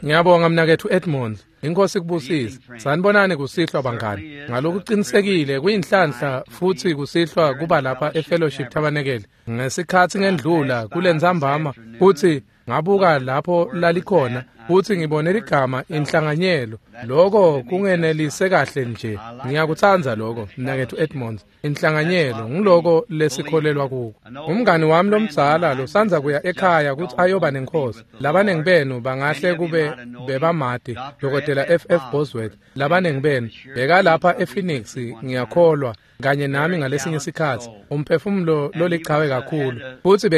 Ngiyabonga mnaketfu Edmonds. Inkosi kubusise. Sanibonani kusihlwa bangani. Ngalokuqinisekile kuyinhlanhla futhi kusihlwa kuba lapha eFellowship Tabernacle. Ngesikhathi ngendlula kulentsambama futhi ngabuka lapho lalikhona futhi ngibone ligama inhlanganyelo. Lokho kungenelise kahle nje. Ngiyakutsandza lokho mnaketfu Edmonds. Inhlanganyelo ngiloko lesikholelwa kuko. Umngani wami lomdzala losandza kuya ekhaya kutsi ayoba nenkosi. Labanengi benu bangahle kube bebamati Dr. F.F. Bosworth. Labanengi benu bekalapha ePhoenix ngiyakholwa kanye nami ngalesinye isikhathi. Umphefumulo lolichawe kakhulu futhi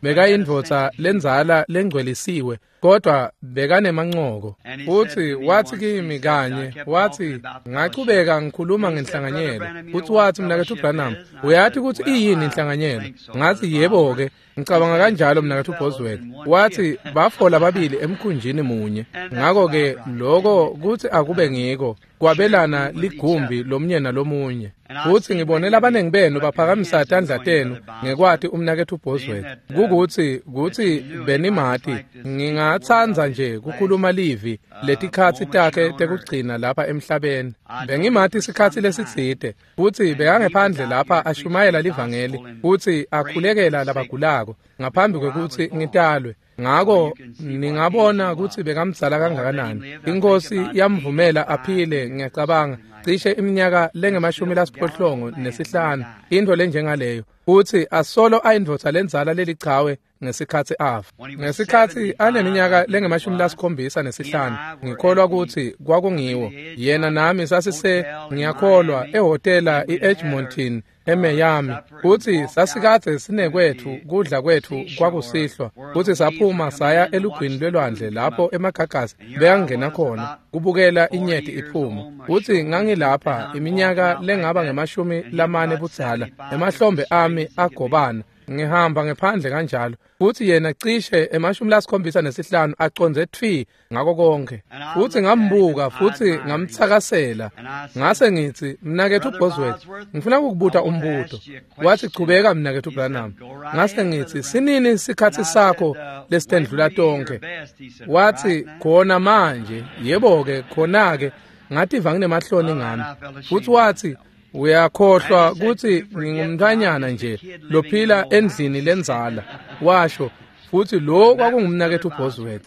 bekayindvodza lendzala lengcwelisiwe kodwa bekanemancoko. Futhi wathi kimi kanye, wathi ngachubeka ngikhuluma ngenhlanganyelo. Futhi wathi mnaketfu Branham, uyathi ukuthi iyini inhlanganyelo? Ngathi yebo ke, ngicabanga kanjalo mnaketfu Bosworth. Wathi bafola babili emkhunjini munye. Ngakho ke lokho kuthi akube ngiko kwabelana ligumbi lomnye nalomunye. Futhi ngibone labanengi benu baphakamisa tandla tenu ngekwati umnaketfu Bosworth. Kukuthi benimati ngingatsandza nje kukhuluma livi letikhatsi takhe tekugcina lapha emhlabeni. Bengimati isikhatsi lesitsite futhi bekangephandle lapha ashumayela livangeli futhi akhulekela labagulako ngaphambi kwekutsi ngitalwe. Ngako ningabona kutsi bekamdzala kangakanani. Inkosi yamvumela aphile ngiyacabanga cishe iminyaka lengama-85 into lenjengaleyo. Futhi asolo ayindvodza lendzala lelichawe ngesikhatsi afa. Ngesikhatsi aneminyaka lengama-75 ngikholwa kutsi kwakungiwo. Yena nami sasise ngiyakholwa ehhotela iEdmonton eMiami. Futhi sasikadze sinekwethu kudla kwethu kwakusihlwa. Futhi saphuma saya elugwini lwelwandle lapho emagagasi bekangena khona kubukela inyeti iphuma. Futhi ngangilapha iminyaka lengaba ngama-40 budzala. Emahlombe ami agobana. Ngihamba ngephandle kanjalo. Futhi yena cishe ema-75 aconze tfi ngako konke. Futhi ngambuka futhi ngamtsakasela. Ngase ngithi mnaketfu Bosworth, ngifuna ukukubuta umbuto. Wathi chubeka mnaketfu Branham. Ngase ngithi sinini isikhatsi sakho lesitendlula tonke? Wathi khona manje. Yebo ke khona ke ngativa nginemahloni ngami. Futhi wathi uyakhohlwa kutsi ngingumntfwanyana nje lophila endlini lendzala, washo. Futhi lo kwakungumnaketfu Bosworth.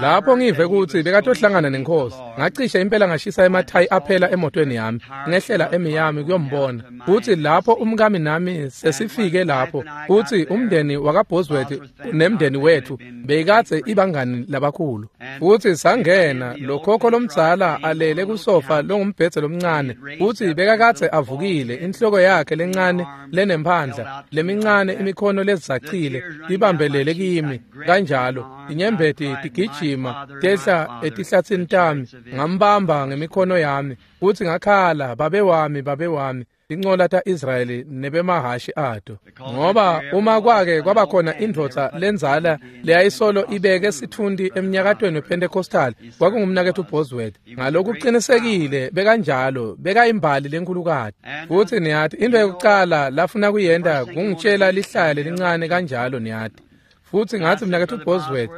Lapho ngive kutsi bekatohlangana nenkosi, ngacishe impela ngashisa emathayi aphela emotweni yami, ngehlela eMiami kuyombona. Futhi lapho umkami nami sesifike lapho, futhi umndeni wakaBosworth nemndeni wethu beyikadze ibangani labakhulu. Futhi sangena lokhokho lomdzala alele kusofa longumbhedze lomncane, futhi bekakadze avukile, inhloko yakhe lencane lenemphandla, lemincane imikhono lezacile ibambelele kimi kanjalo, inyembeti tigijima tehla etihlatsini tami. Ngambamba ngemikhono yami futhi ngakhala, babe wami, babe wami, incola ta-Israyeli nebemahashi ato. Ngoba uma kwake kwabakhona indvodza lendzala leyayisolo ibeke sitfunti emnyakatweni wePentecostal, kwakungumnaketfu Bosworth. Ngalokuqinisekile bekanjalo, bekayimbali lenkhulukati. Futhi niyati into yokucala lafuna kuyenta kungitshela lihlaya lelincane kanjalo niyati. Futhi ngathi mnaketfu Bosworth,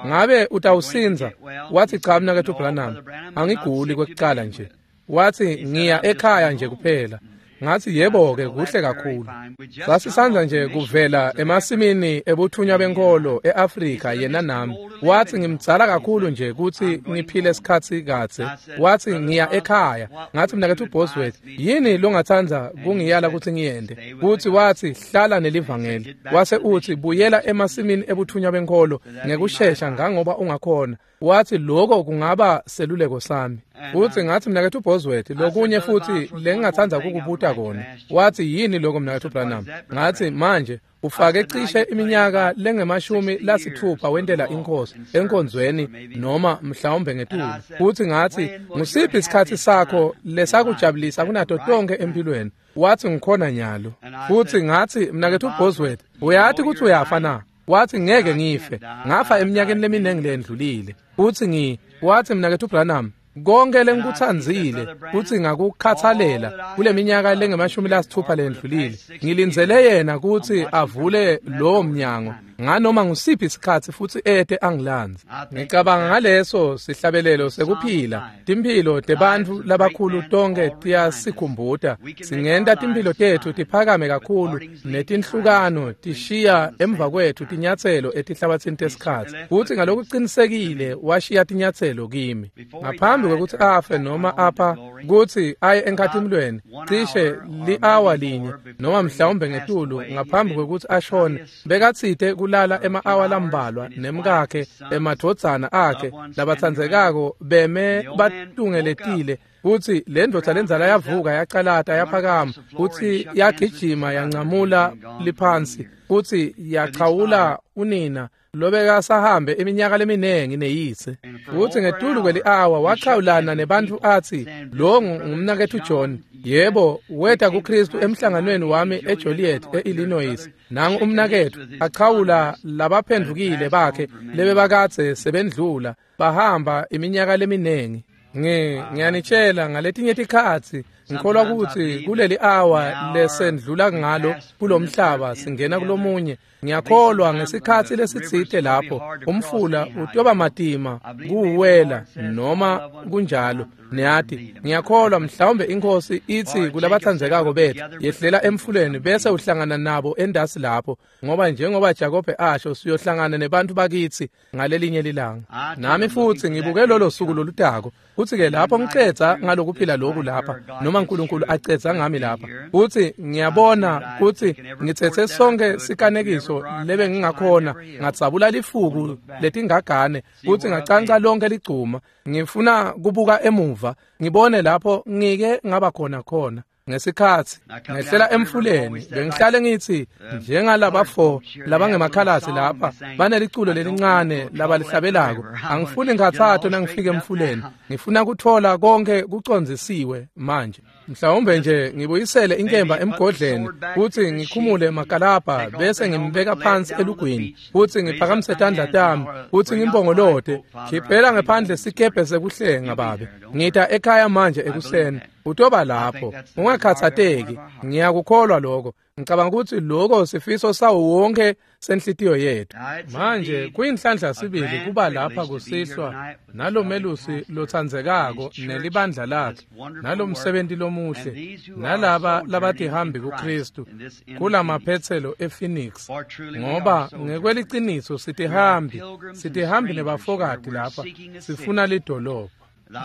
ngabe utawusinza? Wathi cha mnaketfu Branham, angiguli kwekucala nje. Wathi ngiya ekhaya nje kuphela. Ngathi yebo ke kuhle kakhulu. Sasisandza nje kuvela emasimini ebuthunywa benkolo eAfrika yena nami. Wathi ngimdzala kakhulu nje kutsi ngiphile isikhatsi kadze. Wathi ngiya ekhaya. Ngathi mnaketfu Bosworth, yini longatsandza kungiyala kutsi ngiyente? Futhi wathi hlala nelivangeli. Wase uthi buyela emasimini ebuthunywa benkolo ngekushesha ngangoba ungakhona. Wathi lokho kungaba seluleko sami. Futhi ngathi mnaketfu Bosworth, lokunye futhi lengingatsandza kukubuta kona. Wathi yini lokho mnaketfu Branham? Ngathi manje ufake cishe iminyaka lengama-60 wentela inkosi enkonzweni noma mhlawumbe ngetulu. Futhi ngathi ngusiphi isikhatsi sakho lesakujabulisa kunato tonke empilweni? Wathi ngikhona nyalo. Futhi ngathi mnaketfu Bosworth, uyathi kutsi uyafa na? Wathi ngeke ngife, ngafa eminyakeni leminingi lendlulile. Futhi wathi mnaketfu Branham, Konke lengikutsandzile kutsi ngakukhathalela kuleminyaka lengama-60 lendlulile, ngilindzele yena kutsi avule lowo mnyango nganoma ngusiphi isikhatsi futsi ete angilandze. Ngicabanga ngaleso sihlabelelo sekuphila. Timphilo tebantfu labakhulu tonke tiyasikhumbuta. Singenta timphilo tetfu tiphakame kakhulu netinhlukano tishiya emva kwetfu tinyatselo etihlabatsini tesikhatsi. Futsi ngalokucinisekile washiya tinyatselo kimi. Ngaphambi kwekutsi afe noma apha kutsi aye enkhatimulweni, cishe li-awa linye noma mhlawumbe ngetulu ngaphambi kwekutsi ashone, bekatsite kulala ema-awa lambalwa nemkakhe, emadvodzana akhe labatsandzekako beme batungeletile. Kutsi le ndvodza lendzala yavuka yacalata yaphakama, kutsi yagijima yancamula liphansi, kutsi yachawula unina lobekasahambe iminyaka leminingi neyise. Kutsi ngetulu kweli-awa wachawulana nebantfu atsi, lo ngumnaketfu John, yebo weta kuKristu emhlanganweni wami eJoliet eIllinois. Nangu umnaketfu achawula labaphendvukile bakhe lebebakadze sebendlula bahamba iminyaka leminingi. Ngiyanitshela ngaletinye tikhatsi ngikholwa kutsi kuleli awa lesendlula ngalo kulomhlaba singena kulomunye. Ngiyakholwa ngesikhatsi lesitsite lapho umfula utoba matima kuwela noma kunjalo. Niyati, ngiyakholwa mhlawumbe inkosi itsi kulabatsandzekako bethu, yehlela emfuleni bese uhlangana nabo endasi lapho, ngoba njengoba Jakobe asho, siyohlangana nebantu bakitsi ngalelinye lilanga. Nami futsi ngibuke lolo suku lolutako. Kutsi-ke lapho ngicedza ngalokuphila loku lapha, noma uNkulunkulu acedza ngami lapha, kutsi ngiyabona kutsi ngitsetse sonke sikanekiso lebe ngingakhona, ngadzabula lifuku letingagane, kutsi ngacanca lonke ligcuma. Ngifuna kubuka emuva ngibone lapho ngike ngaba khona khona. Ngesikhatsi ngehlela emfuleni, bengihlale ngithi njengalabafo labangemakhalasi lapha baneliculo lelincane labalihlabelako, angifuni ngikhatsato nangifika emfuleni, ngifuna kutfola konke kucondzisiwe manje. Mhlawumbe nje ngibuyisele inkemba emgodleni, kutsi ngikhumule makalabha bese ngimbeka phansi elugwini, kutsi ngiphakamise tandla tami, kutsi ngimpongolote, khiphela ngephandle sikebhe sekuhlenga babe. Ngita ekhaya manje ekuseni, utoba lapho, ungakhatsateki. Ngiyakukholwa lokho. Ngicabanga kutsi lokho sifiso sawo wonke senhlitiyo yethu. Manje kuyinhlanhla sibili kuba lapha kusihlwa nalomelusi lotsandzekako nelibandla lakhe, nalomsebenti lomuhle, nalaba labatihambi kuKristu kulamaphetselo ePhoenix, ngoba ngekweliciniso sitihambi, sitihambi nebafokati lapha, sifuna lidolobha.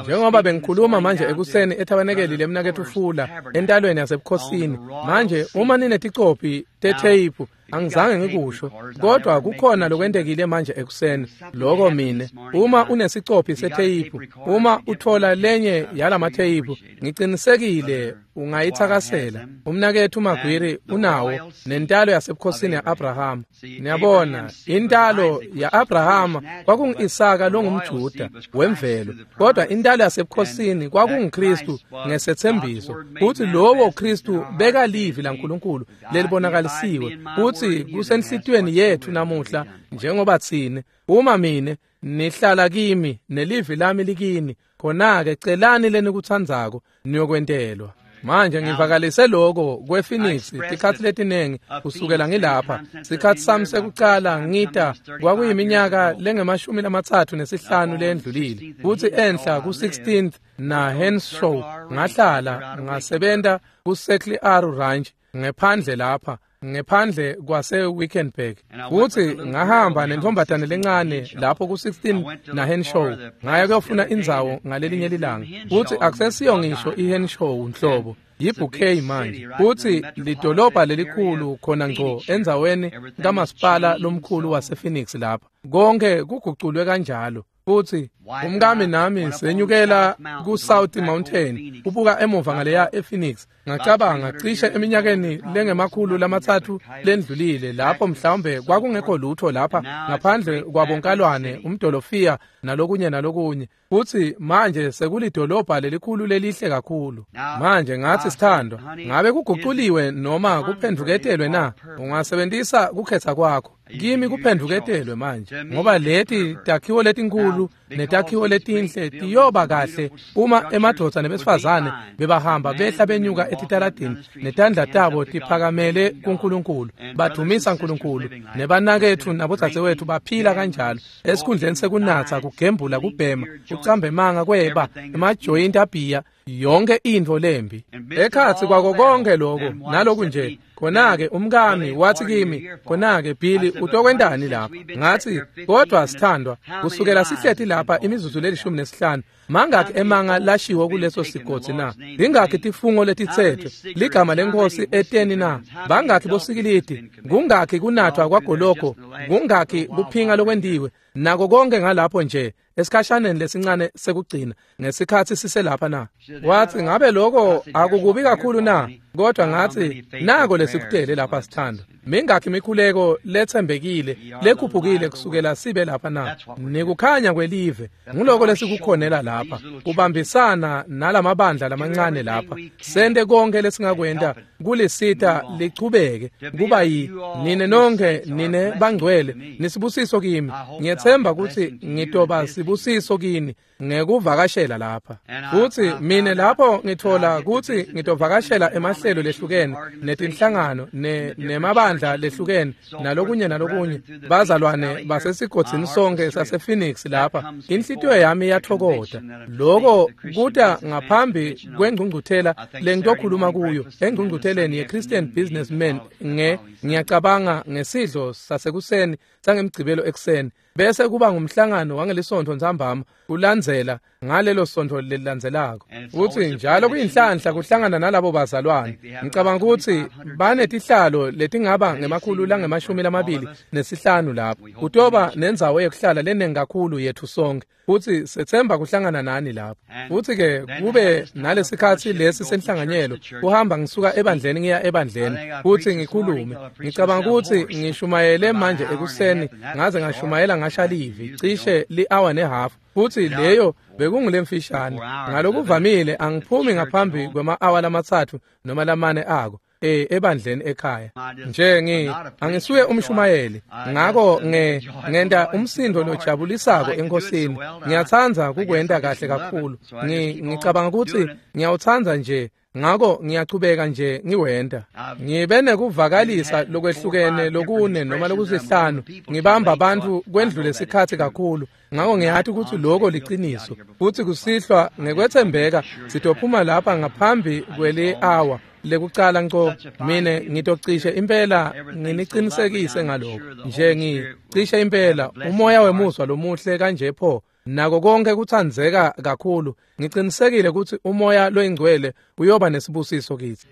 Njengoba bengikhuluma manje ekuseni ethabanekeli lemnaketfu Fula entalweni yasebukhosini. Manje uma nineticophi tetheyiphu, angizange ngikusho, kodwa kukhona lokwentekile manje ekuseni. Lokho mine, uma unesicophi setheyiphu, uma uthola lenye yalamatheyiphu, ngicinisekile ungayithakasela. Umnaketfu Magwiri unawo, nentalo yasebukhosini ya-Abrahama. Niyabona, intalo ya-Abrahama kwakungu-Isaka longumJuda wemvelo, kodwa intalo yasebukhosini kwakunguKristu ngesethembiso, kutsi lowo Kristu bekalivi laNkulunkulu lelibonakalisiwe, kutsi kusenhlitiyweni yetfu namuhla njengoba tsine, uma mine nihlala kimi nelivi lami likini, khona-ke celani lenikutsandzako niyokwentelwa. Manje ngivakalise lokho kwePhoenix tikhatsi letinengi kusukela ngilapha. Sikhatsi sami sekucala ngita kwakuyiminyaka lengama-35 lendlulile, kutsi enhla ku-16th na Henshaw ngahlala ngasebenta ku-Circle R Ranch ngephandle lapha, ngephandle kwase Wickenburg. Kutsi ngahamba nentombazane lencane lapho ku-16 na Henshaw, ngaya kuyofuna indzawo ngalelinye lilanga. Kutsi akusesiyo ngisho iHenshaw nhlobo, yibouquet manje. Kutsi lidolobha lelikhulu khona ngco endzaweni kamasipala lomkhulu wasePhoenix lapha. Konke kuguculwe kanjalo. Futsi umkami nami senyukela ku-South Mountain kubuka emuva ngaleya ePhoenix. Ngacabanga cishe eminyakeni lengama-300 lendlulile lapho mhlawumbe kwakungekho lutho lapha ngaphandle kwabonkalwane, umdolofiya nalokunye nalokunye. Futsi manje sekulidolobha lelikhulu lelihle kakhulu. Manje ngathi, sithandwa, ngabe kuguculiwe noma kuphendvuketelwe na? Ungasebentisa kukhetha kwakho. Kimi kuphendvuketelwe manje, ngoba leti takhiwo letinkulu netakhiwo letinhle tiyoba kahle uma emadvodza nebesifazane bebahamba behla benyuka etitaladini netandla tabo tiphakamele kuNkulunkulu, badumisa uNkulunkulu, nebanaketfu nabodzadzewetfu baphila kanjalo, esikhundleni sekunatsa, kugembula, kubhema, kucamba emanga, kweba, emajoyinti abhiya, yonke intfo lembi. Ekhatsi kwako konke lokho naloku nje, khona-ke umkami wathi kimi, khona-ke Billy, utokwentani lapha? Ngathi, kodwa sithandwa, kusukela sihleti lapha imizuzu leli-15, mangakhi emanga lashiwo kuleso sigodzi na? Lingakhi tifungo letitsetfwe ligama leNkhosi eteni na? Bangakhi bosikilidi? Kungakhi kunathwa kwagoloko? Kungakhi kuphinga lokwentiwe? Nako konke ngalapho nje esikhashaneni lesincane sekugcina ngesikhatsi siselapha na? Wathi, ngabe lokho akukubi kakhulu na? Kodwa ngathi, nako lesikutele lapha sithandwa. Mingakhi imikhuleko letsembekile lekhuphukile kusukela sibe lapha na? Nikukhanya kwelive, nguloko lesikukhonela lapha, kubambisana nalamabandla lamancane lapha, sente konke lesingakwenta kulisita lichubeke kuba yi nine nonke nine bangcwele nisibusiso kimi. Ngiyethemba ukuthi ngitoba sibusiso kini ngekuvakashela lapha. Futhi mine lapho ngithola ukuthi ngitovakashela emahlelo lehlukene netinhlangano nemabandla lehlukene nalokunye nalokunye, bazalwane basesigodzini sonke sasePhoenix lapha, inhlitiyo yami iyathokoda. Lokho kuta ngaphambi kwengcungcuthela lengitokhuluma kuyo engcungcutheleni ye-Christian Businessmen, ngiyacabanga ngesidlo sasekuseni sangemgcibelo ekuseni, bese kuba ngumhlangano wangelisonto ntsambama kulandzela ngalelo sonto lelilandzelako. Futhi njalo kuyinhlanhla kuhlangana nalabo bazalwane. Ngicabanga ukuthi banetihlalo letingaba ngama-225 lapho. Kutoba nendzawo yekuhlala lenengi kakhulu yethu sonke, futhi sethemba kuhlangana nani lapho. Futhi-ke kube nalesikhatsi lesi senhlanganyelo, kuhamba ngisuka ebandleni ngiya ebandleni futhi ngikhulume. Ngicabanga ukuthi ngishumayele manje ekuseni, ngaze ngashumayela ngasha livi cishe li-hour nehafu, futhi leyo bekungulemfishane. Ngalokuvamile angiphumi ngaphambi kwema-awa 3 noma 4 ako ebandleni ekhaya. Nje angisuye umshumayeli, ngako ngenta umsindo lojabulisako enkosini. Ngiyatsandza kukwenta kahle kakhulu. Ngicabanga ukuthi ngiyawutsandza nje, ngako ngiyachubeka nje ngiwenta. Ngibe nekuvakalisa lokwehlukene lokune noma lokusihlanu, ngibamba abantu kwendlule isikhatsi kakhulu, ngako ngiyathi ukuthi lokho liciniso. Futhi kusihlwa ngekwethembeka sitophuma lapha ngaphambi kweli-hour lekucala nco. Mine ngitocishe impela nginiqinisekise ngalokho nje, ngicishe impela umoya wemuzwa lomuhle kanje pho, nako konke kutsandzeka kakhulu. Ngicinisekile ukuthi umoya loyingcwele uyoba nesibusiso kithi.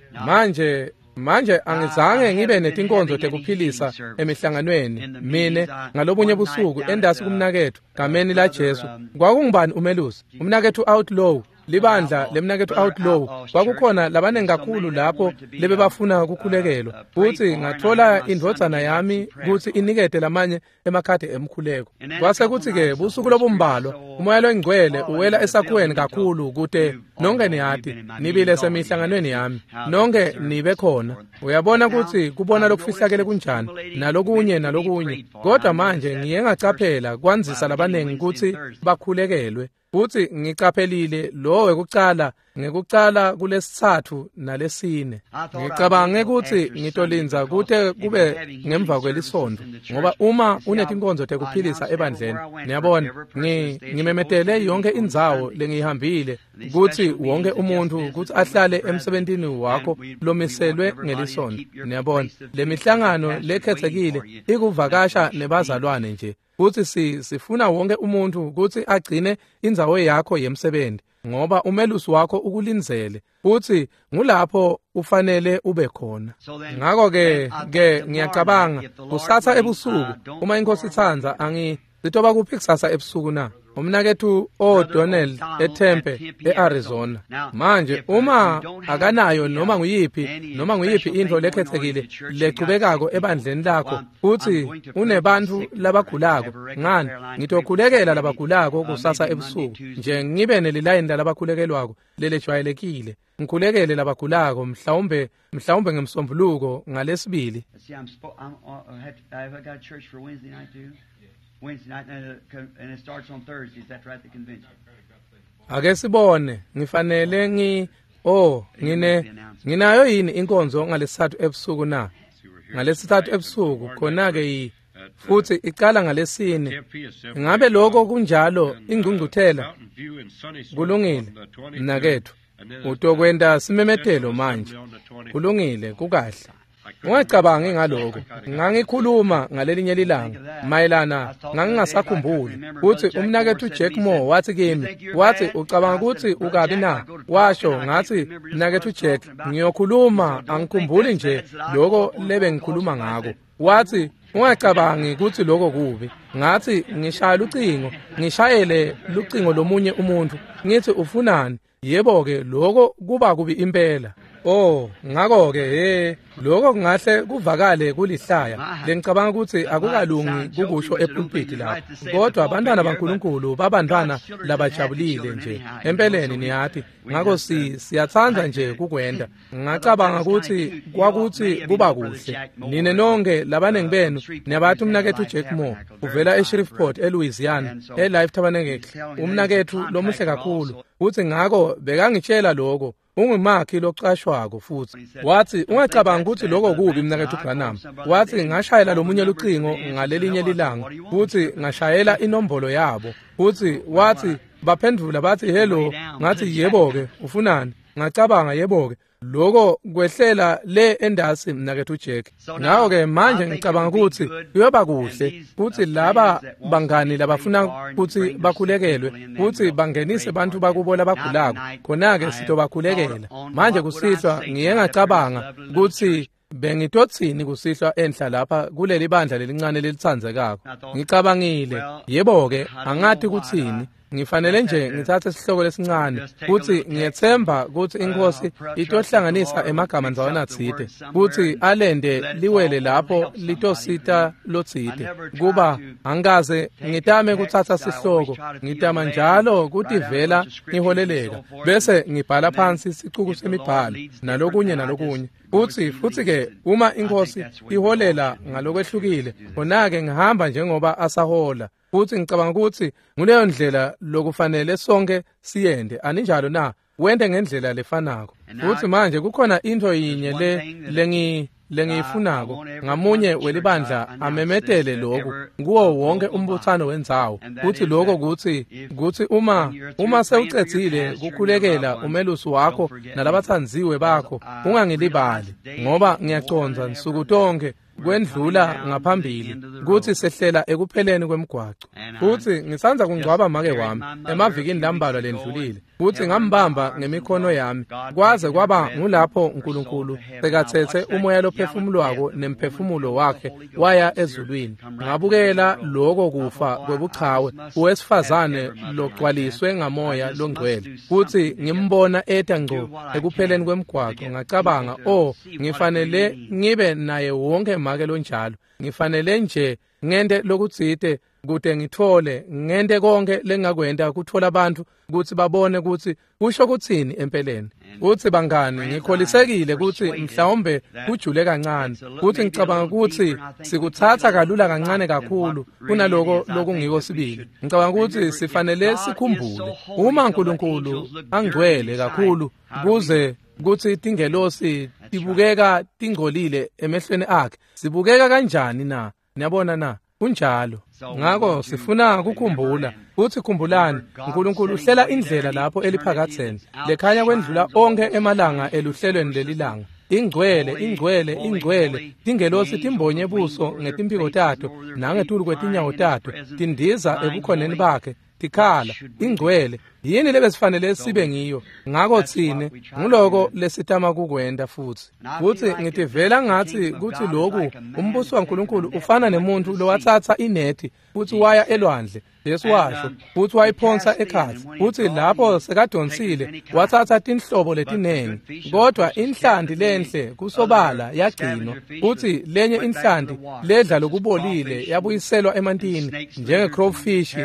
Manje angizange ngibe netinkonzo tekuphilisa emihlanganweni mine ngalobunye busuku endasi kumnaketfu gameni la Jesu. Kwakungubani umelusi? Umnaketfu Outlaw, libandla lemnaketfu Outlaw. Kwakukhona labanengi kakhulu lapho lebebafuna kukhulekelwa, futhi ngathola indvodzana yami kutsi inikete lamanye emakhadi emkhuleko. Kwase kuthi-ke busuku lobumbalwa umoya loyingcwele uwela esakhiweni kakhulu kute nonke niyati nibile semihlanganweni yami, nonke nibe khona. Uyabona ukuthi kubona lokufihlakele kunjani nalokunye nalokunye. Kodwa manje ngiye ngacaphela kwandzisa labanengi kutsi bakhulekelwe, futhi ngicaphelile lo wekucala ngekucala kulesithathu nalesine. Ngicabange ukuthi ngitolindza kute kube ngemva kwelisonto, ngoba uma unetinkonzo tekuphilisa ebandleni, niyabona, ngimemetele yonke indzawo lengiyihambile kutsi wonke umuntu kutsi ahlale emsebentini wakho lomiselwe ngelisonto. Niyabona, lemihlangano lekhetsekile ikuvakasha nebazalwane nje, futhi sifuna wonke umuntu kutsi agcine indzawo yakho yemsebenti, ngoba umelusi wakho ukulindzele, futhi ngulapho ufanele ube khona. Ngako-ke ke ngiyacabanga kusasa ebusuku, uma inkosi itsandza, sitoba kuphi kusasa ebusuku na? Umnaketfu O'Donnell eTempe eArizona. Manje uma akanayo noma nguyiphi intfo lekhetsekile lechubekako ebandleni lakho futsi unebantfu labagulako, ngani ngitokhulekela labagulako kusasa ebusuku nje ngibe nelilayini lalabakhulekelwako lelejwayelekile, ngikhulekele labagulako mhlawumbe ngemsombuluko ngalesibili. Ake sibone, ngifanele nginayo yini inkonzo ngalesithathu ebusuku na? Ngalesithathu ebusuku khona-ke futhi icala ngalesine. Ngabe lokho kunjalo ingcungcuthela? Kulungile, mnaketfu, utokwenta simemetelo manje. Kulungile, kukahle. Ungacabangi ngaloko. Ngangikhuluma ngalelinye lilanga mayelana ngangingasakhumbuli kutsi umnaketfu Jack Moore wathi kimi, wathi ucabanga kutsi ukabi na? Washo ngathi, mnaketfu Jack, ngiyokhuluma angikhumbuli nje lokho lebe ngikhuluma ngako. Wathi ungacabangi kutsi lokho kubi. Ngathi ngishaya lucingo, ngishayele lucingo lomunye umuntu, ngithi ufunani? Yebo-ke lokho kuba kubi impela. Oh, ngakho-ke lokho kungahle kuvakale kulihlaya lengicabanga ukuthi akukalungi kukusho epulpiti lapho, kodwa abantwana baNkulunkulu babantwana labajabulile nje empeleni, niyathi. Ngakho siyatsandza nje kukwenda. Ngacabanga ukuthi kwakuthi kuba kuhle nine nonke labaningi benu niyabathi umnaketfu Jack Moore uvela eShreveport eLouisiana eLife Tabernacle, umnaketfu lomuhle kakhulu. Uthi ngakho bekangitshela lokho, ungumakhi locashwako futhi. Wathi ungacabanga ukuthi lokho kubi mnaketfu Branham. Wathi ngashayela lomunye lucingo ngalelinye lilanga futhi ngashayela inombolo yabo, futhi wathi baphendvula bathi hello. Ngathi yebo-ke ufunani? Ngacabanga yebo-ke lokho kwehlela le endasi mnaketfu Jack. Ngakho-ke manje ngicabanga ukuthi kuyoba kuhle kutsi laba bangani labafuna kutsi bakhulekelwe kutsi bangenise bantfu bakubo labagulako, khona-ke sitobakhulekela. Manje kusihlwa ngiye ngacabanga kutsi bengitotsini kusihlwa enhla lapha kuleli bandla lelincane lelitsandzekako. Ngicabangile, yebo-ke angati kutsini. Ngifanele nje ngitsatse sihloko lesincane kutsi ngiyetsemba kutsi inkosi itohlanganisa emagama ndzawana tsite kutsi alende liwele lapho litosita lotsite. Kuba angikaze ngitame kutsatsa sihloko, ngitama njalo kutivela ngiholeleka bese ngibhala phansi sicuku semibhalo nalokunye nalokunye. Futhi-ke uma inkosi iholela ngalokwehlukile, khona-ke ngihamba njengoba asahola. Futhi ngicabanga ukuthi nguleyo ndlela lokufanele sonke siyende, aninjalo na? Wente ngendlela lefanako. Futhi manje kukhona into yinye le lengiyifunako ngamunye welibandla amemetele lokhu kuwo wonke umbuthano wendzawo, kuthi lokho kuthi uma sewucedzile kukhulekela umelusi wakho nalabathandziwe bakho, ungangilibali, ngoba ngiyacondza nsuku tonke kwendlula ngaphambili kutsi sehlela ekupheleni kwemgwaco. Futhi ngisandza kungcwaba make wami emavikini lambalwa lendlulile, futhi ngambamba ngemikhono yami kwaze kwaba ngulapho uNkulunkulu sekatsetse umoya lophefumulwako nemphefumulo wakhe waya ezulwini. Ngabukela lokho kufa kwebuchawe owesifazane logcwaliswe ngamoya longcwele, futhi ngimbona eta ngco ekupheleni kwemgwaco. Ngacabanga, oh, ngifanele ngibe naye wonke make lonjalo, ngifanele nje ngente lokutsite kute ngithole, ngente konke lengakwenta kuthola abantu kutsi babone kutsi kusho kutsini empeleni. Kutsi bangani, ngikholisekile kutsi mhlawumbe kujule kancane, kutsi ngicabanga kutsi sikutsatsa kalula kancane kakhulu kunaloko lokungiko sibili. Ngicabanga kutsi sifanele sikhumbule uma uNkulunkulu angcwele kakhulu kuze kutsi tingelosi tibukeka tingcolile emehlweni akhe, sibukeka kanjani na? Niyabona na? Kunjalo. Ngakho sifuna kukhumbula kutsi khumbulani, uNkulunkulu uhlela indlela lapho eliphakatheni lekhanya kwendlula onke emalanga eluhlelweni lelilanga. Ingcwele, ingcwele, ingcwele, tingelosi timbonye buso ngetimphiko tato nangetulu kwetinyawo tato, tindiza ebukhoneni bakhe tikhala, ingcwele. Yini lebesifanele sibe ngiyo? Ngako tsine nguloko lesitama kukwenta futsi. Futsi ngitivela ngatsi kutsi loku umbuso waNkulunkulu ufana nemuntu lowatsatsa inethi futsi waya elwandle. Jesu washo futsi wayiphonsa ekhatsi, futsi lapho sekadonsile watsatsa tinhlobo letinengi, kodwa inhlanti lenhle kusobala yagcinwa, futsi lenye inhlanti ledla lokubolile yabuyiselwa emantini njenge-crowfish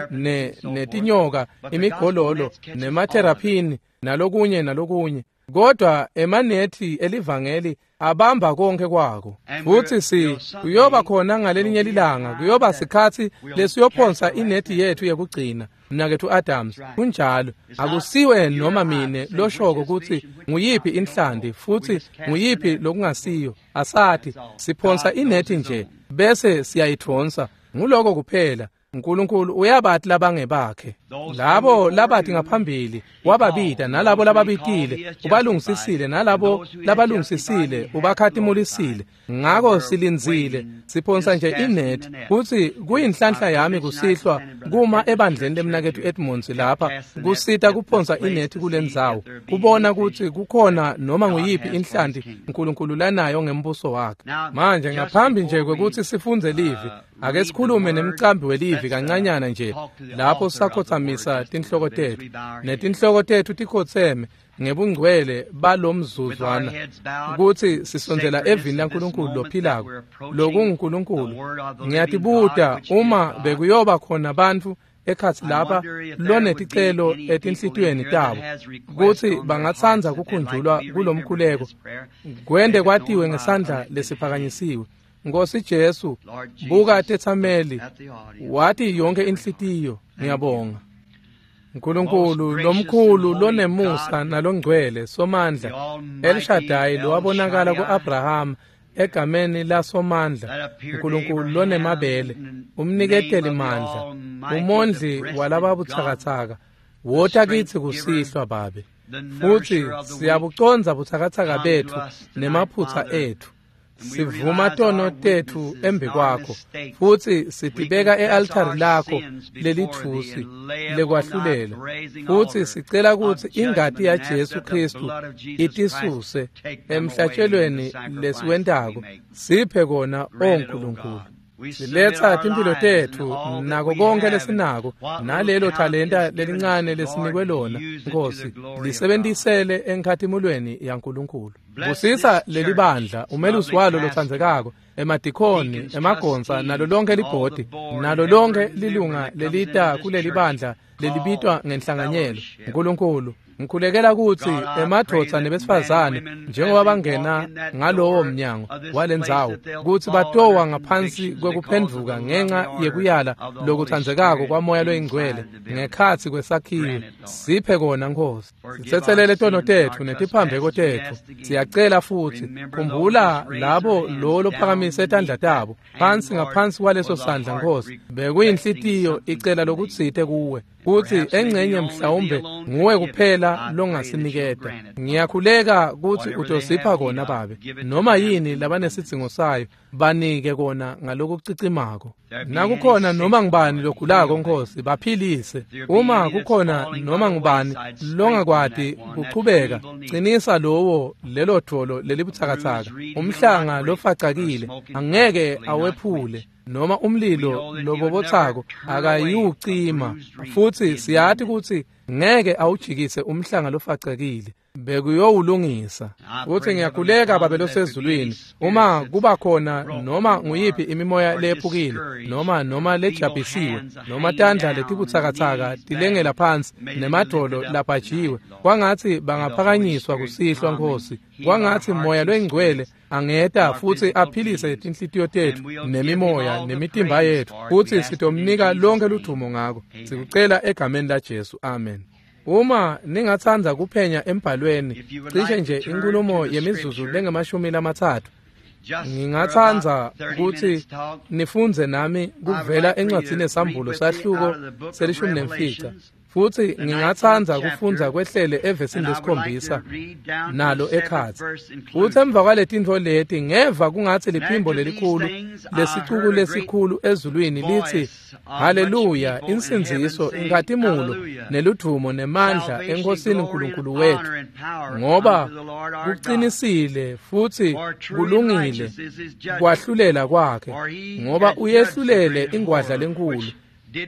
netinyoka, imigololo, nemateraphini nalokunye nalokunye. Kodwa emanethi elivangeli abamba konke kwako. Futsi kuyoba khona ngalelinye lilanga, kuyoba sikhatsi lesiyophonsa inethi yethu yekugcina. Mnaketfu Adams, kunjalo. Akusiwe noma mine loshoko kutsi nguyiphi inhlanti futsi nguyiphi lokungasiyo. Asati, siphonsa inethi nje bese siyayidvonsa. Nguloko kuphela. uNkulunkulu uyabati labangebakhe. Labo labati ngaphambili wababita, nalabo lababitile ubalungisisile, nalabo labalungisisile ubakhatimulisile. Ngako silindzile, siphonsa nje inethi. Futsi kuyinhlanhla yami kusihlwa kuma ebandleni lemnaketfu Edmonds lapha kusita kuphonsa inethi kulendzawo, kubona kutsi kukhona noma nguyiphi inhlanti uNkulunkulu lanayo ngembuso wakhe. Manje ngaphambi nje kwekutsi sifundze livi, ake sikhulume nemcambi welivi kancanyana nje lapho sakhotsamisa tinhloko tethu, netinhloko tethu tikhotseme ngebungcwele balomzuzwana, kutsi sisondzela evini laNkulunkulu lophilako lokunguNkulunkulu. Ngiyatibuta uma bekuyoba khona bantfu ekhatsi lapha loneticelo etinhlitiyweni tabo kutsi bangatsandza kukhunjulwa kulomkhuleko, kwende kwatiwe ngesandla lesiphakanyisiwe. Nkosi Jesu, buka tetsameli, wati yonke inhlitiyo. Ngiyabonga. Nkulunkulu lomkhulu lonemusa nalongcwele Somandla, El Shaddai lowabonakala ku-Abraham egameni laSomandla, Nkulunkulu lonemabele, umniketeli mandla, umondli walababutsakatsaka, wota kitsi kusihlwa Babe. Futsi siyabucondza butsakatsaka betfu nemaphutsa etfu. Sivuma tono tetfu embi kwakho, futsi sitibeka e-altari lakho lelitfusi lekwahlulela, futsi sicela kutsi ingati yaJesu Kristu itisuse emhlatshelweni lesiwentako. Siphe kona, o Nkulunkulu. Siletsa timphilo tetfu nako konke lesinako, nalelo talenta lelincane lesinikwe lona, Nkosi, lisebentisele enkhatimulweni yaNkulunkulu. Busisa lelibandla, umelusi walo lotsandzekako, emadikhoni, emagonsa, nalo lonke libhodi, nalo lonke lilunga lelita kulelibandla lelibitwa ngenhlanganyelo. Nkulunkulu, ngikhulekela kutsi emadvodza nebesifazane njengoba bangena ngalowo mnyango walendzawo, kutsi batowa ngaphansi kwekuphendvuka ngenxa yekuyala lokutsandzekako kwaMoya loyiNgcwele ngekhatsi kwesakhiwo. Siphe kona, Nkosi. Sitsetselele tono tetfu netiphambeko tetfu. Siyacela futsi khumbula labo lo lophakamise tandla tabo phansi ngaphansi kwaleso sandla, Nkosi. Bekuyinhlitiyo icela lokutsite kuwe, kutsi engcenye mhlawumbe nguwe kuphela longasiniketa. Ngiyakhuleka kutsi utosipha kona, Babe. Noma yini labanesidzingo sayo, banike kona ngalokucicimako. Nakukhona noma ngubani logulako, Nkosi, baphilise. Uma kukhona noma ngubani longakwati kuchubeka, cinisa lowo lelo dvolo lelibutsakatsaka, umhlanga lofacakile angeke awephule, noma umlilo lobobotsako akayiwucima. Futsi siyati kutsi ngeke awujikise umhlanga lofacekile, bekuyowulungisa. Futsi ngiyakhuleka, Babe losezulwini, uma kuba khona noma nguyiphi imimoya lephukile, noma lejabhisiwe, noma tandla letibutsakatsaka tilengela phansi, nemadvolo labhajiwe, kwangatsi bangaphakanyiswa kusihlwa, Nkosi. Kwangatsi Moya loyiNgcwele angeta futsi aphilise tinhlitiyo tetfu nemimoya nemitimba yetfu, futsi sitomnika lonke ludvumo ngako. Sikucela egameni laJesu, amen. Uma ningatsandza kuphenya embhalweni, cishe nje inkulumo yemizuzu lengemashumi 30, ngingatsandza kutsi nifundze nami kuvela encwadzini yeSambulo sahluko se-15. Futsi ngingatsandza kufundza kwehlele evesini lesikhombisa nalo ekhatsi. Futsi emva kwaletintfo leti ngeva kungatsi liphimbo lelikhulu lesicuku lesikhulu ezulwini litsi, Haleluya, insindziso, inkhatimulo, neludvumo nemandla eNkhosini Nkulunkulu wetfu, ngoba kucinisile futsi kulungile kwahlulela kwakhe, ngoba uyehlulele ingwadla lenkhulu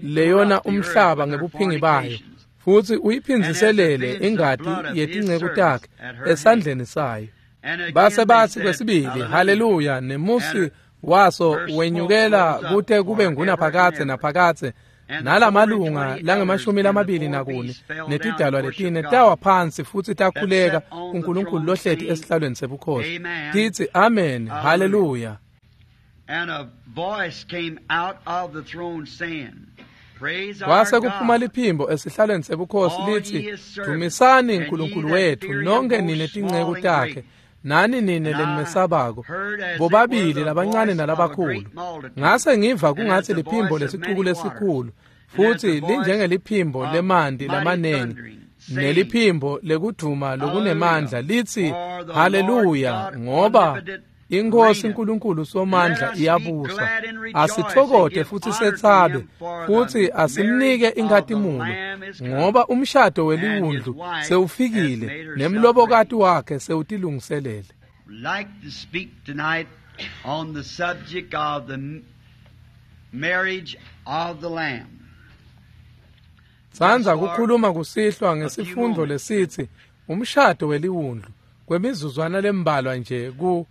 leyona umhlaba ngebuphingi bayo, futsi uyiphindziselele ingati yetinceku takhe esandleni sayo. Base batsi kwesibili, haleluya, nemusi waso wenyukela kute kube ngunaphakadze naphakadze, nalamalunga langemashumi lamabili nakune netidalwa letine tawa phansi futsi takhuleka kuNkulunkulu lohleti esihlalweni sebukhosi, titsi, amen, haleluya. Kwase kuphuma liphimbo esihlalweni sebukhosi litsi, dumisani Nkulunkulu wetfu nonke nine tinceku takhe, nani nine lenimesabako, bobabili labancane nalabakhulu. Ngase ngiva kungatsi liphimbo lesicuku lesikhulu, futsi linjengeliphimbo lemanti lamanengi, neliphimbo lekudvuma lokunemandla litsi, haleluya, ngoba iNkhosi Nkulunkulu Somandla iyabusa. Asitfokote futsi setsabe, futhi asimnike inkhatimulo, ngoba umshado weliwundlu sewufikile, nemlobokati wakhe sewutilungiselele. Like to speak tonight on the subject of the marriage of the Lamb. Tsandza kukhuluma kusihlwa ngesifundvo lesitsi umshado weliwundlu kwemizuzwana lembalwa nje ku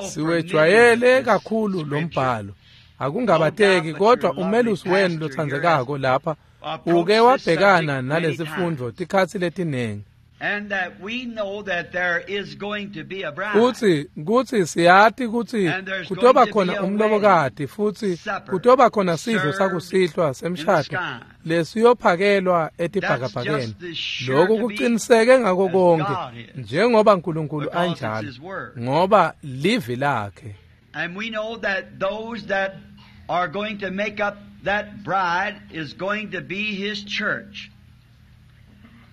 siwejwayele kakhulu lombhalo, akungabateki, kodwa umelusi wenu lotsandzekako lapha uke wabhekana nalesifundvo tikhatsi letinengi. Futsi kutsi siyati kutsi kutoba khona umlobokati, futsi kutoba khona sidlo sakusihlwa semshado lesiyophakelwa etibhakabhakeni. Lokhu kuqiniseke ngako konke njengoba Nkulunkulu anjalo, ngoba livi lakhe. And we know that those that are going to make up that bride is going to be his church.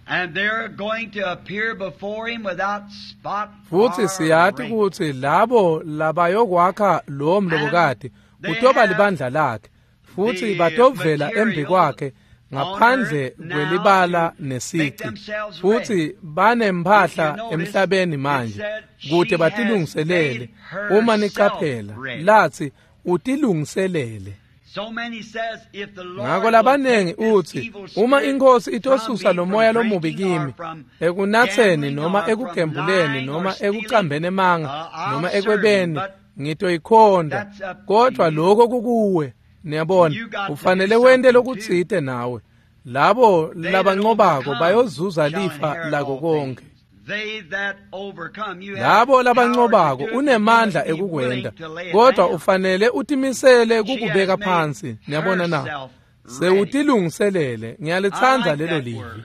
And they're going to appear before him without spot or Futsi siyati kutsi labo labayokwakha lo mlobokati kutoba libandla lakhe, futsi batovela embi kwakhe ngaphandle kwelibala nesici, futsi banemphahla emhlabeni manje kute batilungiselele. Uma nicaphela, latsi utilungiselele. Ngako labanengi utsi, uma iNkhosi itosusa lo moya lomubi kimi, ekunatseni noma ekugembuleni noma ekucambeni emanga noma ekwebeni, ngitoyikhonda. Kodwa lokho kukuwe, niyabona, ufanele wente lokutsite nawe. Labo labanqobako bayozuza lifa lako konke. Labo labanqobako unemandla ekukwenta, kodwa ufanele utimisele kukubeka phansi. Niyabona na? Sewutilungiselele. Ngiyalitsandza lelo livi.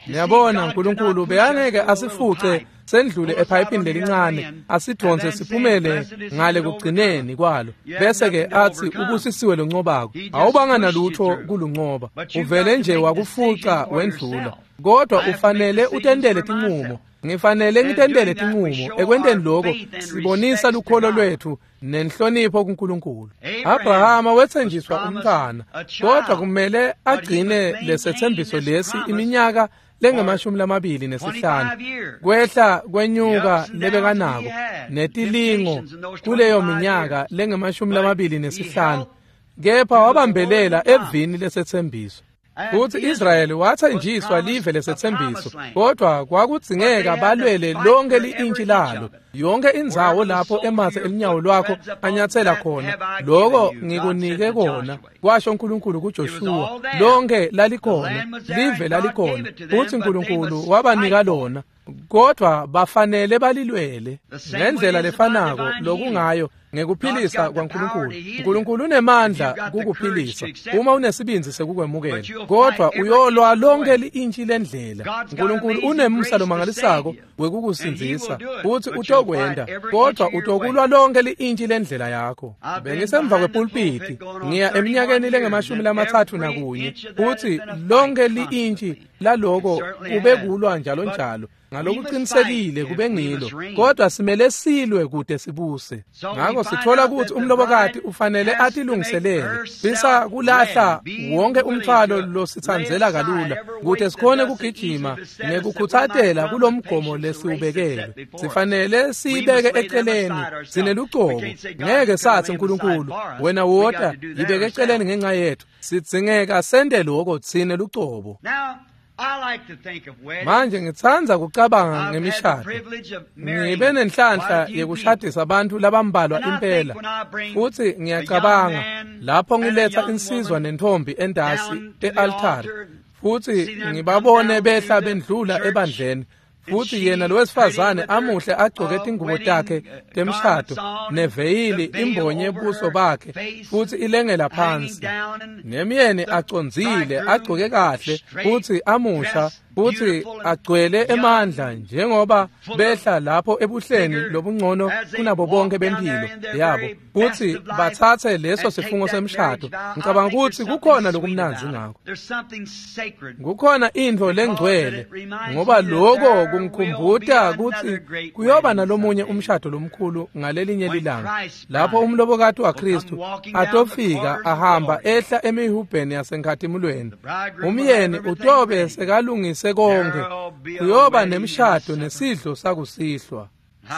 Niyabona, Nkulunkulu bekangeke asifuce sendlule ephayipini lelincane, asidvonse siphumele ngale kugcineni kwalo, bese ke atsi ubusisiwe loncobako. Awubanga nalutho kuluncoba, uvele nje wakufuca wendlula. Kodwa ufanele utendele tinqumo. Ngifanele ngitendele tinqumo. Ekwenteni lokho sibonisa lukholo lwethu nenhlonipho kuNkulunkulu. Abrahama wetsenjiswa umntwana, kodwa kumele agcine lesethembiso lesi iminyaka lengamashumi lamabili nesihlanu, kwehla kwenyuka lebekanako netilingo kuleyo minyaka lengamashumi lamabili nesihlanu, kepha wabambelela evini lesethembiso. Futsi Israyeli wathenjiswa live lesethembiso, kodwa kwakudzingeka balwele lonke li-intshi lalo, yonke indzawo lapho ematse elinyawo lwakho anyatsela khona. Lokho ngikunike kona, kwasho uNkulunkulu kuJoshuwa. Lonke lalikhona, live lalikhona, futsi uNkulunkulu wabanika lona. Kodwa bafanele balilwele ngendlela lefanako lokungayo ngekuphilisa kwaNkulunkulu. uNkulunkulu unemandla kukuphilisa uma unesibindzi sekukwemukela, kodwa uyolwa lonke li-intshi lendlela. uNkulunkulu unemusa lomangalisako wekukusindzisa futhi utokwenta, kodwa utokulwa lonke li-intshi lendlela yakho. Bengisemva kwepulpiti ngiya eminyakeni lengamashumi 31, futhi lonke li-intshi laloko kube kulwa njalo njalo. Ngalokuqinisekile kube ngilo, kodwa simele silwe kude sibuse. Ngakho sithola ukuthi umlobokati ufanele atilungiselele bisa kulahla wonke umthwalo lositsandzela kalula kude sikhone kugijima nekukhutsatela kulomgomo lesiwubekele. Sifanele siyibeke eceleni sinelucobo. Ngeke sathi uNkulunkulu wena wota yibeke eceleni ngenxa yethu. Sidzingeka sente lokho tsine lucobo. Manje ngitsandza kucabanga ngemishado. Ngibe nenhlanhla yekushadisa abantu labambalwa impela, futhi ngiyacabanga lapho ngiletha insizwa nentombi endasi e-altare futhi ngibabone behla bendlula ebandleni, futhi yena lo wesifazane amuhle agcoke tingubo takhe temshado neveyili imbonye buso bakhe futhi ilengela phansi, nemyeni acondzile agcoke kahle futhi amusha futhi agcwele emandla njengoba behla lapho ebuhleni lobungcono kunabo bonke bempilo yabo, futhi bathathe leso sifungo semshado. Ngicabanga ukuthi kukhona lokumnandzi ngakho, kukhona intfo lengcwele, ngoba lokho kungikhumbuta ukuthi kuyoba nalomunye umshado lomkhulu ngalelinye lilanga lapho umlobokati waKristu atofika ahamba ehla emihubheni yasenkhatimulweni. Umyeni utobe sekalungise konke, kuyoba nemshado nesidlo sakusihlwa.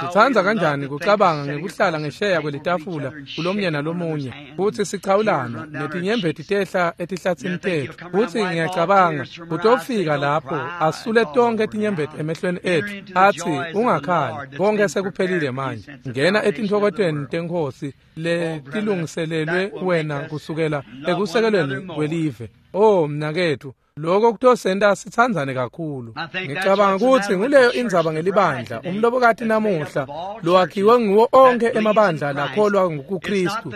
Sitsandza kanjani kucabanga ngekuhlala ngesheya kwelitafula kulomnye nalomunye futhi sichawulana netinyembeti tehla etihlatsini tetfu, futhi ngiyacabanga utofika lapho asule tonke tinyembeti emehlweni etfu athi ungakhali, konke sekuphelile manje, ngena etintfokotweni teNkhosi letilungiselelwe wena kusukela ekusekelweni kwelive. Oh mnaketfu, lokho kutosenta sitsandzane kakhulu. Ngicabanga ukuthi nguleyo indzaba ngelibandla umlobokati namuhla lowakhiwe nguwo onke emabandla lakholwa nguKristu.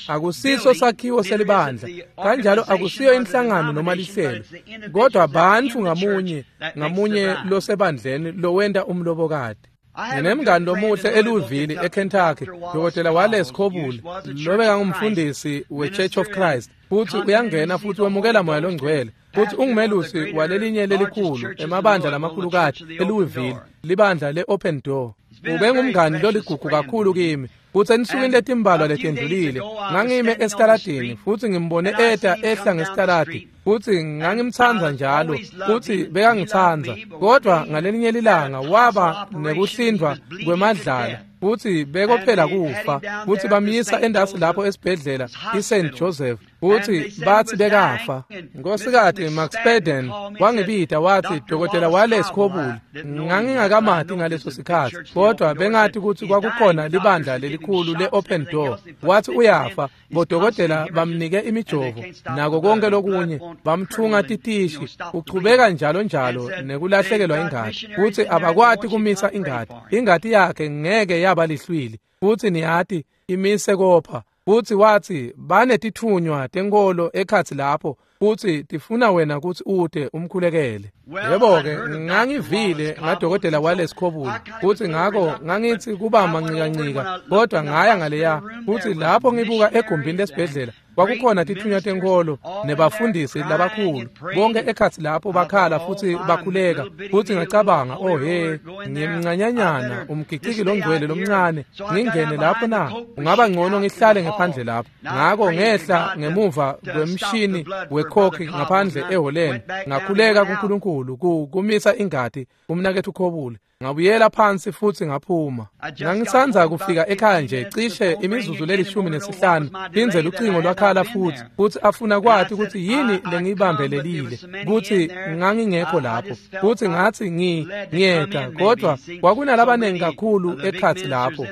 Akusiso sakhiwo selibandla, kanjalo akusiyo inhlangano noma lihlelo, kodwa bantfu ngamunye ngamunye losebandleni lowenta umlobokati. Nginemngani lomuhle eLouisville eKentucky, Dr. Wallace Cobble, lobekangumfundisi we-Church of Christ, futhi uyangena futhi wemukela moya longcwele, futhi ungumelusi walelinye lelikhulu emabandla lamakhulukati eLouisville, libandla le-Open Door. Ubengumngani loligugu kakhulu kimi, futhi ensukwini letimbalwa letendlulile ngangime esitaladini futhi ngimbone eta ehla ngesitaladi, futhi ngangimtsandza njalo futhi bekangitsandza, kodwa ngalelinye lilanga waba nekuhlindwa kwemadlala futhi bekophela kufa, futhi bamyisa endasi lapho esibhedlela iSt Joseph futhi bathi bekafa. Nkosikazi McSpadden wangibida wathi Dr. Wallace Cobble, ngangingakamati ngaleso sikhathi, kodwa bengathi ukuthi kwakukhona libandla lelikhulu le-Open Door. Wathi uyafa, bodokotela bamnike imijovo nako konke lokunye, bamthunga titishi, uchubeka njalo njalo nekulahlekelwa ingati, futhi abakwati kumisa ingati, ingati yakhe ngeke yaba lihlwili, futhi niyati imise kopha. Futhi wathi banetithunywa tenkolo ekhatsi lapho futhi tifuna wena ukuthi ute umkhulekele. Yebo-ke, ngangivile ngadokotela Wallace Cobble, futhi ngakho ngangithi kuba mancikancika, kodwa ngaya ngaleya, futhi lapho ngibuka egumbini lesibhedlela kwakukhona tithunywa tenkolo nebafundisi labakhulu bonke ekhatsi lapho bakhala futhi bakhuleka, futhi ngacabanga, oh he, ngimncanyanyana umgiciki longcwele lomncane, ngingene lapho na? Ungaba ngcono ngihlale ngephandle lapho. Ngakho ngehla ngemuva kwemshini wekhokhi ngaphandle eholeni, ngakhuleka kuNkulunkulu kumisa ingati umnakethu Cobble. Ngabuyela phansi futhi ngaphuma. Ngangisandza kufika ekhaya nje cishe imizuzu le-15 phindze lucingo lwakhala futhi afuna kwathi ukuthi yini lengiyibambelelile, kuthi ngangingekho lapho, futhi ngathi ngiyeda, kodwa kwakunalabanengi kakhulu ekhatsi lapho,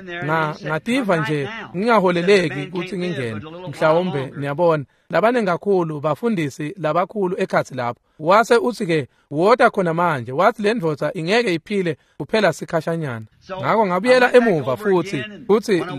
ngativa nje ngingaholeleki ukuthi ngingene, mhlawumbe niyabona. labaningi kakhulu bafundisi labakhulu ekhatsi lapho. Wase uthi-ke wota khona manje, wathi le ndvodza ingeke iphile kuphela sikhashanyana. Ngako ngabuyela emuva futhi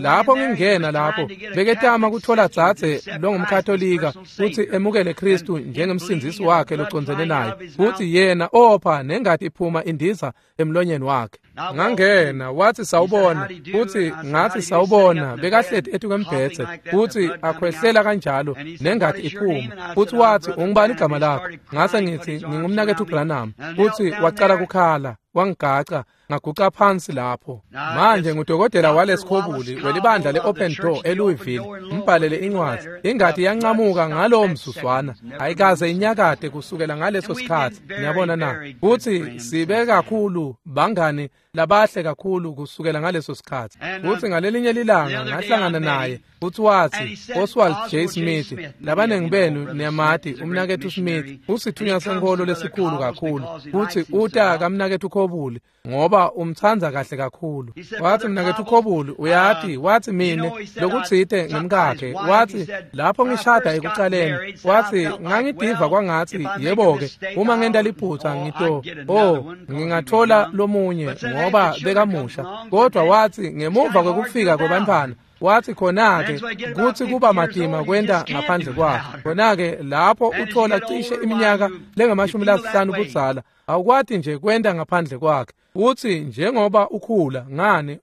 lapho ngingena lapho beketama kuthola dzadze longumkatolika futhi emukele Kristu njengemsindzisi wakhe locondzene naye, futhi yena opha nengati iphuma indiza emlonyeni wakhe. Ngangena, wathi sawubona, futhi ngathi sawubona, bekahleti etukwembhedze futhi akhwehlela kanjalo nengati iphuma, futhi wathi ungubani igama lakho? Ngase ngithi ngingumnaketfu Branham, futhi wacala kukhala, wangigaca, ngaguca phansi lapho. Manje ngudokotela walesikhobuli welibandla le-Open Door eLouisville, mbhalele incwadzi. Ingati yancamuka ngalowo mzuzwana, ayikaze inyakade kusukela ngaleso sikhatsi. Niyabona na? Futhi sibe kakhulu bangani labahle kakhulu kusukela ngaleso sikhatsi. Futhi ngalelinye lilanga ngahlangana naye, futhi wathi Oswald J. Smith, labaningi benu niyamati umnaketfu Smith, usithunywa senkholo lesikhulu kakhulu, futhi uta kamnaketfu Khobuli ngoba umtsandza kahle kakhulu. Wathi mnaketfu Khobuli uyati, wathi mine lokutsite ngemkakhe, wathi lapho ngishada ekucaleni, wathi ngangidiva kwangatsi yebo-ke uma ngenta liphutsa ngito ngingathola lomunye ngoba bekamusha, kodwa wathi ngemuva kwekufika kwebantfwana, wathi khona-ke kutsi kuba matima kwenta ngaphandle kwakhe. Khona-ke lapho uthola cishe iminyaka lengamashumi lasihlanu budzala, awukwati nje kwenta ngaphandle kwakhe. Uthi njengoba ukhula ngani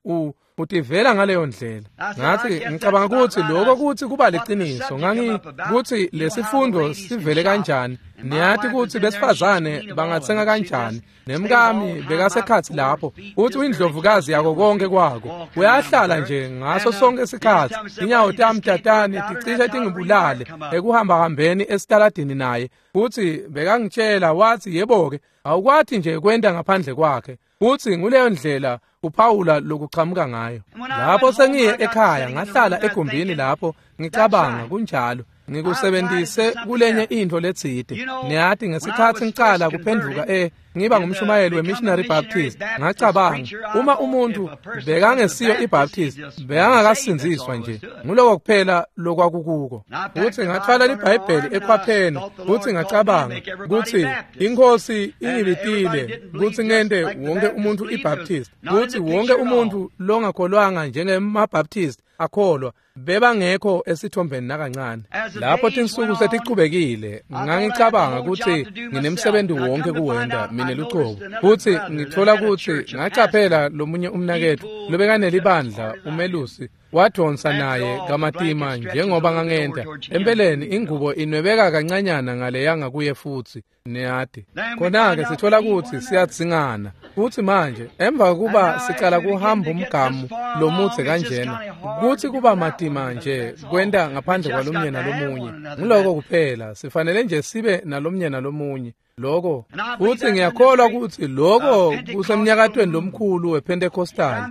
utivela ngaleyo ndlela. Ngathi ngicabanga ukuthi lokho kuthi kuba liqiniso. Ngangi kuthi lesifundo sivele kanjani. Niyati ukuthi besifazane bangatsenga kanjani. Nemkami bekasekhatsi lapho, uthi uyindlovukazi yako konke kwako. Uyahlala nje ngaso sonke isikhatsi. Inyawo tami tatani ticishe tingibulale ekuhamba hambeni esitaladini naye. Futhi bekangitshela wathi yebo-ke awukwati nje kwenta ngaphandle kwakhe. Futhi nguleyo ndlela uPaula lokuchamuka ngayo. Lapho sengiye ekhaya ngahlala egumbini lapho ngicabanga kunjalo. Ngikusebentise kulenye intfo letsite. Niyati ngesikhatsi ngicala kuphendvuka ngiba ngumshumayeli we-Missionary Baptist, ngacabanga uma umuntu bekangesiyo iBaptist bekangakasindziswa nje, nguloko kuphela lokwakukuko. Futhi ngathwala liBhayibheli ekhwapheni, futhi ngacabanga kutsi iNkhosi ingibitile kutsi ngente wonke umuntu iBaptist, kutsi wonke umuntu longakholwanga njengemaBaptist akholwa bebangekho esithombeni nakancane. Lapho tinsuku setichubekile ngangicabanga kutsi nginemsebenzi wonke kuwenta mine lucobo, futhi ngithola kutsi ngacaphela lomunye umnaketfu lobekanelibandla umelusi wadonsa naye kamatima njengoba ngangenta. Empeleni ingubo inwebeka kancanyana ngaleya ngakuye futhi niyati. Khona-ke sithola kutsi siyadzingana. Futhi manje emva kokuba sicala kuhamba umgamu lomudze kanjena, kuthi kuba matima nje kwenta ngaphandle kwalomnye nalomunye. Nguloko kuphela, sifanele nje sibe nalomnye nalomunye. Lokho futhi ngiyakholwa ukuthi lokho kusemnyakatweni lomkhulu wePentecostal.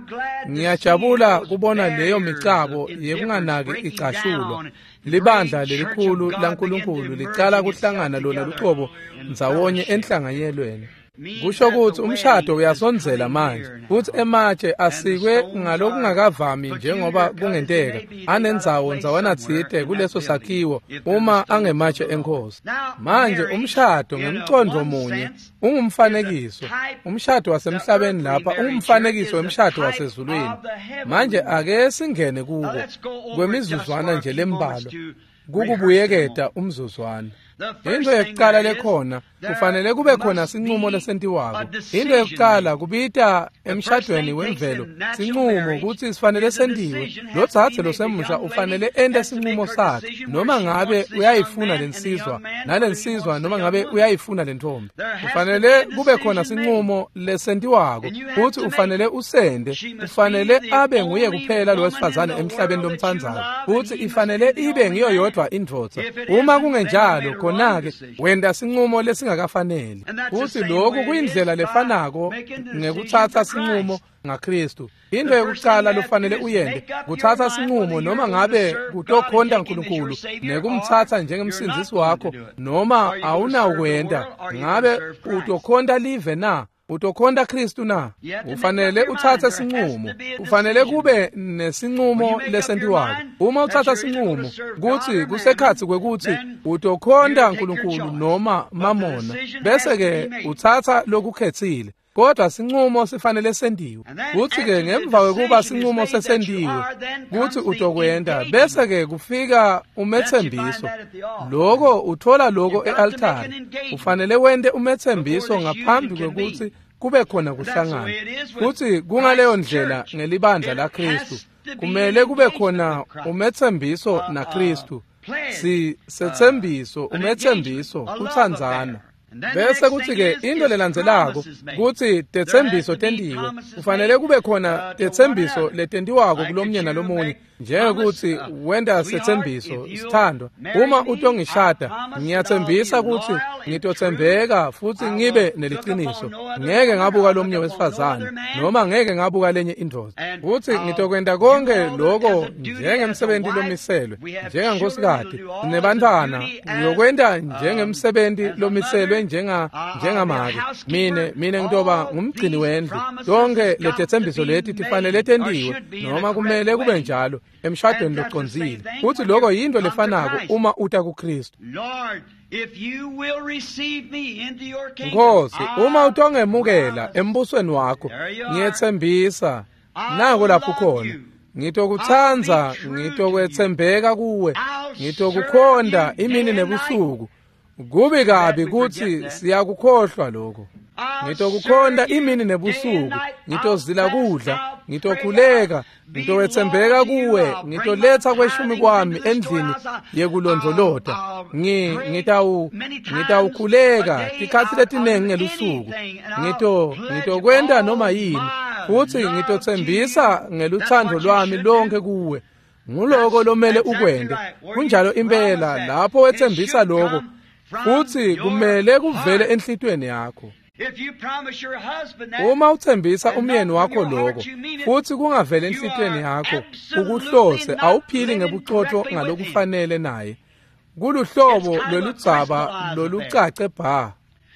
Ngiyajabula kubona leyo micabo yekunganaki icashulwa. Libandla lelikhulu laNkulunkulu licala kuhlangana lona lucobo ndzawonye enhlanganyelweni. Kusho ukuthi umshado uyasondzela manje, futhi ematshe asikwe ngalokungakavami njengoba kungenteka anendzawo ndzawana tsite kuleso sakhiwo uma angematshe eNkhosi. Manje umshado ngemcondvo munye ungumfanekiso. Umshado wasemhlabeni lapha ungumfanekiso wemshado wasezulwini. Manje ake singene kuko kwemizuzwana nje lembalwa kukubuyeketa umzuzwana. Into yekucala lekhona kufanele kube khona sinqumo lesentiwako. Into yekucala kubita emshadweni wemvelo sinqumo kutsi sifanele sentiwe. Lo dzadze losemusha ufanele ente sinqumo sakhe, noma ngabe uyayifuna lensizwa nalensizwa, noma ngabe uyayifuna lentombi. Kufanele kube khona sinqumo lesentiwako futsi ufanele usende. Ufanele abe nguye kuphela lo wesifazane emhlabeni lomtsandzako, futsi ifanele ibe ngiyo yodwa indvodza. Uma kungenjalo, khona-ke wenta sinqumo lesingakafaneli. Futhi lokhu kuyindlela lefanako ngekutsatsa sinqumo ngaKristu. Into yokucala lofanele uyente kutsatsa sinqumo, noma ngabe kutokhonta uNkulunkulu nekumtsatsa njengemsindzisi wakho noma awunawukwenta. Ngabe utokhonta live na? Utokhonta Kristu na? Ufanele utsatse sinqumo. Ufanele kube nesinqumo lesentiwako. Uma utsatsa sinqumo kutsi kusekhatsi kwekutsi utokhonta uNkulunkulu noma Mamona, bese ke utsatsa lokukhetsile. Kodwa sinqumo sifanele sentiwe. Kutsi ke ngemva kwekuba sinqumo sesentiwe kutsi utokwenta, bese ke kufika umethembiso. Lokho uthola lokho e-altare. Ufanele wente umethembiso ngaphambi kwekutsi kube khona kuhlangana. Futsi kungaleyo ndlela ngelibandla laKristu. Kumele kube khona umethembiso naKristu. Si sethembiso, umethembiso, kutsandzana. Bese kutsi ke into lelandzelako kutsi tetsembiso tentiwe. Kufanele kube khona tetsembiso letentiwako kulomnye nalomunye, njengekutsi wenta setsembiso sithandwa. Uma utongishada, ngiyathembisa kutsi ngitothembeka futsi ngibe neliciniso. Ngeke ngabuka lomnye wesifazane noma ngeke ngabuka lenye indvodza. Kutsi ngitokwenta konke lokho njengemsebenti lomiselwe, njengenkosikazi nebantfwana, ngiyokwenta njengemsebenti lomiselwe njengamake. Mine ngitoba ngumgcini wendlu. Tonke letetsembiso leti tifanele tentiwe noma kumele kube njalo emshadweni locondzile. Futsi lokho yinto lefanako uma uta kuKristu. Nkosi, uma utongemukela embusweni wakho, ngiyethembisa nako lapho khona. Ngitokutsandza, ngitokwethembeka kuwe, ngitokukhonta imini nebusuku. Kubi kabi kutsi siyakukhohlwa lokho. Ngitokukhonta imini nebusuku, ngitozila kudla, ngitokhuleka, ngitowethembeka kuwe, ngitoletha kweshumi kwami endlini yekulondvolota. Ngitawukhuleka tikhatsi letinengi ngelusuku. Ngitokwenta noma yini, futsi ngitothembisa ngelutsandvo lwami lonke kuwe. Nguloko lomele ukwente. Kunjalo impela lapho wethembisa lokho, futsi kumele kuvele enhlitiyweni yakho. Uma uthembisa umyeni wakho lokho, futsi kungavele enhlitiyweni yakho, ukuhlose awuphili ngebuqotho ngalokufanele naye. Kuluhlobo loludzaba lolucace bha.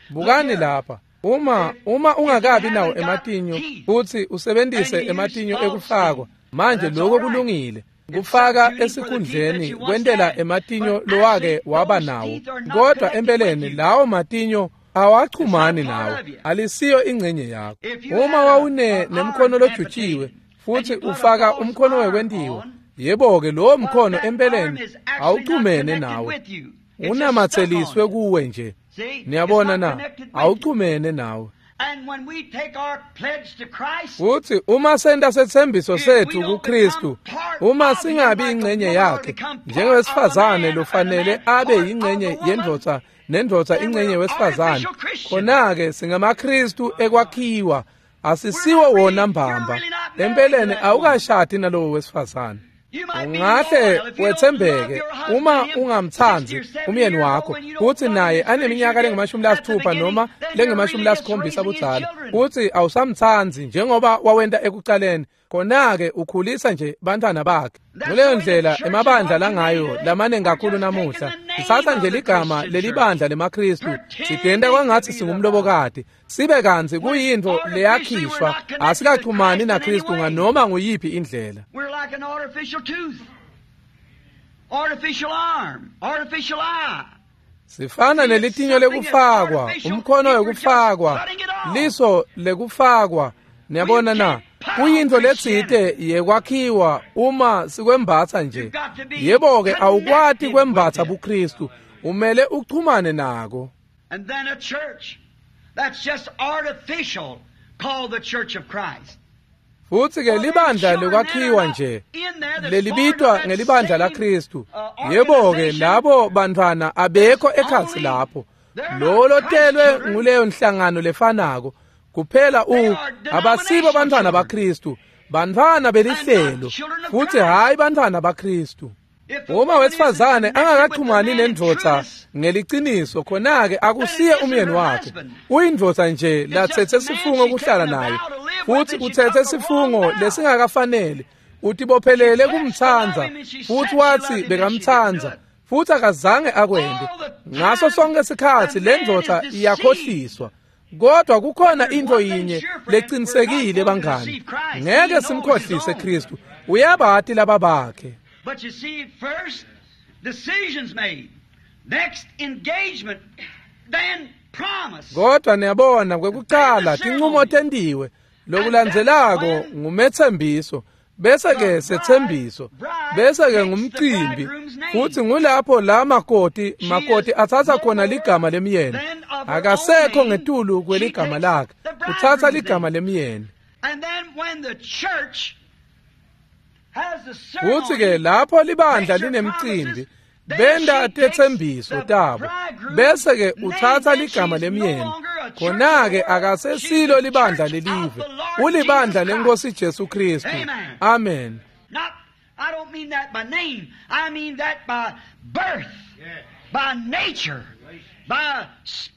Bukani lapha. Uma ungakabi nawo ematinyo futsi usebentise ematinyo ekufakwa, manje lokho kulungile. Kufaka esikhundleni kwentela ematinyo lowake waba nawo, kodwa empeleni lawo matinyo awachumani nawo, alisiyo ingcenye yakho. Uma wawune nemkhono lojutshiwe futhi ufaka umkhono wekwentiwa, yebo-ke lowo mkhono empeleni awuchumene nawe, unamatseliswe kuwe nje. Niyabona na? Awuchumene nawe. Futhi uma senta setsembiso sethu kuKristu, uma singabi ingcenye yakhe, njengowesifazane lofanele abe yingcenye yendvodza nendvodza ingcenye wesifazane, khona-ke singamaKristu ekwakhiwa, asisiwo wona mbamba. Empeleni awukashadi nalowo wesifazane. Ungahle wethembeke uma ungamtsandzi umyeni wakho, kutsi naye aneminyaka lengu-60 noma lengu-70 budzala, kutsi awusamtsandzi njengoba wawenta ekucaleni, khona-ke ukhulisa nje bantfwana bakhe. Nguleyo ndlela emabandla langayo lamaningi kakhulu namuhla. Sitsatsa nje ligama lelibandla lemaKristu, sigenta kwangatsi singumlobokati, sibe kantsi kuyintfo leyakhishwa, asikachumani naKristu nganoma nguyiphi indlela. Sifana nelitinyo lekufakwa, umkhono wekufakwa, liso lekufakwa. Niyabona na? Kuyintfo letsite yekwakhiwa uma sikwembatsa nje. Yebo-ke awukwati kwembatsa buKristu, umele uchumane nako. And then a church that's just artificial called the Church of Christ. Futsi ke libandla lekwakhiwa nje lelibitwa ngelibandla laKristu. Yebo-ke labo bantfwana abekho ekhatsi lapho. Lo lotelwe nguleyo nhlangano lefanako. Kuphela abasibo bantfwana baKristu, bantfwana belihlelo, futsi hhayi bantfwana baKristu. Uma wesifazane angakachumani nendvodza ngeliciniso, khona-ke akusiye umyeni wakhe. Uyindvodza nje latsetse sifungo kuhlala naye, futsi utsetse sifungo lesingakafanele. Utibophelele kumtsandza, futsi watsi bekamtsandza, futsi akazange akwente. Ngaso sonke sikhatsi le ndvodza iyakhohliswa. Kodwa kukhona into yinye leqinisekile bangani, ngeke simkhohlise Kristu, uyabati laba bakhe. But you see, first decisions made, next engagement, then promise. Kodwa niyabona kwekuqala tinqumo tentiwe, lokulandzelako ngumethembiso, bese ke sethembiso, bese ke ngumcimbi, futhi ngulapho la makoti athatha khona ligama lemyeni. Akasekho ngetulu kweligama lakhe, uthatha ligama lemyeni. And then when the church Futhi ke lapho libandla linemcimbi, benda tethembiso tabo, bese ke uthatha ligama lemyeni. Khona ke akasesilo libandla lelive, ulibandla lenkosi Jesu Kristu. Amen. Not, I don't mean that by name. I mean that by birth, by nature, by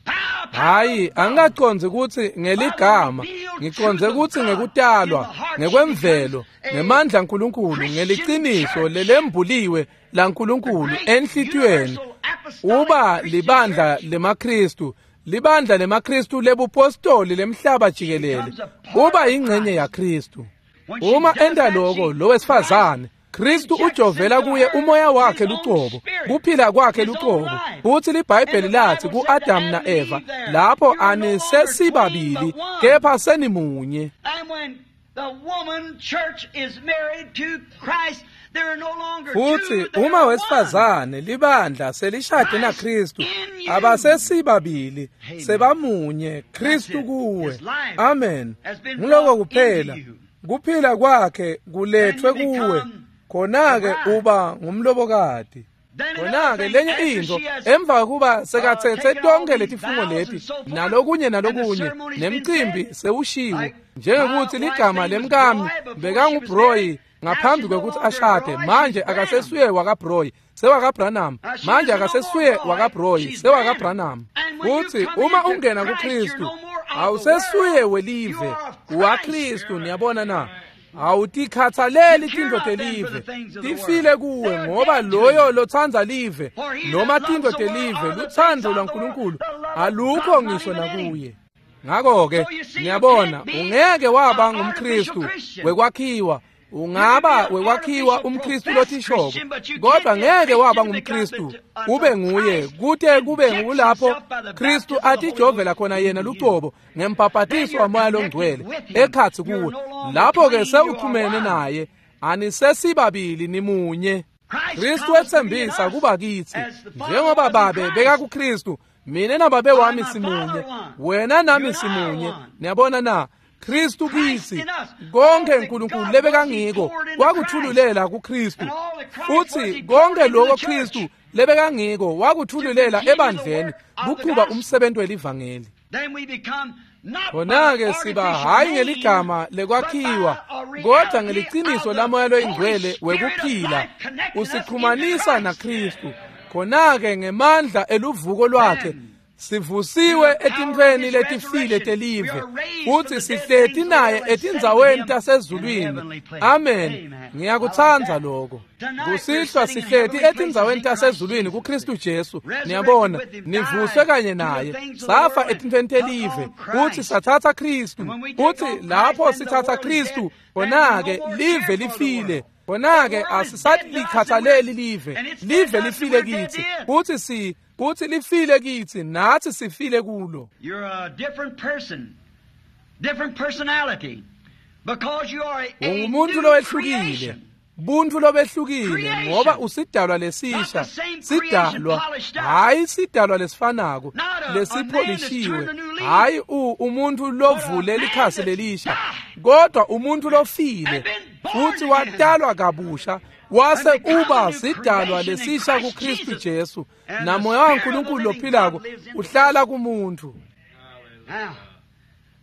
power. Hayi, angingacondzi ukuthi ngeligama, ngicondze ukuthi ngekutalwa, ngekwemvelo, ngemandla aNkulunkulu, ngeliciniso lelembuliwe laNkulunkulu enhlitiyweni. Uba libandla lemaKristu, libandla lemaKristu lebupostoli lemhlaba jikelele, uba ingcenye yaKristu. Uma enda lokho lo wesifazane, Kristu ujovela kuye umoya wakhe lucobo, kuphila kwakhe lucobo. Futhi liBhayibheli lathi kuAdam naEva, lapho anisesibabili kepha senimunye. And when the woman church is married to Christ, there are no longer two, Futhi there uma are wesifazane libandla selishade naKristu, abasesibabili, sebamunye, Kristu kuwe. Amen. Ngiloko kuphela. Kuphila kwakhe kulethwe kuwe. Khona-ke uba ngumlobokati. Khona-ke lenye into, emva kokuba sekathethe tonke letifungo leti nalokunye nalokunye, nemcimbi sewushiwe, njengokuthi ligama lemkami bekanguBroy ngaphambi kwekuthi ashade, manje akasesuye wakaBroy, sewakaBranham. Manje akasesuye wakaBroy, sewakaBranham. Futhi uma ungena kuKristu, awusesuye welive, waKristu. Niyabona na? Awutikhathaleli tintfo telive, tifile kuwe, ngoba loyo lotsandza live noma tintfo telive, lutsandvo lwaNkulunkulu alukho ngisho nakuye. Ngakho-ke ngiyabona ungeke waba ngumKristu wekwakhiwa, ungaba wekwakhiwa umKristu lothishoko, kodwa ngeke waba ngumKristu ube nguye kute kube ngulapho Kristu atijovela khona yena lucobo ngembhabhatiso waMoya loNgcwele ekhatsi kuwe. Lapho-ke sewuxhumene naye, anisesibabili, nimunye. Kristu wetsembisa kuba kitsi, njengoba Babe bekakuKristu, mina naBabe wami simunye, wena nami simunye. Niyabona na? Kristu kitsi, konke uNkulunkulu lebekangiko wakuthululela kuKristu, futhi konke lokho Kristu lebekangiko wakuthululela ebandleni kuqhuba umsebenzi welivangeli. Then we become not Khona-ke by siba artificial hhayi name, ngeligama but lekwakhiwa, by a kodwa reality ngeliciniso of the laMoya loyiNgcwele Holy Spirit of wekuphila life connecting us into usixhumanisa Christ. naKristu. Khona-ke ngemandla eluvuko lwakhe sivusiwe etintfweni letifile telive, futhi sihleti naye etindzaweni tasezulwini. Amen. Ngiyakutsandza lokho. Kusihlwa sihleti etindzaweni tasezulwini kuKristu Jesu. Niyabona, nivuswe kanye naye, safa etintfweni telive, futhi sathatha Kristu. Futhi lapho sithatha Kristu, khona-ke live lifile. Khona-ke asisalikhathaleli live, live lifile kitsi, futhi kuthi lifile kitsi, nathi sifile kulo. You're a different person, different personality, because you are a Ungumuntu new lowehlukile, creation. buntfu lobehlukile, ngoba usidalwa lesisha, sidalwa, hhayi sidalwa lesifanako lesipholishiwe, hhayi umuntu lovule likhasi lelisha, kodwa umuntu lofile futhi watalwa kabusha, wase uba sidalwa lesisha kuKristu Jesu, namoya waNkulunkulu lophilako uhlala kumuntu. Now,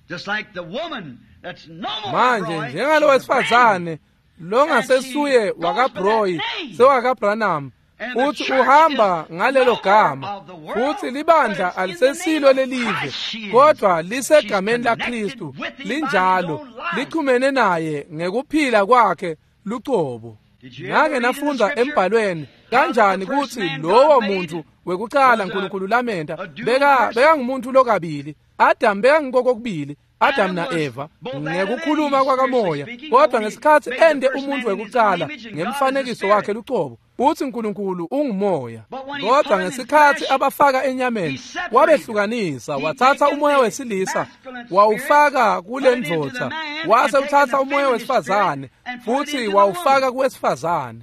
just like the woman that's no more Manje Roy, njengalo she's a brand. wesifazane longasesuye wakaBroy sewakaBranham, futhi uhamba ngalelo gama, futhi libandla alisesilo lelive, kodwa lisegameni laKristu, linjalo lichumene naye ngekuphila kwakhe lucobo. Ngake nafundza embhalweni kanjani kutsi lowo muntu wekucala nkulunkulu lamenta bekangumuntu lokabili. Adam bekangikokubili, Adam na-Eva, ngekukhuluma kwakamoya, kodwa ngesikhatsi ende umuntu wekucala ngemfanekiso wakhe lucobo, uthi uNkulunkulu ungumoya. Kodwa ngesikhatsi abafaka enyameni, wabehlukanisa, wathatha umoya wesilisa wawufaka kule ndvodza, wase uthatha umoya wesifazane futhi wawufaka kuwesifazane.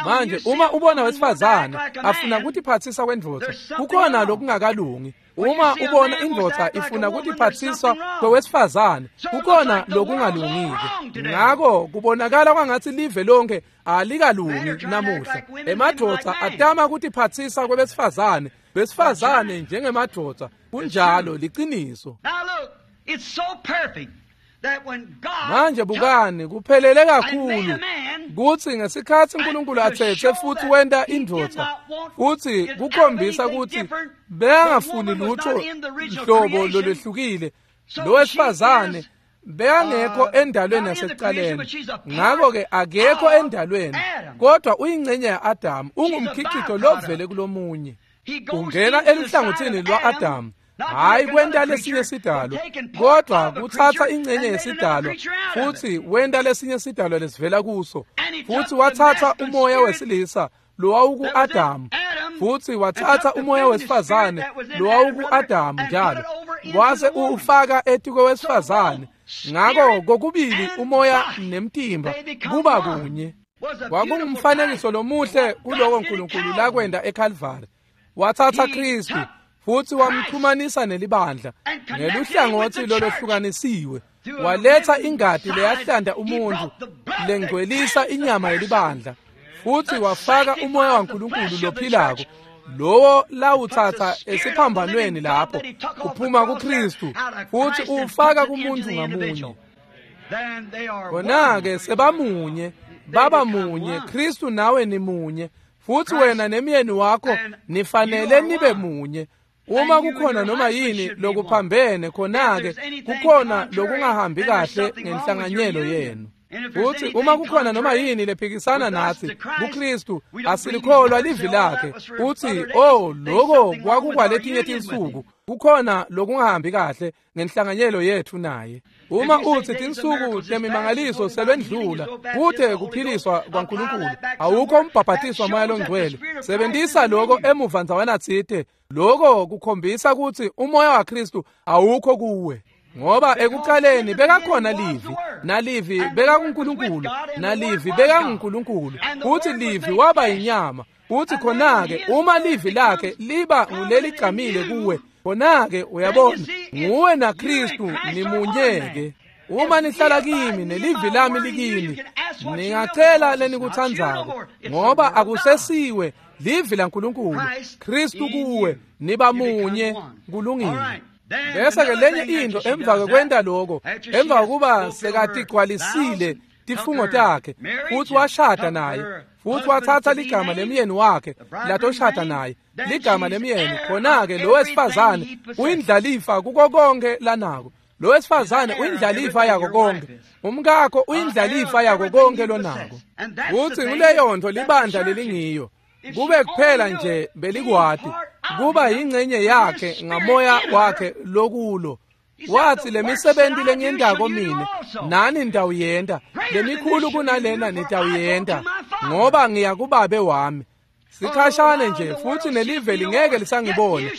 Manje uma ubona wesifazane afuna kutiphatsisa kwendvodza, kukhona lokungakalungi. Uma ubona indvodza ifuna kutiphatsisa kwewesifazane, kukhona lokungalungile. Ngako kubonakala kwangathi live lonke alikalungi namuhla. Emadvodza atama kutiphatsisa kwebesifazane, besifazane njengemadvodza. Kunjalo, liciniso. Manje bukani, kuphelele kakhulu kutsi ngesikhatsi uNkulunkulu atsetse futhi wenta indvodza, futhi kukhombisa kutsi bekangafuni lutho hlobo lolwehlukile. Lo wesifazane bekangekho endalweni yasekuqaleni, ngakho-ke akekho endalweni, kodwa uyingcenye ya-Adamu, ungumkhicito lovele kulomunye. Ungena eluhlangothini lwa-Adamu, hayi kwenta lesinye sidalwa, kodwa kuthatha ingcenye yesidalwa futhi wenta lesinye sidalwa lesivela kuso. Futhi wathatha umoya wesilisa lowawuku-Adamu, futhi wathatha umoya wesifazane lowawuku-Adamu njalo, wase uwufaka etikwewesifazane. Ngako kokubili umoya nemtimba kuba kunye. Kwakungumfanekiso lomuhle kuloko uNkulunkulu lakwenta eKalvari. Wathatha Kristu futhi wamxhumanisa nelibandla ngeluhlangothi lolohlukanisiwe, waletha ingati leyahlanda umuntu lengcwelisa inyama yelibandla, futhi wafaka umoya waNkulunkulu lophilako lowo lawuthatha esiphambanweni lapho uphuma kuKristu futhi uwufaka kumuntu ngamunye. Khona-ke sebamunye, baba munye. Kristu nawe nimunye, futhi wena nemyeni wakho nifanele nibe munye. Uma kukhona noma yini lokuphambene, khona-ke kukhona lokungahambi kahle ngenhlanganyelo yenu. Futhi uma kukhona noma yini lephikisana nathi kuKristu, asilikholwa livi lakhe. Uthi, oh, lokho kwakukwaletinye tinsuku. Kukhona lokungahambi kahle ngenhlanganyelo yethu naye. Uma uthi tinsuku temimangaliso selwendlula, kute kuphiliswa kwaNkulunkulu, awukho umbhabhatiso wamoya longcwele, sebenzisa lokho emuva ndzawana tsite. Lokho kukhombisa ukuthi umoya waKristu awukho kuwe. Ngoba ekuqaleni bekakhona livi, nalivi bekakuNkulunkulu, nalivi bekanguNkulunkulu, futhi livi waba inyama. Futhi khona-ke uma livi lakhe liba nguleligcamile kuwe, khona-ke uyabona, nguwe naKristu nimunye-ke. Uma nihlala kimi nelivi lami likini, ningacela lenikutsandzako, ngoba akusesiwe livi laNkulunkulu, Kristu kuwe, niba munye. Kulungile. Bese-ke lenye into emva kokwenta lokho, emva kokuba sekatigcwalisile tifungo takhe, futhi washada naye, futhi wathatha ligama lemyeni wakhe latoshada naye, ligama lemyeni, khona-ke lo wesifazane uyindlalifa kuko konke lanako. Lo wesifazane uyindlalifa yako konke, umkakho uyindlalifa yako konke lonako. Futhi nguleyo nto libandla lelingiyo. Kube kuphela nje belikwati kuba yingcenye yakhe ngamoya wakhe lokulo. Wathi lemisebenzi lengiyendako mine nani nitawuyenta, lemikhulu kunalena nitawuyenta, ngoba ngiya kubabe wami. Sikhashane nje futhi nelive lingeke lisangibona,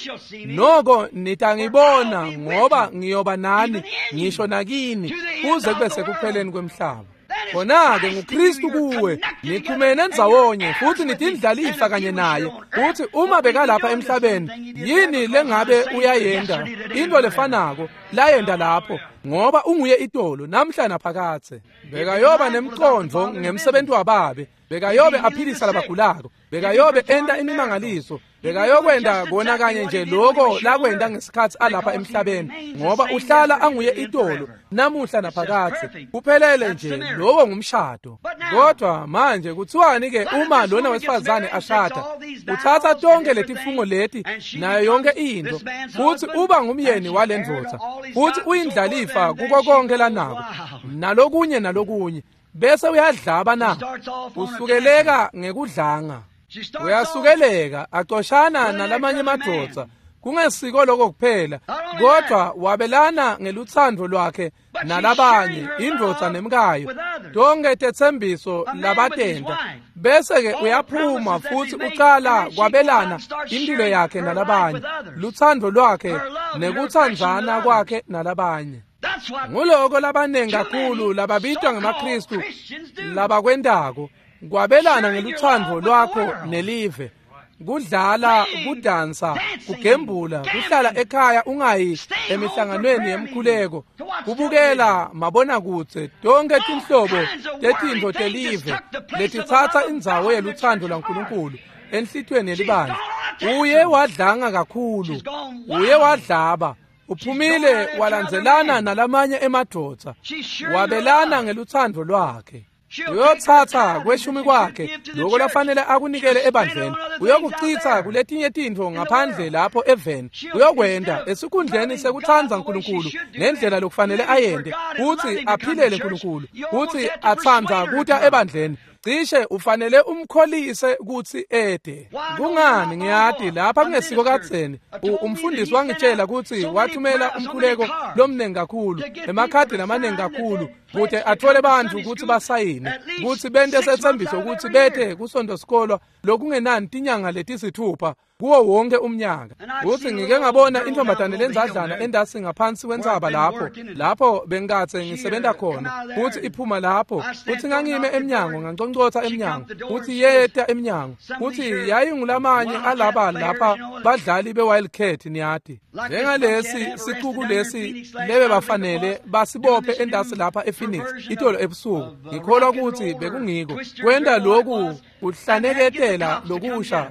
noko nitangibona, ngoba ngiyoba nani ngisho nakini kuze kube sekupheleni kwemhlaba. Khona-ke nguKristu kuwe, nixhumene ndzawonye futhi nitindlalifa kanye naye. Futhi uma bekalapha emhlabeni, yini lengabe uyayenda into lefanako layenda lapho, ngoba unguye itolo namhla naphakathe. Bekayoba nemcondvo ngemsebenzi wababe, bekayobe aphilisa labagulako, bekayobe enta imimangaliso, bekayokwenda kona kanye nje lokho lakwenda ngesikhatsi alapha emhlabeni, ngoba uhlala anguye itolo namuhla naphakathe. Kuphelele nje, lowo ngumshado. Kodwa manje kuthiwani ke uma lona wesifazane ashada, uthatha tonke letifungo leti nayo yonke into, futhi uba ngumyeni wale ndvodza, futhi uyindlalifa kuko konke lanako nalokunye nalokunye, bese uyadlaba na usukeleka ngekudlanga. Uyasukeleka acoshana nalamanye emadvodza. Kungesiko lokho kuphela, kodwa wabelana ngeluthando lwakhe nalabanye, indvodza nemkayo, tonke tetsembiso labatenta. Bese-ke uyaphuma futhi ucala kwabelana impilo yakhe nalabanye, luthando lwakhe nekutsandzana kwakhe nalabanye. Nguloko labanengi kakhulu lababitwa ngemaKristu labakwentako, kwabelana ngeluthando lwakho nelive. Kudlala, kudansa, kugembula, kuhlala ekhaya ungayi emihlanganweni yemkhuleko, kubukela mabonakudze, tonke tinhlobo tetintfo telive letitsatsa indzawo yeluthando lwaNkulunkulu enhlitiyweni yelibandla. Uye wadlanga kakhulu, uye wadlaba, uphumile walandzelana nalamanye emadvodza, wabelana ngeluthando lwakhe. Uyotsatsa kweshumi kwakhe lokho lafanele akunikele ebandleni, uyokuchitha kuletinye tintfo ngaphandle lapho eveni. Uyokwenta esikhundleni sekutsandza Nkulunkulu ngendlela lokufanele ayente, kutsi aphilele Nkulunkulu, kutsi atsandza kuta ebandleni. Cishe ufanele umkholise kutsi ede. Kungani ngiyati lapha kungesiko kadzeni umfundisi wangitshela kutsi wathumela umkhuleko lomnengi kakhulu, emakhadi lamanengi kakhulu, kute athole bantfu kutsi basayine, kutsi bente setsembiso kutsi bete kusonto sikolwa lokungenani tinyanga letisithupha kuwo wonke umnyaka. Kutsi ngike ngabona intombazane lenzadlana endasi ngaphansi kwentsaba lapho bengikatse ngisebenta khona, kutsi iphuma lapho, kutsi ngangime emnyango, nganconcotsa emnyango, kutsi yeta emnyango, kutsi yayingulamanye alaba lapha badlali be-Wildcat, niyati, njengalesi sicuku lesi lebe bafanele basibophe endasi lapha ePhoenix itolo ebusuku. Ngikholwa kutsi bekungiko kwenta loku kuhlaneketela lokusha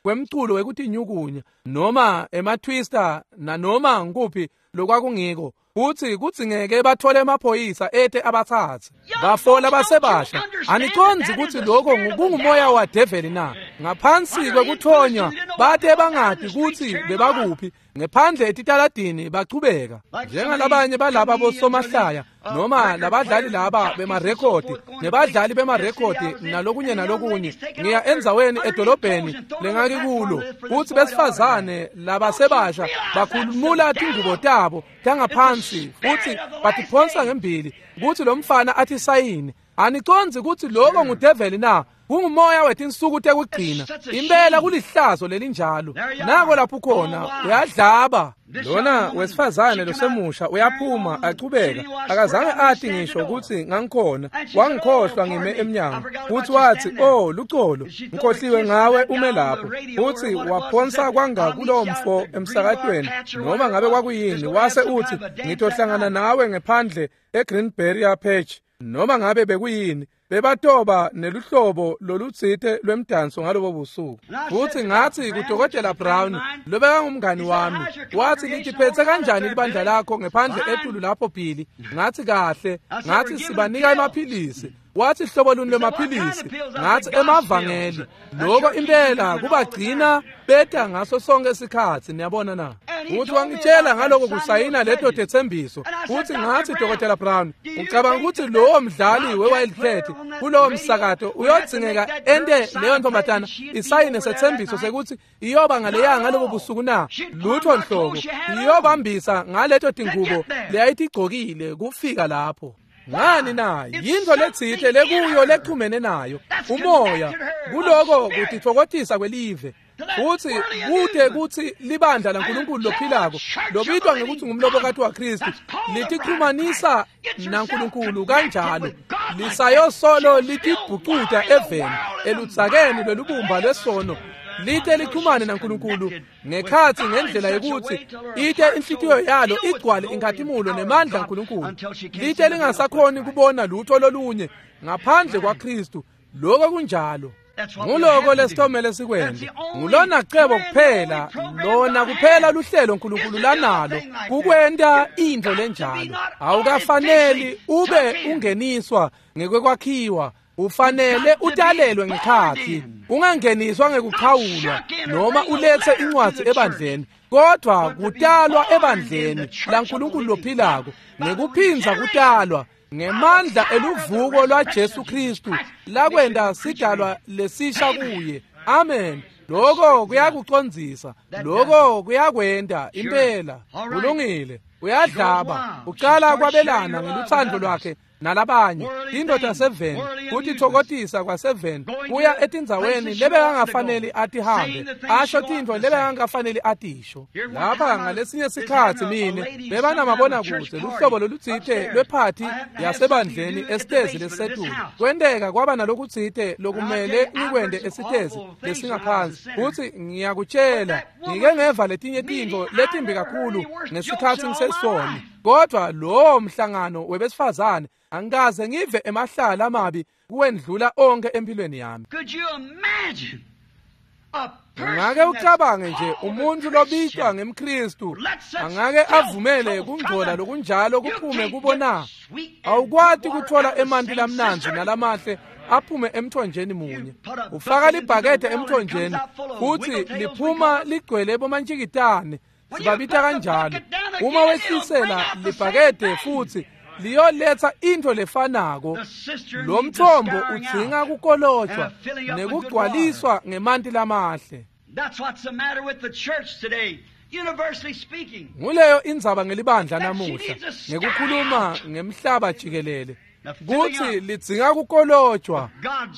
kwemculo wekutinyukunya noma ema-twister nanoma ngikuphi lokwakungiko, kutsi kudzingeke bathole emaphoyisa ete abatsatse bafola basebasha. Anicondzi kutsi lokho kungumoya wadeveli na? Ngaphansi kwekuthonywa bate bangati kutsi bebakuphi, ngephandle etitaladini bachubeka njengalabanye balaba bosomahlaya noma labadlali laba bemarekhodi nebadlali bemarekhodi nalokunye nalokunye. Ngiya endzaweni edolobheni lengakikulo kutsi besifazane labasebasha bakhulumula tingubo tabo tangaphansi futhi batiphonsa ngembili kutsi lo mfana athi sayini. Anicondzi kutsi lokho ngudeveli na? Kungumoya wetinsuku tekugcina. Impela kulihlazo lelinjalo. Nako lapho khona uyadlaba. Lona wesifazane losemusha uyaphuma achubeka, akazange ati ngisho kutsi ngangikhona, wangikhohlwa ngime emnyango. Futhi wathi, "Oh lucolo, ngikhohliwe ngawe ume lapho." Futhi waphonsa kwanga kulowo mfo emsakatweni noma ngabe kwakuyini, wase uthi, "Ngitohlangana nawe ngephandle eGreen Barrier Patch." Noma ngabe bekuyini, bebatoba neluhlobo lolutsite lwemdanso ngalobo busuku. Futhi ngathi kuDokotela Brown lobekangumngani wami, wathi, "Litiphethe kanjani libandla lakho ngephandle etulu lapho Billy?" Ngathi, "Kahle." Ngathi, "Sibanika emaphilisi." Wathi, "Hlobo luni lwemaphilisi?" Ngathi, "Emavangeli." Lokho impela kubagcina beta ngaso sonke isikhatsi, niyabona na? Uthi wangitshela ngaloko kusayina leto tetsembiso. Uthi ngathi, "Dr. Brown, ucabanga ukuthi lowo mdlali we-Wildcat kulowo msakato uyodzingeka ente leyo ntombazana isayine setsembiso sekuthi iyoba ngaleya ngalobo busuku na? Lutho nhlobo, iyobambisa ngaleto tingubo leyayitigcokile kufika lapho." Ngani na? Yintfo letsite lekuyo lechumene nayo umoya kuloko kutitfokotisa kwelive. Futhi kute kutsi libandla laNkulunkulu lophilako lobitwa ngekutsi ngumlobokati waKristu litichumanisa naNkulunkulu kanjalo, lisayosolo litibhucuta eveni eludzakeni lwelubumba lwesono, lite lichumane naNkulunkulu ngekhatsi ngendlela yekutsi ite inhlitiyo yalo igcwale inkhatimulo nemandla aNkulunkulu, lite lingasakhoni kubona lutho lolunye ngaphandle kwaKristu. Lokho kunjalo. Nguloko lesitomele sikwente. Ngulona cebo kuphela, lona kuphela luhlelo uNkulunkulu lanalo kukwenta intfo lenjalo. Awukafaneli ube ungeniswa ngekwakhiwa, ufanele utalelwe ngekhatsi, ungangeniswa ngekuchawulwa noma ulethe incwadzi ebandleni, kodwa kutalwa ebandleni laNkulunkulu lophilako ngekuphindza kutalwa ngemandla eluvuko lwaJesu Kristu lakwenta sidalwa lesisha kuye. Amen. Lokho kuyakucondzisa, lokho kuyakwenta impela. Kulungile. Uyadlaba, uqala kwabelana ngeluthando lwakhe nalabanye. Indoda 7 kutitfokotisa kwa7 kuya etindzaweni lebekangafanele atihambe, asho tintfo lebekangafanele atisho. Lapha ngalesinye sikhatsi mine bebanamabonakude luhlobo lolutsite lwephathi yasebandleni esitezi lesisetulu. Kwenteka kwaba nalokutsite lokumele ngikwente esitezi lesingaphansi. Futsi ngiyakutshela, ngike ngeva letinye tintfo letimbi kakhulu ngesikhatsi ngisesoni. Kodwa lowo mhlangano webesifazane angikaze ngive emahlala amabi kuwendlula onke empilweni yami. Ungake ucabange nje umuntu lobitwa ngemKristu angake avumele kungcola lokunjalo kuphume kubona? Awukwati kuthola emanti lamnandzi nalamahle aphume emthonjeni munye. Ufaka libhakede emthonjeni futhi liphuma ligcwele bomantshikitane, sibabita kanjalo. Uma wehlisela libhakede futhi liyoletha into lefanako. Lo mthombo udzinga kukolotshwa nekugcwaliswa ngemanti lamahle. Nguleyo indzaba ngelibandla namuhla, ngekukhuluma ngemhlaba jikelele, kutsi lidzinga kukolotshwa,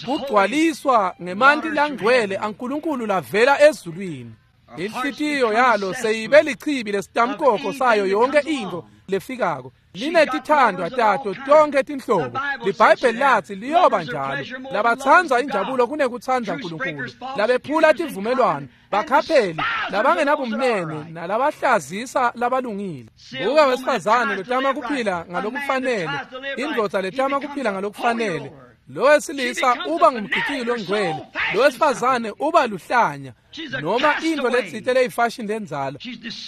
kugcwaliswa ngemanti langcwele aNkulunkulu lavela ezulwini. Inhlitiyo yalo seyibe lichibi lesitamkoko sayo yonke intfo lefikako. Linetithandwa tato tonke tinhlobo. LiBhayibheli lathi liyoba njalo. Labatsandza injabulo kunekutsandza Nkulunkulu, labephula tivumelwano, bakhapheli, labangenabumnene nalabahlazisa labalungile. Buka wesifazane lotama kuphila ngalokufanele, indvodza letama kuphila ngalokufanele. Lo wesilisa uba ngumgijiki longcwele, lo wesifazane uba luhlanya noma into letsite leyifashion lenzalo.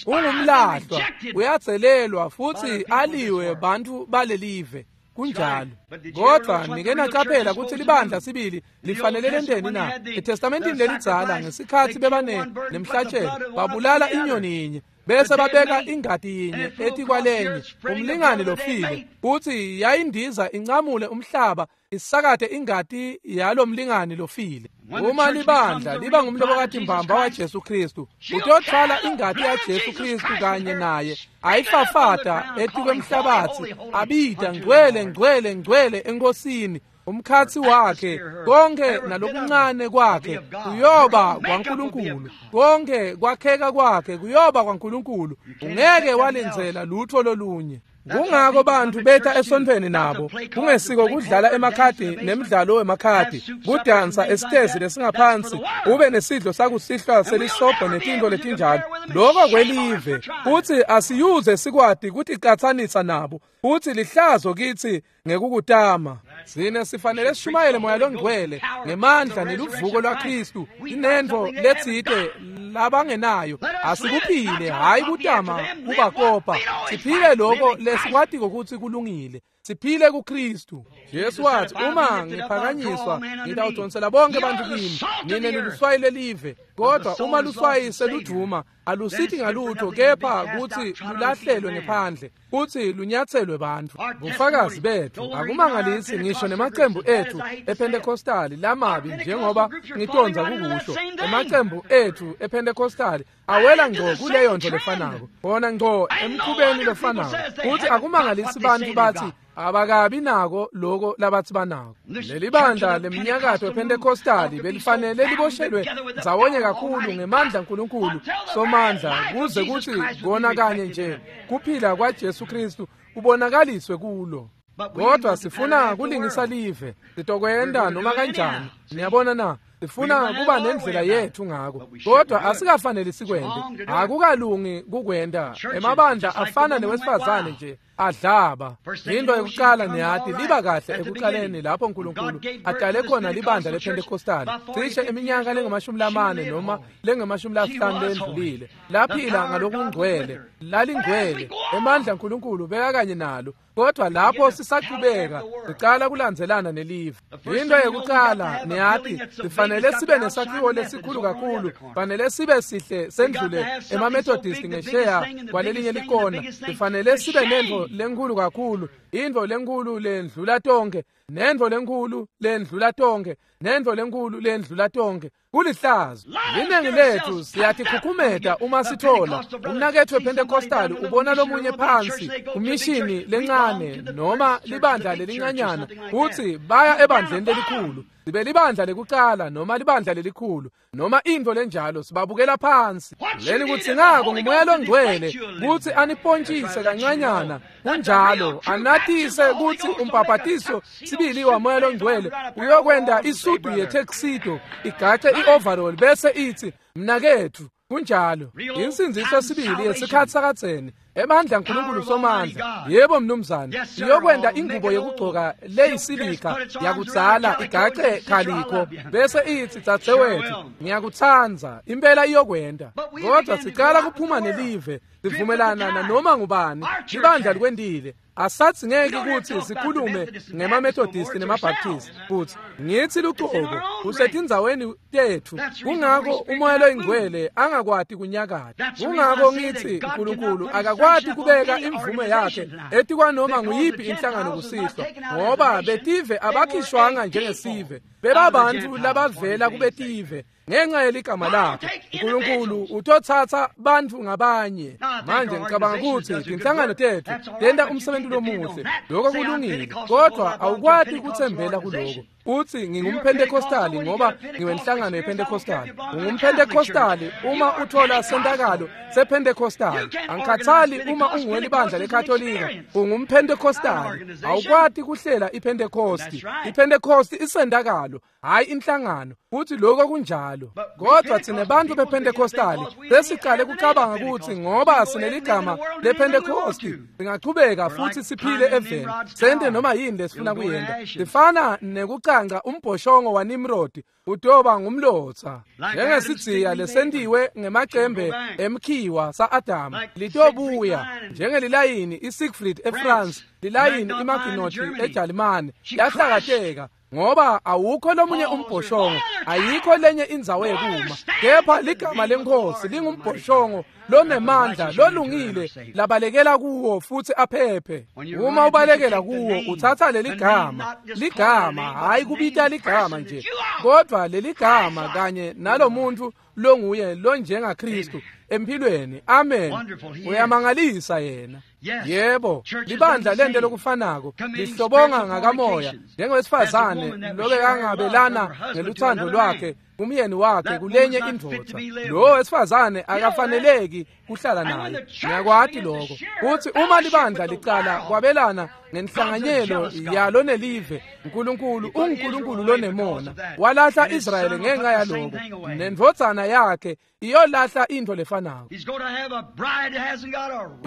Ungumlahlwa, uyadzelelwa futhi aliwe bantfu balelive. Kunjalo. Kodwa nike nacaphela kutsi libandla sibili lifanele lenteni na? ETestamentini lelidzala ngesikhatsi bebane nemhlatshelo babulala inyoni yinye bese babeka ingati yinye etikwalenye, umlingani lofile, kutsi yayindiza incamule umhlaba isakate ingati yalomlingani lofile. Uma libandla liba ngumlobokati mbamba waJesu Kristu, utothwala ingati yaJesu Kristu kanye naye, ayifafata etikwemhlabatsi, abita ngcwele ngcwele ngcwele enkosini. Umkhatsi wakhe konke nalokuncane kwakhe kuyoba kwaNkulunkulu, konke kwakheka kwakhe kuyoba kwaNkulunkulu. Ungeke walenzela lutho lolunye. Kungako bantfu beta esontfweni nabo kungesiko kudlala emakhadi nemidlalo wemakhadi, kudansa esitezi lesingaphansi, ube nesidlo sakusihlwa selisobho netintfo letinjalo. Lokho kwelive, futsi asiyuze sikwati kuticatsanisa nabo, futsi lihlazo kitsi ngekukutama. Sine sifanele sishumayele moya longcwele ngemandla neluvuko lwaKristu, inentfo letsite labangenayo. Asikuphile, hhayi kutama kubakopa, siphile lokho lesikwatiko kutsi kulungile, siphile kuKristu. Jesu wathi, uma ngiphakanyiswa ngitawudonsela bonke bantu kimi. Nine niluswayi lelive, kodwa uma luswayi seludvuma alusithi ngalutho kepha kutsi lulahlelwe ngephandle kutsi lunyatselwe bantfu. Bufakazi bethu akumangalisi ngisho nemacembu ethu ePentecostali lamabi, njengoba ngitondza kukusho. Emacembu ethu ePentecostali awela ngco kuleyo nto lefanako, bona ngco emkhubeni lofanako. Kutsi akumangalisi bantfu bathi abakabi nako loko labathi banako. Lelibandla leminyakato ePentecostali belifanele liboshelwe ndzawonye kakhulu ngemandla aNkulunkulu somandla, kuze kutsi kona kanye nje kuphila kwaJesu Kristu kubonakaliswe kulo. Kodwa sifuna kulingisa live, sitokwenta noma kanjani. Niyabona na? Sifuna kuba nendlela yethu ngako, kodwa asikafanele sikwente. Akukalungi kukwenta. Emabandla afana newesifazane nje adlaba. Into yokuqala niyati liba kahle ekuqaleni lapho uNkulunkulu adale khona libandla lePentecostali cishe iminyaka lengama-40 noma lengama-50 lendlulile. Laphila ngalokungcwele, lalingcwele, emandla aNkulunkulu bekakanye nalo. Kodwa lapho sisaqhubeka sicala kulandzelana nelive. Into yokuqala niyati sifanele sibe nesakhiwo lesikhulu kakhulu, fanele sibe sihle sendlule emaMethodist ngesheya kwalelinye likona. Sifanele sibe nento lenkhulu kakhulu, into lenkhulu lendlula tonke, nento lenkhulu lendlula tonke, nento lenkhulu lendlula tonke. Kulihlazo. Liningi lethu siyatikhukhumeta uma sithola umnaketfu wePentecostal ubona lomunye phansi kumishini lencane noma libandla lelincanyana kutsi baya ebandleni lelikhulu. Sibe libandla lekucala noma libandla lelikhulu noma intfo lenjalo sibabukela phansi. Leli kutsi ngako nguMoya loNgcwele kutsi anipontshise kancanyana kunjalo anatise kutsi umbhabhatiso sibili waMoya loNgcwele uyokwenta isudu yetuxedo igace i-overall bese itsi mnaketfu. Kunjalo insindziso sibili yesikhatsi sakadzeni ebandla nkulunkulu somandla. Yebo mnumzane, iyokwenta ingubo yekugcoka leyisilika yakudzala igace khalikho bese itsi dzadzewethu ngiyakutsandza. Impela iyokwenta. Kodwa sicala kuphuma nelive sivumelana nanoma ngubani. Libandla likwentile. Asathi ngeke kutsi sikhulume ngema-Methodist nema-Baptist futsi ngitsi lucobo kusetindzaweni tetfu. Kungako uMoya loyiNgcwele angakwati kunyakata. Kungako ngitsi uNkulunkulu akakwati kubeka imvume yakhe etikwanoma nguyiphi inhlangano kusihlwa, ngoba betive abakhishwanga njengesive, bebabantfu labavela kubetive ngenxa yeligama lakhe. uNkulunkulu utotsatsa bantfu ngabanye. Manje ngicabanga kutsi tinhlangano tetfu tenta umsebenzi lomuhle, lokho kulungile, kodwa awukwati kutsembela kuloko. Utsi ngingumPentecostali ngoba ngiwenhlangano yePentecostal. UngumPentecostali uma uthola sentakalo sePentecostal. Angikhathali uma unguwelibandla leKatolika, ungumPentecostali. Awukwati kuhlela iPentecosti. IPentecosti isentakalo, hayi inhlangano. Futhi lokho kunjalo. Kodwa thina bantu bePentecostali sesiqale kucabanga ukuthi ngoba sineligama lePentecosti singachubeka futhi siphile eveni sente noma yini lesifuna kuyenta. Sifana nekucanca umbhoshongo waNimrod utoba ngumlotsa, njengesidziya lesentiwe ngemacembe emkhiwa sa-Adamu litobuya, njengelilayini iSiegfried eFrance, lilayini iMaginot eJalimane yahlakateka ngoba awukho lomunye umbhoshongo, ayikho lenye indzawo yekuma, kepha ligama leNkhosi lingumbhoshongo lonemandla lolungile labalekela kuwo futhi aphephe. Uma ubalekela kuwo utsatsa leligama, ligama hayi kubita ligama nje, kodwa leligama kanye nalomuntu longuye lonjengaKristu empilweni. Amen. Uyamangalisa yena. Yebo, libandla lente lokufanako lihlobonga ngakamoya njengowesifazane lobekangabelana ngeluthando lwakhe umyeni wakhe kulenye indvodza. Lo wesifazane akafaneleki kuhlala naye. Ngiyakwati lokho. Kuthi uma libandla licala kwabelana ngenhlanganyelo yalo nelive, uNkulunkulu unguNkulunkulu lonemona. Walahla Israyeli ngenxa yaloko, nendvodzana yakhe iyolahla intfo lefanako.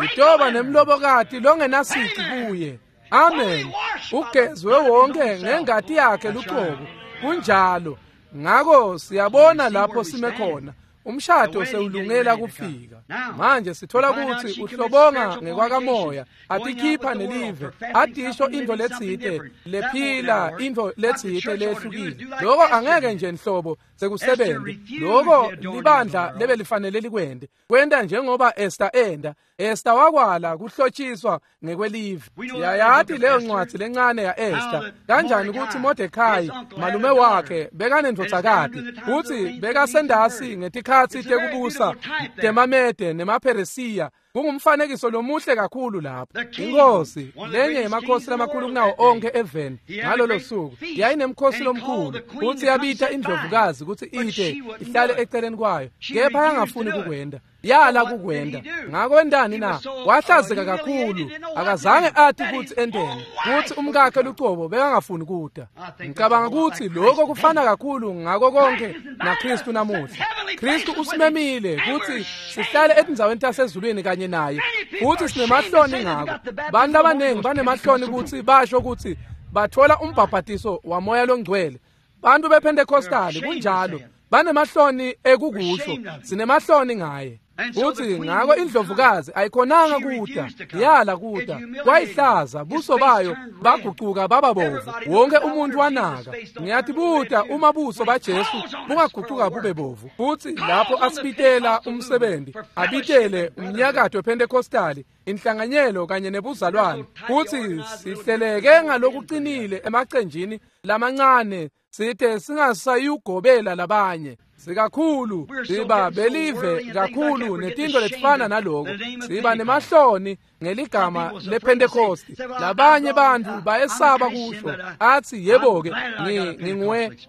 Itoba nemlobokati longenasici kuye. Amen. Ugezwe wonke ngengati yakhe lucobo. Kunjalo. Ngako siyabona lapho sime khona. Umshado sewulungela kufika. Manje sithola kutsi uhlobonga ngekwakamoya, atikhipha nelive, atisho intfo letsite lephila, intfo letsite lehlukile. Lokho angeke nje nhlobo sekusebenze. Lokho libandla lebelifanele likwente. Kwenta njengoba Esther enda. Esther wakwala kuhlotshiswa ngekwelive. Siyayati leyo ncwadzi lencane ya Esther. Kanjani kutsi Mordecai malume wakhe bekanendvodzakati, kutsi bekasendasi ngetikhatsi tekubusa temaMede nemaPheresiya. Kungumfanekiso lomuhle kakhulu lapho. Inkosi lenye yemakhosi lamakhulu kunawo onke eveni ngalolo suku yayinemkhosi lomkhulu, kutsi yabita indlovukazi kutsi ite ihlale eceleni kwayo, kepha yangafuni kukwenda. Yala kukwenda. Ngako entani na? Wahlazeka kakhulu, akazange ati kutsi enteni, kutsi umkakhe lucobo bekangafuni kuta. Ngicabanga kutsi lokho kufana kakhulu ngako konke naKristu namuhla. Kristu usimemile kutsi sihlale etindzaweni tasezulwini kanye naye, futsi sinemahloni ngako. Bantu labanengi banemahloni kutsi basho kutsi bathola umbhabhatiso waMoya loNgcwele. Bantu bePentecostali kunjalo, banemahloni ekukusho, sinemahloni ngaye. Uthi ngako indlovukazi ayikhonanga kuta, yala kuta, kwayihlaza buso bayo bagucuka baba bovu, wonke umuntu wanaka. Ngiyatibuta uma buso baJesu bungagucuka bube bovu. Futhi lapho asibitela umsebenzi, abitele umnyakato wePentecostali, inhlanganyelo kanye nebuzalwane, futhi sihleleke ngalokuqinile emacenjini lamancane sithe singasayugobela labanye. Sikakhulu siba belive kakhulu netinto letifana naloko. Siba nemahloni ngeligama lePentecost. Labanye bantfu bayesaba kusho athi yebo-ke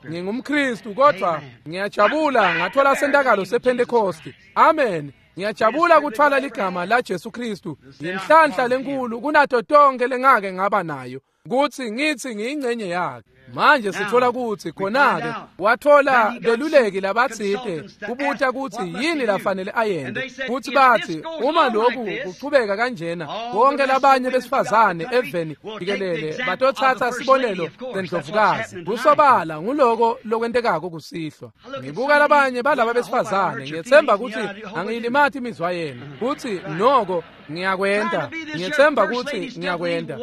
ngingumKristu kodwa ngiyajabula ngathola sentakalo sePentecost. Amen. Ngiyajabula kuthwala ligama la Jesu Kristu. Yinhlanhla lenkulu kunato tonke lengake ngaba nayo kutsi ngithi ngiyingcenye yakhe. Manje sithola kutsi khona-ke wathola beluleki labatsite kubuta kutsi yini lafanele ayente. Kutsi batsi uma lokhu kuchubeka kanjena bonke labanye besifazane eveni jikelele batotsatsa sibonelo sendlovukazi. Kusobala nguloko lokwentekako kusihlwa. Ngibuka labanye balaba besifazane ngiyetsemba kutsi angiyilimati imizwa yenu kutsi noko ngiyakwenta. Ngiyetsemba kutsi ngiyakwenta.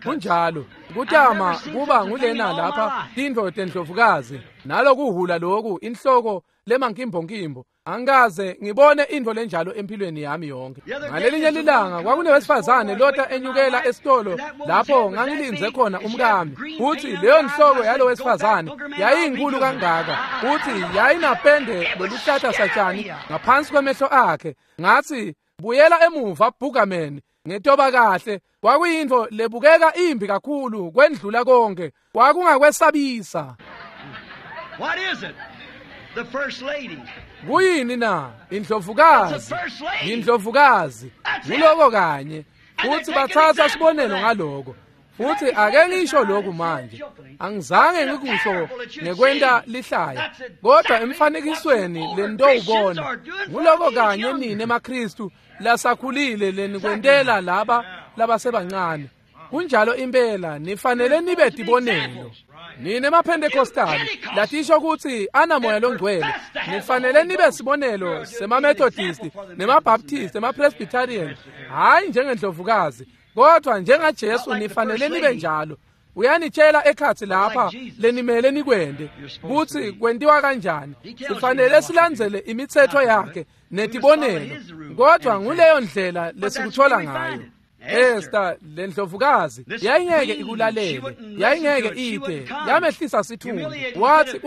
Kunjalo kutama kuba ngulena lapha tintfo tendlovukazi nalokuhula loku inhloko lemankimbokimbo. Angikaze ngibone intfo lenjalo empilweni yami yonke. Ngalelinye lilanga kwakunewesifazane lota enyukela esitolo lapho ngangilindze khona umkami. Uthi leyo nhloko yalo wesifazane yayinkulu kangaka, uthi yayinapende loluhlata satshani ngaphansi kwemehlo akhe. Ngathi buyela emuva Boogerman, ngetoba kahle. Kwakuyintfo lebukeka imbi kakhulu kwendlula konke, kwakungakwesabisa. What is it? The first lady. Kuyini na? Indlovukazi. Indlovukazi. Nguloko kanye. Futhi bathatha sibonelo ngaloko. Futhi ake ngisho lokhu manje. Angizange ngikusho ngekwenta lihlaya, kodwa emfanekisweni lento ubona nguloko kanye nini emaKristu lasakhulile lenikwentela laba labasebancane. Kunjalo impela nifanele nibe tibonelo. Nine emaPentecostali latisho kutsi anamoya longcwele, nifanele nibe sibonelo semaMethodist nemaBaptist nemaPresbyterian, hayi njengendlovukazi kodwa njengaJesu nifanele nibe njalo. Uyanitshela ekhatsi lapha lenimele nikwente kutsi kwentiwa kanjani. Sifanele silandzele imitsetfo yakhe netibonelo, kodwa nguleyo ndlela lesikuthola ngayo. Esther lendlovukazi yayingeke ikulalele, yayingeke ite, yamehlisa sithunzi. Wathi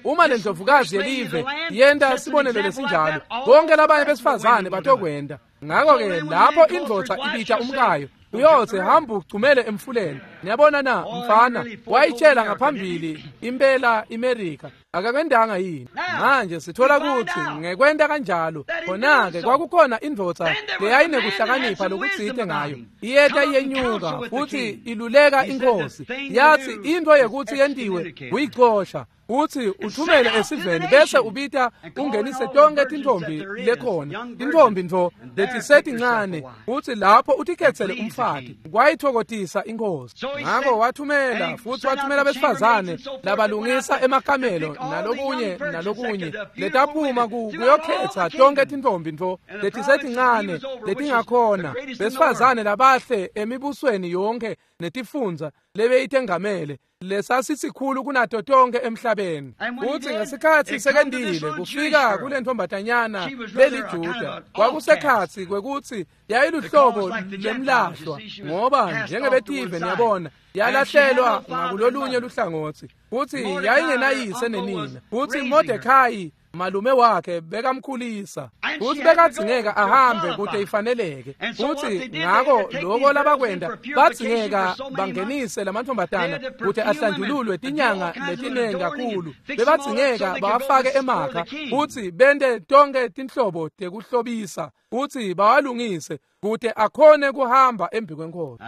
uma lendlovukazi yelive yenta sibonelo lesinjalo, bonke labanye besifazane batokwenta. Ngakho-ke lapho indvodza ibita umkayo uyothe hamba ugcumele emfuleni. Niyabona na mfana wayitshela ngaphambili impela iMerika akakwendanga yini? Manje sithola kutsi ngekwenta kanjalo khona-ke kwakukhona indvodza leyayinekuhlakanipha lokutsite ngayo. Iyeta iyenyuka futhi iluleka inkosi, yathi into yekuthi yentiwe kuyicosha uthi uthumele esiveni bese ubita ungenise tonke tintfombi lekhona, tintfombi ntfo letisetincane, uthi lapho utikhetsele umfati. Kwayithokotisa inkosi. Ngakho wathumela futhi wathumela besifazane labalungisa emakamelo nalokunye nalokunye letaphuma kuyokhetsa tonke tintfombi ntfo letisetincane letingakhona, besifazane labahle emibusweni yonke netifundza lebeyitengamele lesasisikhulu kunato tonke emhlabeni. Uthi ngesikhatsi sekendile kufika kule ntombatanyana leliJuda, kwakusekhatsi kwekutsi yayiluhlobo lemlahlwa, ngoba njengebetive niyabona yalahlelwa ngakulolunye luhlangotsi. Futhi yayingenayise nenina. Futhi Mordecai malume wakhe bekamkhulisa, futhi bekadzingeka ahambe kute ifaneleke. Futhi ngako loko labakwenta, badzingeka bangenise lamantombazana kute ahlanjululwe tinyanga letinengi kakhulu. Bebadzingeka bawafake emakha futhi bente tonke tinhlobo tekuhlobisa futhi bawalungise kute akhone kuhamba embi kwenkosi.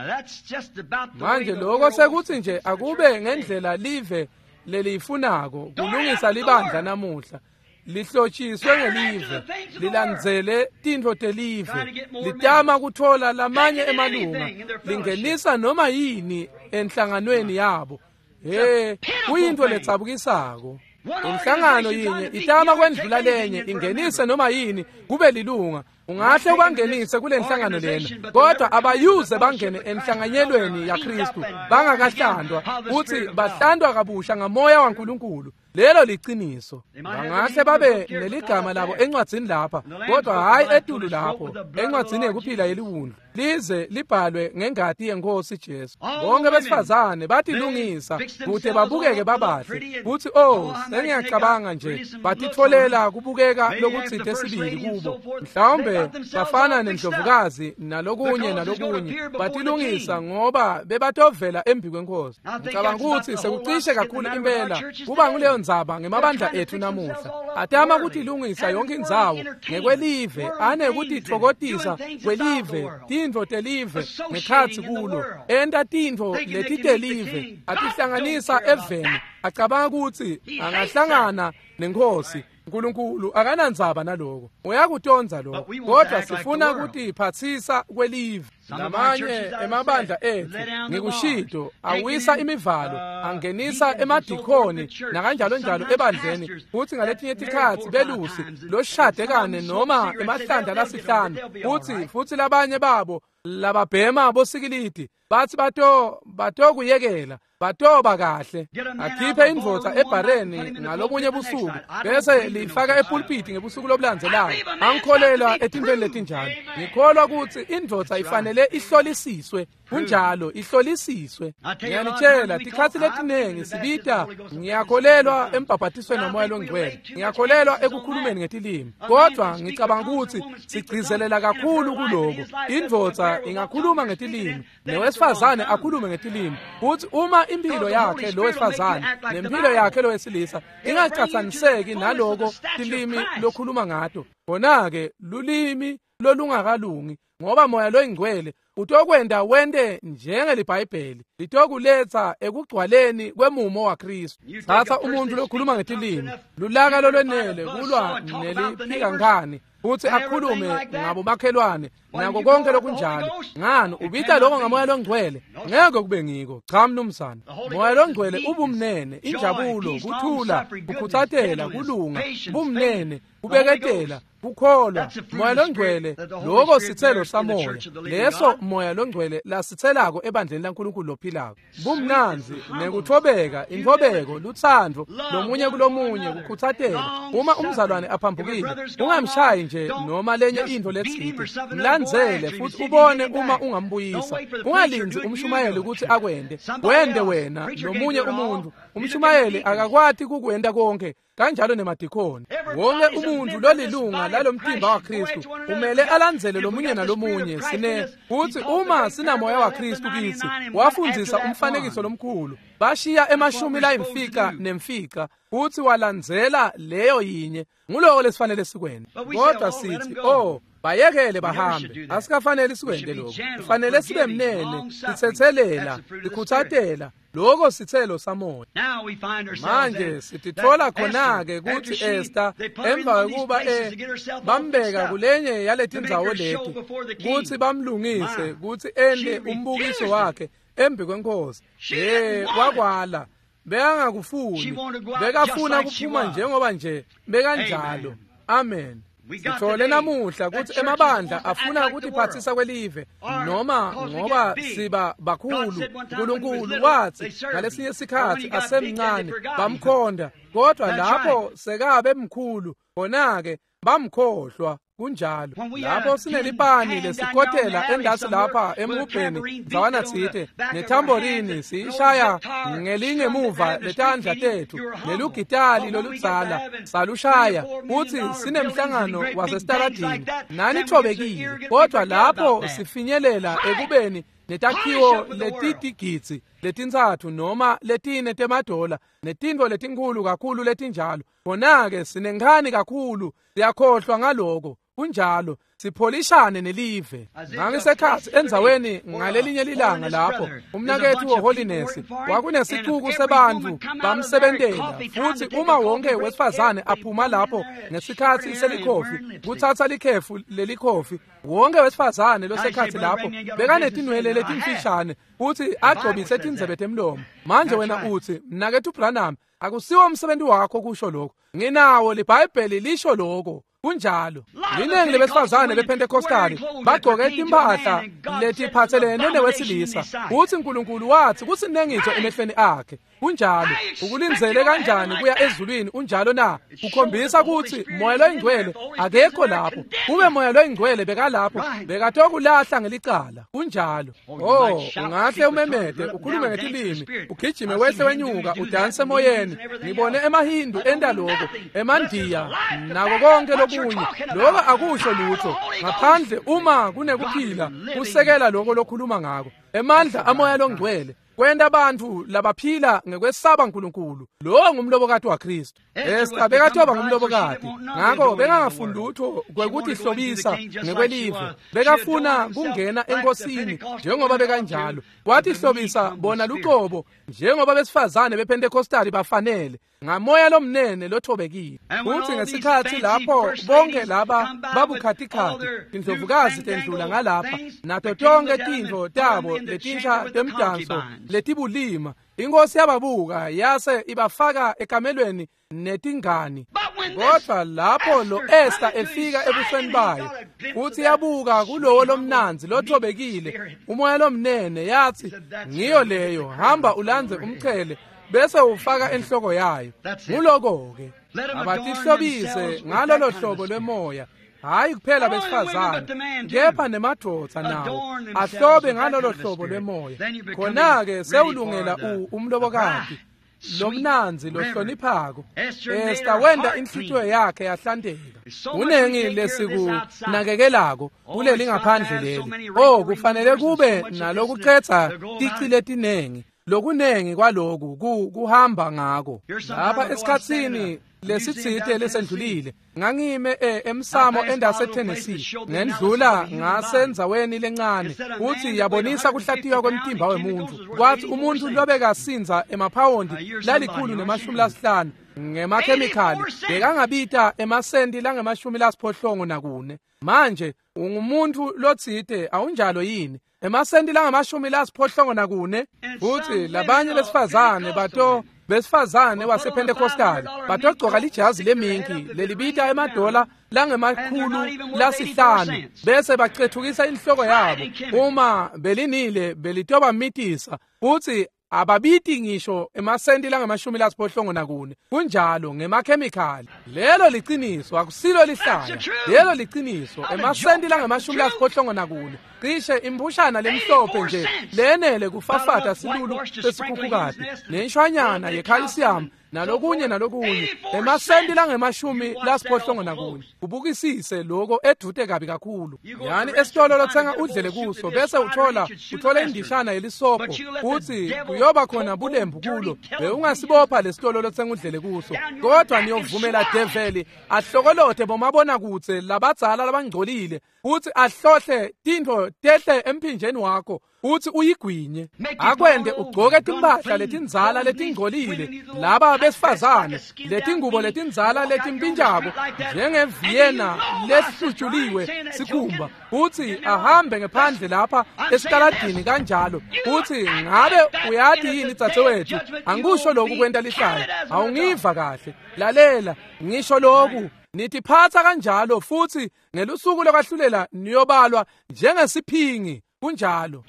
Manje loko sekutsi nje akube ngendlela live leliyifunako kulungisa libandla namuhla. Lihlotshiswe ngelive, lilandzele tintfo telive, litama kutfola lamanye emalunga, lingenisa noma yini enhlanganweni yabo. Kuyintfo letsabukisako. Inhlangano yinye itama kwendlula lenye, ingenise noma yini kube lilunga. Ungahle ubangenise kule nhlangano lena, kodwa abayuze bangene enhlanganyelweni yaKristu bangakahlandwa, uthi bahlandwa kabusha ngamoya waNkulunkulu. Lelo liciniso. Bangahle babe neligama labo encwadzini lapha, kodwa hhayi etulu lapho encwadzini yekuphila yeliwundlu, lize libhalwe ngengati yeNkhosi Jesu. Bonke besifazane batilungisa kute babukeke babahle, kutsi oh, sengiyacabanga nje batitfolela kubukeka lokutsite sibili kubo. Mhlawumbe bafana nendlovukazi nalokunye nalokunye, batilungisa ngoba bebatovela embi kweNkhosi. Ngicabanga kutsi sekucishe kakhulu impela kuba nguleyo ndzaba ngemabandla ethu namuhla. Atama kutilungisa yonke indzawo ngekwelive, anekutitfokotisa kwelive, tintfo telive ngekhatsi kulo, enta tintfo letitelive, atihlanganisa eveni, acabanga kutsi angahlangana neNkhosi. Nkulunkulu akanandzaba naloko, uyakutonza lokho, kodwa sifuna kutiphatsisa kwelive. Lamanye emabandla ethu ngikushito awisa imivalo, angenisa emadikhoni nakanjalo njalo ebandleni, futsi ngaletinye tikhatsi belusi loshade kane noma emahlandla lasihlanu, futsi labanye babo lababhema bosikilidi bathi batokuyekela, batoba kahle. Akhiphe indvodza ebhareni ngalobunye busuku bese lifaka epulpiti ngebusuku lobulandzelako. Angikholelwa etintfweni letinjalo. Ngikholwa kutsi indvodza ifanele ihlolisiswe. Kunjalo, ihlolisiswe. Ngiyanitshela, tikhatsi letinengi sibita, ngiyakholelwa embhabhatisweni waMoya loNgcwele, ngiyakholelwa ekukhulumeni ngetilimi, kodwa ngicabanga kutsi sigcizelela kakhulu kuloko. Indvodza ingakhuluma ngetilimi, nowesifazane akhulume ngetilimi, kutsi uma impilo yakhe lo wesifazane nempilo yakhe lo wesilisa ingacatsaniseki naloko tilimi lokhuluma ngato, khona-ke lulimi lolungakalungi, ngoba Moya loyiNgcwele utokwenta wente njengeliBhayibheli litokuletsa ekugcwaleni kwemumo waKristu. Tsatsa umuntfu lokhuluma ngetilimi, lulaka lolwenele kulwa neliphikankani, futsi akhulume ngabomakhelwane nako konke lokunjalo. Ngani ubita lokho ngaMoya loNgcwele? Ngeke kube ngiko. Cha mnumzane. Moya loNgcwele ubumnene, injabulo, kuthula, kukhutsatela, kulunga, bumnene, kubeketela, kukholwa. Moya loNgcwele loko sitselo samoya, leso Moya loNgcwele lasitselako ebandleni laNkulunkulu lophilako. Bumnandzi nekuthobeka, intfobeko, lutsandvo lomunye kulomunye, kukhutsatela. Uma umzalwane aphambukile, ungamshayi nje noma lenye intfo letsite, mlandzele futhi ubone uma ungambuyisa. Ungalindzi umshumayeli kutsi akwente, wente wena nomunye umuntu. Umshumayeli akakwati kukwenta konke, kanjalo nemadikhoni. Wonke umuntu lolilunga lalomtimba waKristu umele alandzele lomunye nalomunye. Sine kutsi uma sinamoya waKristu kitsi, wafundzisa umfanekiso lomkhulu, bashiya emashumi layimfica nemfica, futsi walandzela leyo yinye. Nguloko lesifanele sikwente. Kodwa sithi, oh, bayekele bahambe. Asikafanele sikwente lokho. Kufanele sibe mnene, sitsetselela, sikhutsatela. Loko sitselo samoya. Manje sititfola khona-ke kutsi Esther emva kwekuba bambeka kulenye yaletindzawo leti kutsi bamlungise kutsi ente umbukiso wakhe embi kweNkhosi. Wakwala. Bekangakufuni. Bekafuna kuphuma njengoba nje bekanjalo. Amen. Sithole namuhla kutsi emabandla afuna kutiphatsisa kwelive, noma ngoba siba bakhulu. Nkulunkulu watsi ngalesinye sikhatsi asemncane bamkhonda, kodwa lapho sekabe mkhulu khona-ke bamkhohlwa. Kunjalo. Lapho sinelipani lesikotela endasi lapha emhubheni ndzawana tsite, nethamborini siyishaya ngelingemuva letandla tethu, nelugitali loludzala salushaya, futsi sinemhlangano wasesitaladini, nanithobekile. Kodwa lapho sifinyelela ekubeni netakhiwo letitigidzi letintsatfu noma letine temadola, netintfo letinkhulu kakhulu letinjalo, khona-ke sinenkhani kakhulu, siyakhohlwa ngaloko. Kunjalo, sipholishane nelive. Ngangisekhatsi endzaweni ngalelinye lilanga lapho umnaketfu weHoliness kwakunesicuku sebantfu bamsebentela, futsi uma wonke wesifazane aphuma lapho ngesikhatsi selikhofi kutsatsa likhefu lelikhofi, wonke wesifazane losekhatsi lapho bekanetinwele letimfishane futsi agcobise tindzebe temlomo. Manje wena utsi, mnaketfu Branham, akusiwo umsebenzi wakho kusho lokho. Nginawo liBhayibheli lisho lokho. Kunjalo. Linengi lebesifazane bePentecostali bagcoke timphahla letiphathelene newesilisa. Uthi uNkulunkulu wathi kusinengiso emehlweni akhe. Kunjalo. Ukulindzele kanjani kuya ezulwini unjalo na? Kukhombisa ukuthi moya loyingcwele akekho lapho. Kube moya loyingcwele bekalapho bekatokulahla ngelicala. Kunjalo. Oh, ungahle umemede ukhulume ngetilimi, ugijime wehle wenyuka udanse emoyeni. Ngibone emaHindu enta lokho, emaNdiya nako konke lokunye. Lokho akusho lutho ngaphandle uma kunekuphila kusekela lokho lokhuluma ngako. Emandla amoya longcwele kwenta abantu labaphila ngekwesaba uNkulunkulu. Lo ngumlobokati waKristu. Esta bekathoba ngumlobokati, ngakho bekangafuni lutho kwekuthi hlobisa ngekwelive. Bekafuna kungena enkosini njengoba bekanjalo. Wathi hlobisa bona luqobo njengoba besifazane bePentecostali bafanele, ngamoya lomnene lothobekile. Futhi ngesikhathi lapho bonke laba babukhatikhathi tindlovukazi tendlula ngalapha nato tonke tintfo tabo letinsha temdanso letibulima, inkosi yababuka yase ibafaka ekamelweni netingani. Kodwa lapho lo Esther efika ebusweni bayo futhi yabuka kulowo lomnanzi lothobekile umoya lomnene, yathi ngiyo leyo, hamba ulandze umchele bese ufaka enhloko yayo. Nguloko-ke abatihlobise ngalolo hlobo lwemoya, hayi kuphela besifazane kepha nemadvodza nawo ahlobe ngalolo hlobo lwemoya. Khona-ke sewulungela umlobokati lomnanzi lohloniphako. Esta wenta inhlitiyo yakhe yahlanteka. Kunengi lesikunakekelako kuleli ngaphandle leli. Oh, kufanele kube nalokucetsa tici letinengi, lokunengi kwaloku kuhamba ngako. Lapha esikhatsini lesitsite lesendlulile ngangime emsamo endase Tennessee, ngendlula ngasendzaweni lencane futhi yabonisa kuhlatiywa kwemtimba wemuntu. Kwathi umuntu lobekasinza emaphawondi 150 ngemakhemikhali bekangabita emasenti langama-84. Manje ungumuntu lotsite awunjalo yini? Emasenti langama-84. Futhi labanye besifazane besifazane wasePentecostal batogcoka lijazi leminki lelibita emadola langama-500 bese bacethukisa inhloko yabo. Uma belinile belitobamitisa futhi ababiti ngisho emasenti langama-84. Kunjalo ngemakhemikhali. Lelo liciniso, akusilo lihlaya. Lelo liciniso, emasenti langama-84. Cishe impushana lemhlophe nje lenele kufafata silulu sesikhukhukati nenshwanyana yecalcium nalokunye nalokunye, emasenti langama-84. Ubukisise lokho edute kabi kakhulu. Yani esitolo lothenga udlele kuso bese uthola indishana yelisobho uthi kuyoba khona bulembu kulo, bewungasibopha lesitolo lothenga udlele kuso. Kodwa niyovumela develi ahlokolothe bomabonakudze labadzala labangcolile uthi ahlohle tintfo tehle emphinjeni wakho uthi uyigwinye, akwende ugcoke timphahla letindzala letingcolile laba besifazane letingubo letindzala letimpintshako njengeVienna lehlutshuliwe sikhumba, uthi ahambe ngephandle lapha esitaladini kanjalo. Uthi ngabe uyati yini dzadzewethu, angikusho lokhu kwenta lihlaya, awungiva kahle, lalela ngisho lokhu, nitiphatsa kanjalo futhi ngelusuku lokwahlulela niyobalwa njengesiphingi. Kunjalo.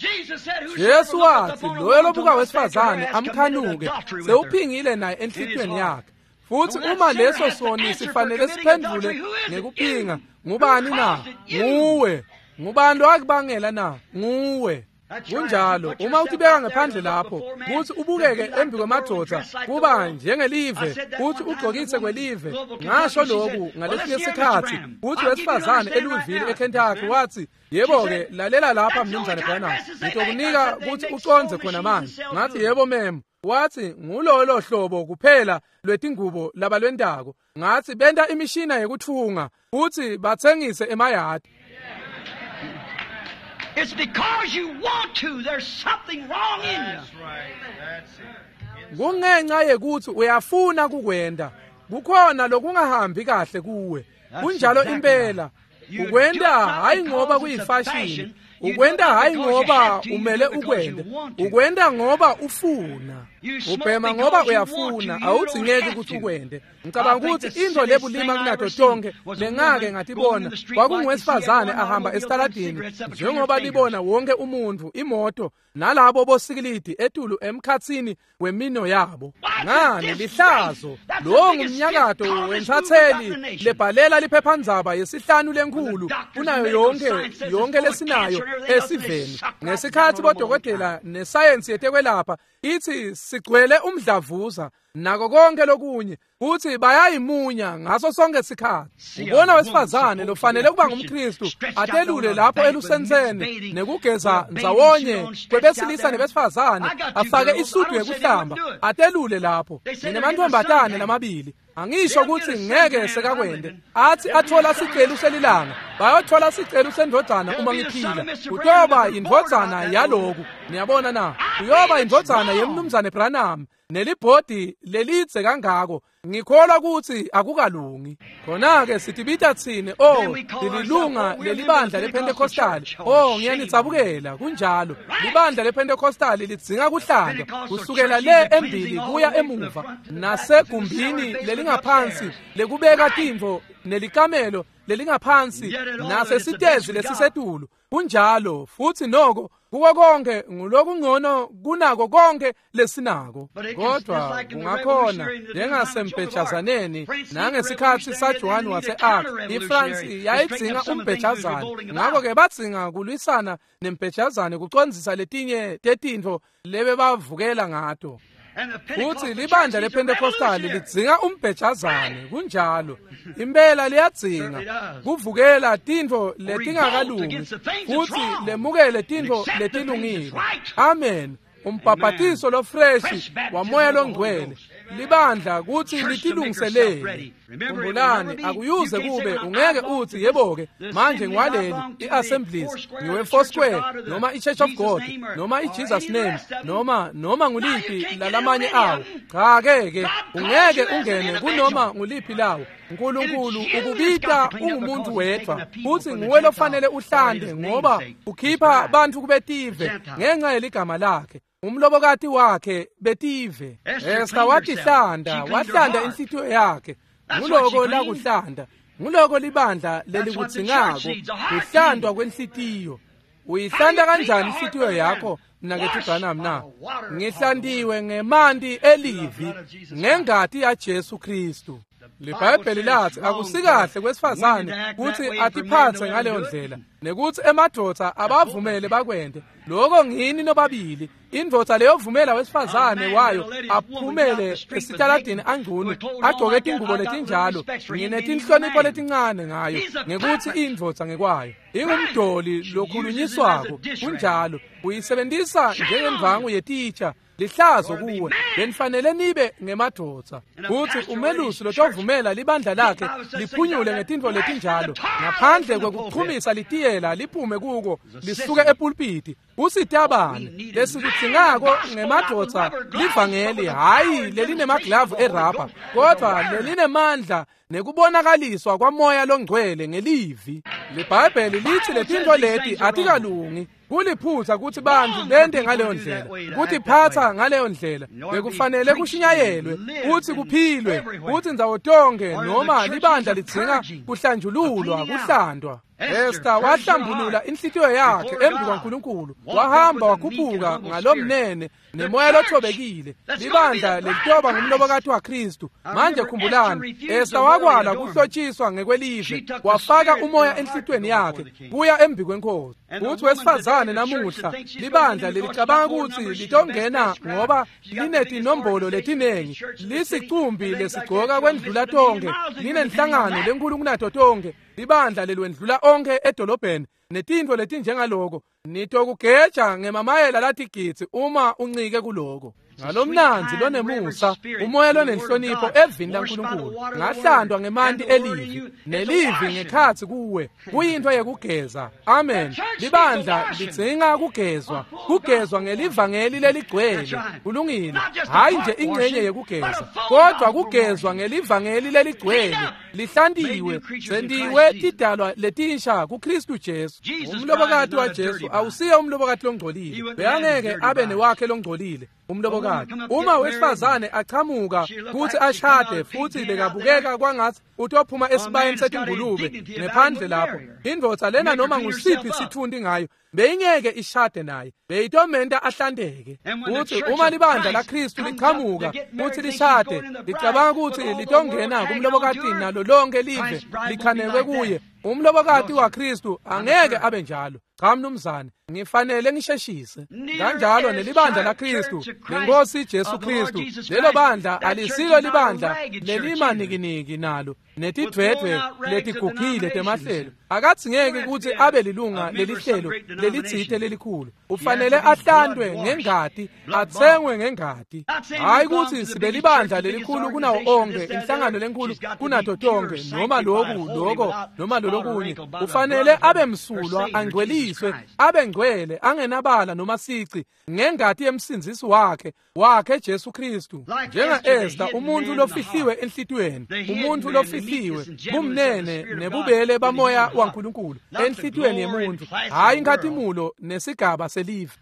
Jesu wathi loyo lobuka wesifazane amkhanuke sewuphingile naye enhlitiyweni yakhe. Futhi uma leso soni sifanele siphendule ngekuphinga, ngubani na? Nguwe. Ngubani wakubangela na? Nguwe. Kunjalo. Uma utibeka ngaphandle lapho kuthi ubukeke embi kwemadoda kuba njengelive kuthi ugcokise kwelive. Ngasho lokhu ngalesinye isikhathi kuthi wesifazane eLouisville eKentucky wathi, yebo-ke lalela lapha mnumzane Branham, ngitokunika kuthi uconze khona manje. Ngathi yebo mem. Wathi ngulolo hlobo kuphela lwetingubo labalwentako. Ngathi benta imishina yekuthunga kuthi bathengise emayadi. It's because you want to. There's something wrong in you. That's right. That's it. Kungenxa yekuthi uyafuna kukwenda. Kukhona lokungahambi kahle kuwe. Kunjalo impela. Ukwenda hayi ngoba kuyifashini. Ukwenda hayi ngoba umele ukwende. Ukwenda ngoba ufuna. Ubhema ngoba uyafuna, awudzingeki ukuthi ukwente. Ngicabanga ukuthi into lebulima kunato tonke lengake ngatibona kwakungowesifazane ahamba esitaladini njengoba libona wonke umuntu imoto nalabo bosikilidi etulu emkhatsini wemino yabo. Ngani lihlazo lo ngumnyakato wentsatseli lebhalela liphephandzaba yesihlanu lenkhulu kunayo yonke lesinayo esiveni. Ngesikhathi bodokotela nesayensi yetekwelapha ithi sigcwele umdlavuza nako konke lokunye kuthi bayayimunya ngaso sonke isikhathi. Ubona wesifazane lofanele kuba ngumKristu atelule lapho elusenseni nekugeza ndzawonye kwebesilisa nebesifazane afake isudu yekuhlamba atelule lapho. Nginemantombazane lamabili, angisho ukuthi ngeke sekakwende, athi athola sicelo selilanga bayothola sicelo sendvodzana uma ngiphila. Kutoba indvodzana yaloku, niyabona na? Kuyoba indvodzana yemnumzane Branham nelibhodi lelidze kangako. Ngikholwa ukuthi akukalungi. Khona-ke sitibita tsine, oh, lilunga lelibandla lePentecostal. Oh, ngiyanitsabukela, kunjalo. Libandla lePentecostal lidzinga kuhlandwa kusukela le embili kuya emuva nasegumbini lelingaphansi lekubeka tintfo nelikamelo lelingaphansi nasesitezi lesisetulu. Kunjalo futhi noko kuko konke ngulokungcono kunako konke lesinako. Kodwa kungakhona njengasembhejazaneni nangesikhathi saJohn wase-Arc, iFrance yayidzinga umbhejazane, ngakho-ke badzinga kulwisana nembhejazane kucondzisa letinye tetintfo lebebavukela ngato. Futhi libandla lePentecostal lidzinga umbhejazane, kunjalo. Impela liyadzinga kuvukela tintfo letingakalungi futhi lemukele tintfo letilungile. Amen. Umbhabhatiso lofreshi wamoya longcwele libandla kuthi litilungiselele. Khumbulani, akuyuze kube ungeke uthi yebo-ke manje ngiwaleli i-Assemblies, ngiwe-Foursquare noma i-Church of God noma i-Jesus Name noma nguliphi lalamanye awo. Cha-ke ke ungeke ungene kunoma nguliphi lawo. uNkulunkulu ukubita ungumuntu wedwa futhi nguwe lofanele uhlande ngoba ukhipha bantu kubetive ngenxa yeligama lakhe. Umlobokati wakhe betive. Esta watihlanda, wahlanda inhlitiyo yakhe. Nguloko lakuhlanda, nguloko libandla lelikudzingako, kuhlandwa kwenhlitiyo. Uyihlanda kanjani inhlitiyo yakho mnaketfu Branham na? Ngihlandiwe ngemanti elivi ngengati yaJesu Kristu. LiBhayibheli lathi akusikahle kwesifazane kuthi atiphathe ngaleyo ndlela nekuthi emadvodza abavumele bakwente. Lokho ngini nobabili. Indvodza leyovumela wesifazane wayo aphumele esitaladini angcunu agcoke tingubo letinjalo, nginetinhlonipho letincane ngayo ngekuthi indvodza ngekwayo ingumdoli lokhulunyiswako. Kunjalo, uyisebenzisa njengemvangu yetitsha. Lihlazo kuwe, benifanele nibe ngemadvodza. Kuthi umelusi lotovumela libandla lakhe liphunyule ngetintfo letinjalo ngaphandle kwekuchumisa litiyela liphume kuko lisuke epulpiti. Usitabane lesikudzingako ngemadvodza livangeli, hhayi lelinemaglavu erabha, kodwa lelinemandla nekubonakaliswa kwamoya longcwele ngelivi. LiBhayibheli lithi letintfo leti atikalungi. Kuliphutha ukuthi bantu bente ngaleyo ndlela, kutiphatha ngaleyo ndlela. Bekufanele kushunyayelwe kuthi kuphilwe kuthi ndzawo tonke noma libandla lidzinga kuhlanjululwa, kuhlandwa. Esta wahlambulula inhlitiyo yakhe embi kwaNkulunkulu, wahamba wakhuphuka ngalomnene nemoya lothobekile. Libandla lelitoba ngumlobokati waKristu. Manje khumbulani, Esta wakwala kuhlotshiswa ngekwelive, wafaka umoya enhlitiyweni yakhe kuya embi kwenkosi. Kuthi wesifazane namuhla libandla lelicabanga ukuthi litongena ngoba linetinombolo letinengi, lisicumbi lesigcoka kwendlula tonke, linenhlangano lenkulu kunato tonke, libandla lelwendlula onke edolobheni netintfo letinjengaloko. Nitokugeja ngemamayela latigidzi uma uncike kuloko. Ngalomnandzi lonemusa, umoya lonenhlonipho evini laNkulunkulu, ngahlandwa ngemanti elivi, nelivi ngekhatsi kuwe, kuyintfo yekugeza. Amen. Libandla lidzinga kugezwa, kugezwa ngelivangeli leligcwele. Kulungile, hhayi nje ingcenye yekugeza, kodwa kugezwa ngelivangeli leligcwele, lihlantiwe, sentiwe tidalwa letinsha kuKristu Jesu. Umlobokati waJesu awusiye umlobokati longcolile, bekangeke abe newakhe longcolile. Umlobokati uma wesifazane achamuka kutsi ashade futsi bekabukeka kwangatsi utophuma esibayeni setingulube ngephandle lapho, indvodza lena noma ngusiphi sitfunti ngayo beyingeke ishade naye, beyitomenta ahlanteke. Kutsi uma libandla laKristu lichamuka kutsi lishade, licabanga kutsi litongena kumlobokati nalo lonke live likhanekwe kuye, umlobokati waKristu angeke abe njalo. Cha mnumzane, ngifanele ngisheshise. Kanjalo nelibandla laKristu, lenkosi Jesu Kristu, lelo bandla alisilo libandla lelimanikiniki nalo netidvwedvwe letigugile temahlelo. Akadzingeki kutsi abe lilunga lelihlelo lelitsite lelikhulu. Ufanele ahlantwe ngengati, atsengwe ngengati. Hayi kutsi sibe libandla lelikhulu kunawo onkhe, inhlangano lenkhulu kunato tonkhe, noma loku loko noma lolokunye. Ufanele abe msulwa, angcweliswe, abe ngcwele, angenabala noma sici, ngengati yemsindzisi wakhe Jesu Kristu. Njenga-Esta, umuntu lofihliwe enhlitiyweni, umuntu lofihliwe bumnene nebubele bamoya waNkulunkulu enhlitiyweni yemuntu, hayi inkhatimulo nesigaba selive.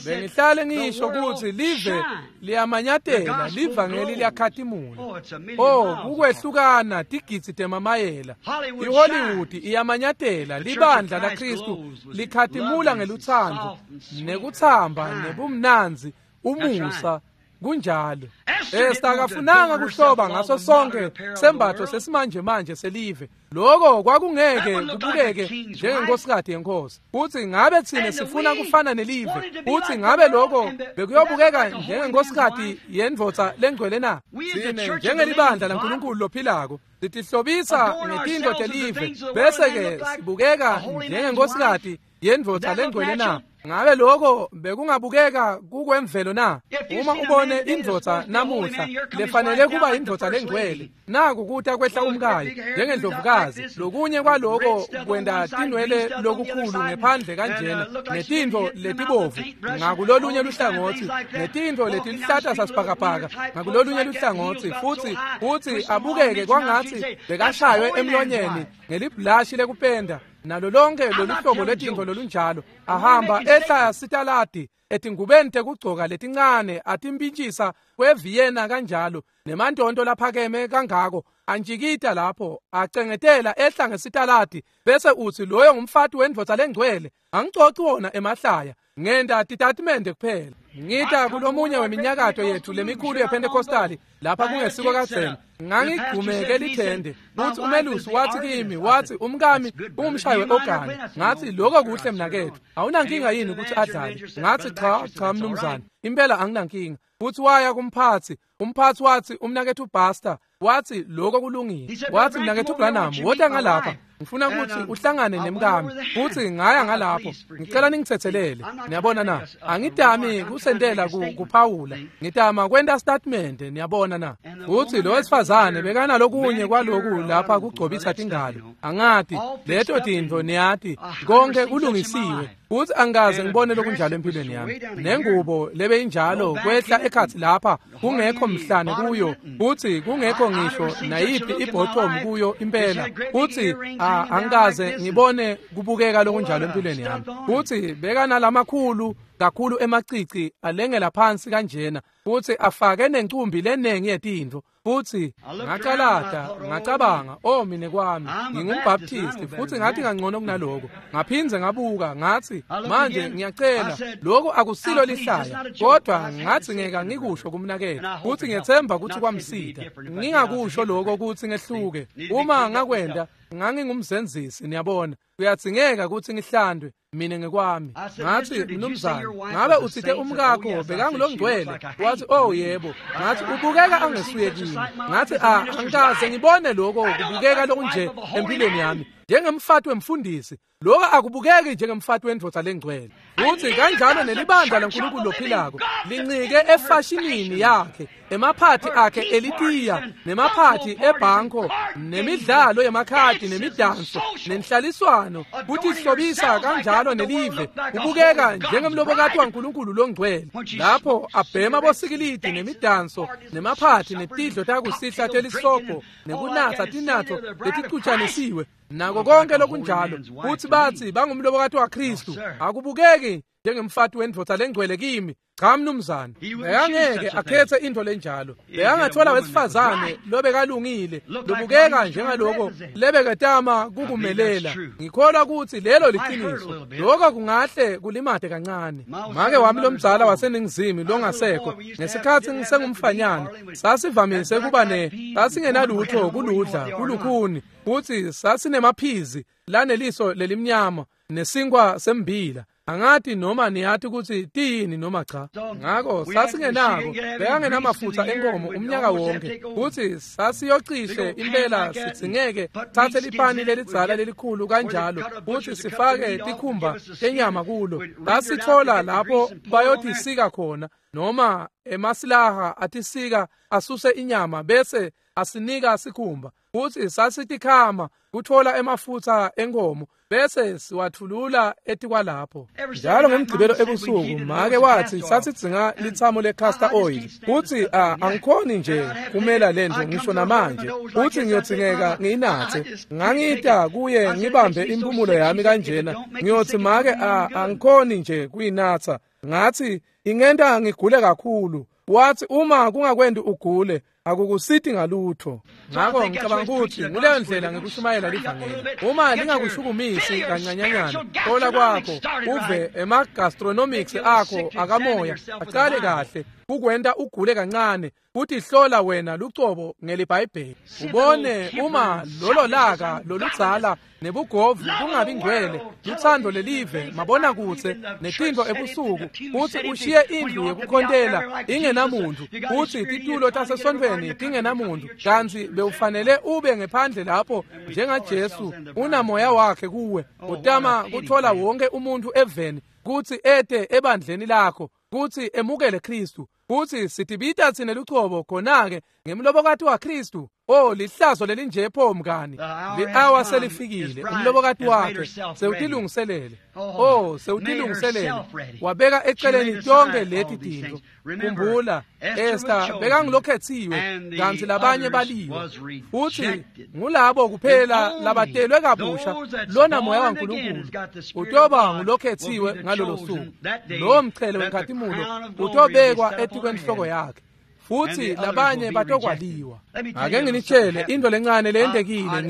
Bengihlale ngisho kutsi live liyamanyatela, livangeli liyakhatimula. Oh, kukwehlukana tigidzi temamayela. IHollywood iyamanyatela, libandla laKristu likhatimula ngelutsandvo nekutsamba nebumnandzi, umusa. Kunjalo. Esta akafunanga kuhloba ngaso sonke sembatho sesimanje manje selive. Lokho kwakungeke kubukeke njengenkosikati yenkosi. Uthi ngabe thina sifuna kufana nelive? Uthi ngabe lokho bekuyobukeka njengenkosikati yendvodza lengcwele na? Thina njengelibandla laNkulunkulu lophilako sitihlobisa ngetintfo telive bese ke sibukeka njengenkosikati yendvodza lengcwele na? Ngabe lokho bekungabukeka kukwemvelo na? Uma ubone indvodza namuhla lefanele kuba indvodza lengcwele, naku kuta kwehla umkayo njengendlovukazi, lokunye kwaloko kwenta tinwele lokukhulu ngephandle kanjena, netintfo letibovu ngakulolunye luhlangotsi, netintfo letiluhlata sasibhakabhaka ngakulolunye luhlangotsi, futsi abukeke kwangatsi bekashaywe emlonyeni ngelibhulashi lekupenda nalo lonke loluhlobo lwetintfo lolunjalo, ahamba ehla sitaladi etingubeni tekugcoka letincane, atimpintshisa kweVienna kanjalo, nemantonto laphakeme kangako, antjikita lapho, acengetela ehla ngesitaladi, bese utsi loyo ngumfati wendvodza lengcwele. Angicoci wona emahlaya, ngenta titatimende kuphela. Ngita kulomunye weminyakato yethu lemikhulu yePentecostali lapha kungesiko kadzeni, ngangigqumeke lithende, futhi umelusi wathi kimi, wathi umkami ungumshayi we-ogani. Ngathi lokho kuhle mnaketfu, awunankinga yini ukuthi adlale? Ngathi cha mnumzane, impela anginankinga. Futhi waya kumphathi, umphathi wathi umnaketfu Pastor, wathi lokho kulungile. Wathi mnaketfu Branham, wota ngalapha, ngifuna ukuthi uhlangane nemkami. Futhi ngaya ngalapho, ngicela ningithethelele. Niyabona na? Angidami kusentela kuphawula, ngitama kwenta statement, niyabona na? Futhi lo wesifazane bekanalokunye kwaloku lapha kugcobisa tingalo. Angati leto tintfo, niyati, konke kulungisiwe. Futhi angikaze ngibone lokunjalo empilweni yami. Nengubo lebeyinjalo kwehla ekhatsi lapha, kungekho mhlane kuyo, futhi kungekho ngisho nayiphi ibottom kuyo impela. Futhi angikaze ngibone kubukeka lokunjalo empilweni yami. Futhi bekanalamakhulu kakhulu emacici alengela phansi kanjena, futhi afake nencumbi lenengi yetintfo. Futhi ngacalata, ngacabanga, oh mine kwami, ngingumbaptisti, futhi ngathi kangcono kunaloko. Ngaphindze ngabuka, ngathi manje ngiyacela, lokho akusilo lihlaya, kodwa ngathi ngeke ngikusho kumnaketfu, futhi ngiyethemba ukuthi kwamsita. Ngingakusho lokho ukuthi ngehluke. Uma ngakwenda ngangingumzenzisi, niyabona. Kuyadzingeka ukuthi ngihlandwe mina ngekwami. Ngathi mnumzane, ngabe utsite umkakho bekangulongcwele? Wathi oh yebo. Ngathi ubukeka angesuye kimi. Ngathi angikaze ngibone lokho kubukeka lokunje empilweni yami, njengemfati wemfundisi. Lokho akubukeki njengemfati wendvodza lengcwele. Futhi kanjalo nelibandla laNkulunkulu lophilako lincike efashinini yakhe, emaphathi akhe elitiya, nemaphathi ebhanko, nemidlalo yemakhadi, nemidanso, nenhlaliswano, kutihlobisa kanjalo nelive, kubukeka njengemlobokati waNkulunkulu longcwele. Lapho abhema bosikilidi nemidanso, nemaphathi, netidlo takusihla telisobho, nekunatsa tinatfo leticutshanisiwe, nako konke lokunjalo, futhi bathi bangumlobokati waKristu. Akubukeki njengemfati wendvodza lengcwele kimi. Cha mnumzane, bekangeke akhethe into lenjalo. Bekangathola wesifazane lobekalungile, lobukeka njengaloko lebeketama kukumelela. Ngikholwa ukuthi lelo liqiniso. Lokho kungahle kulimate kancane. Make wami lomdzala waseNingizimu longasekho, ngesikhathi ngisengumfanyana, sasivamise kuba sasingenalutho kuludla kulukhuni, futhi sasinemaphizi laneliso lelimnyama nesinkwa sembila. Angati noma niyati ukuthi tiyini noma cha. Ngakho sasingenako, bekangenamafutha enkomo umnyaka wonke, futhi sasiyocishe impela sidzingeke thathe lipani lelidzala lelikhulu kanjalo futhi sifake tikhumba tenyama kulo. Sasithola lapho bayotisika khona, noma emasilaha atisika asuse inyama bese asinika sikhumba, futhi sasitikhama kuthola emafutha enkomo bese siwathulula etikwalapho. Njalo ngemgcibelo ebusuku make wathi sasidzinga lithamo le-castor oil, futhi angikhoni nje kumela lento ngisho namanje, futhi ngiyodzingeka ngiyinathe. Ngangita kuye ngibambe impumulo yami kanjena, ngiyothi make angikhoni nje kuyinatha. Ngathi ingenta ngigule kakhulu. Wathi uma kungakwendi ugule akukusiti ngalutho. Ngakho ngicabanga ukuthi nguleyo ndlela ngikushumayela livangeli. Uma lingakushukumisi kancanyanyana, thola kwakho uve ema-gastronomics akho akamoya aqale kahle kukwenta ugule kancane, kuthi hlola wena lucobo ngelibhayibheli, ubone uma lolo laka loludzala nebugovu kungabi ngcwele, luthando lelive mabona kutse netinto ebusuku, futhi ushiye indlu yekukhontela ingenamuntu, futhi titulo tasesontfweni tingenamuntu, kantsi bewufanele ube ngephandle lapho njengaJesu unamoya wakhe kuwe, utama kuthola wonke umuntu eveni kutsi ete ebandleni lakho, kutsi emukele Kristu, kutsi sitibita tsine lucobo khona-ke ngemlobokati waKristu. Oh, lihlazo lelinje pho mngani. Li-awa selifikile, umlobokati wakhe sewutilungiselele. Oh, sewutilungiselele, wabeka eceleni tonke leti tintfo. Khumbula, Esther bekangilokhetsiwe kantsi labanye baliwe, futhi ngulabo kuphela labatelwe kabusha lona moya waNkulunkulu utoba ngulokhetsiwe ngalolo suku. Lowo mchele wenkhatimulo utobekwa etikwenhloko yakhe, futhi labanye batokwaliwa. Ake nginitshele into lencane leyentekile.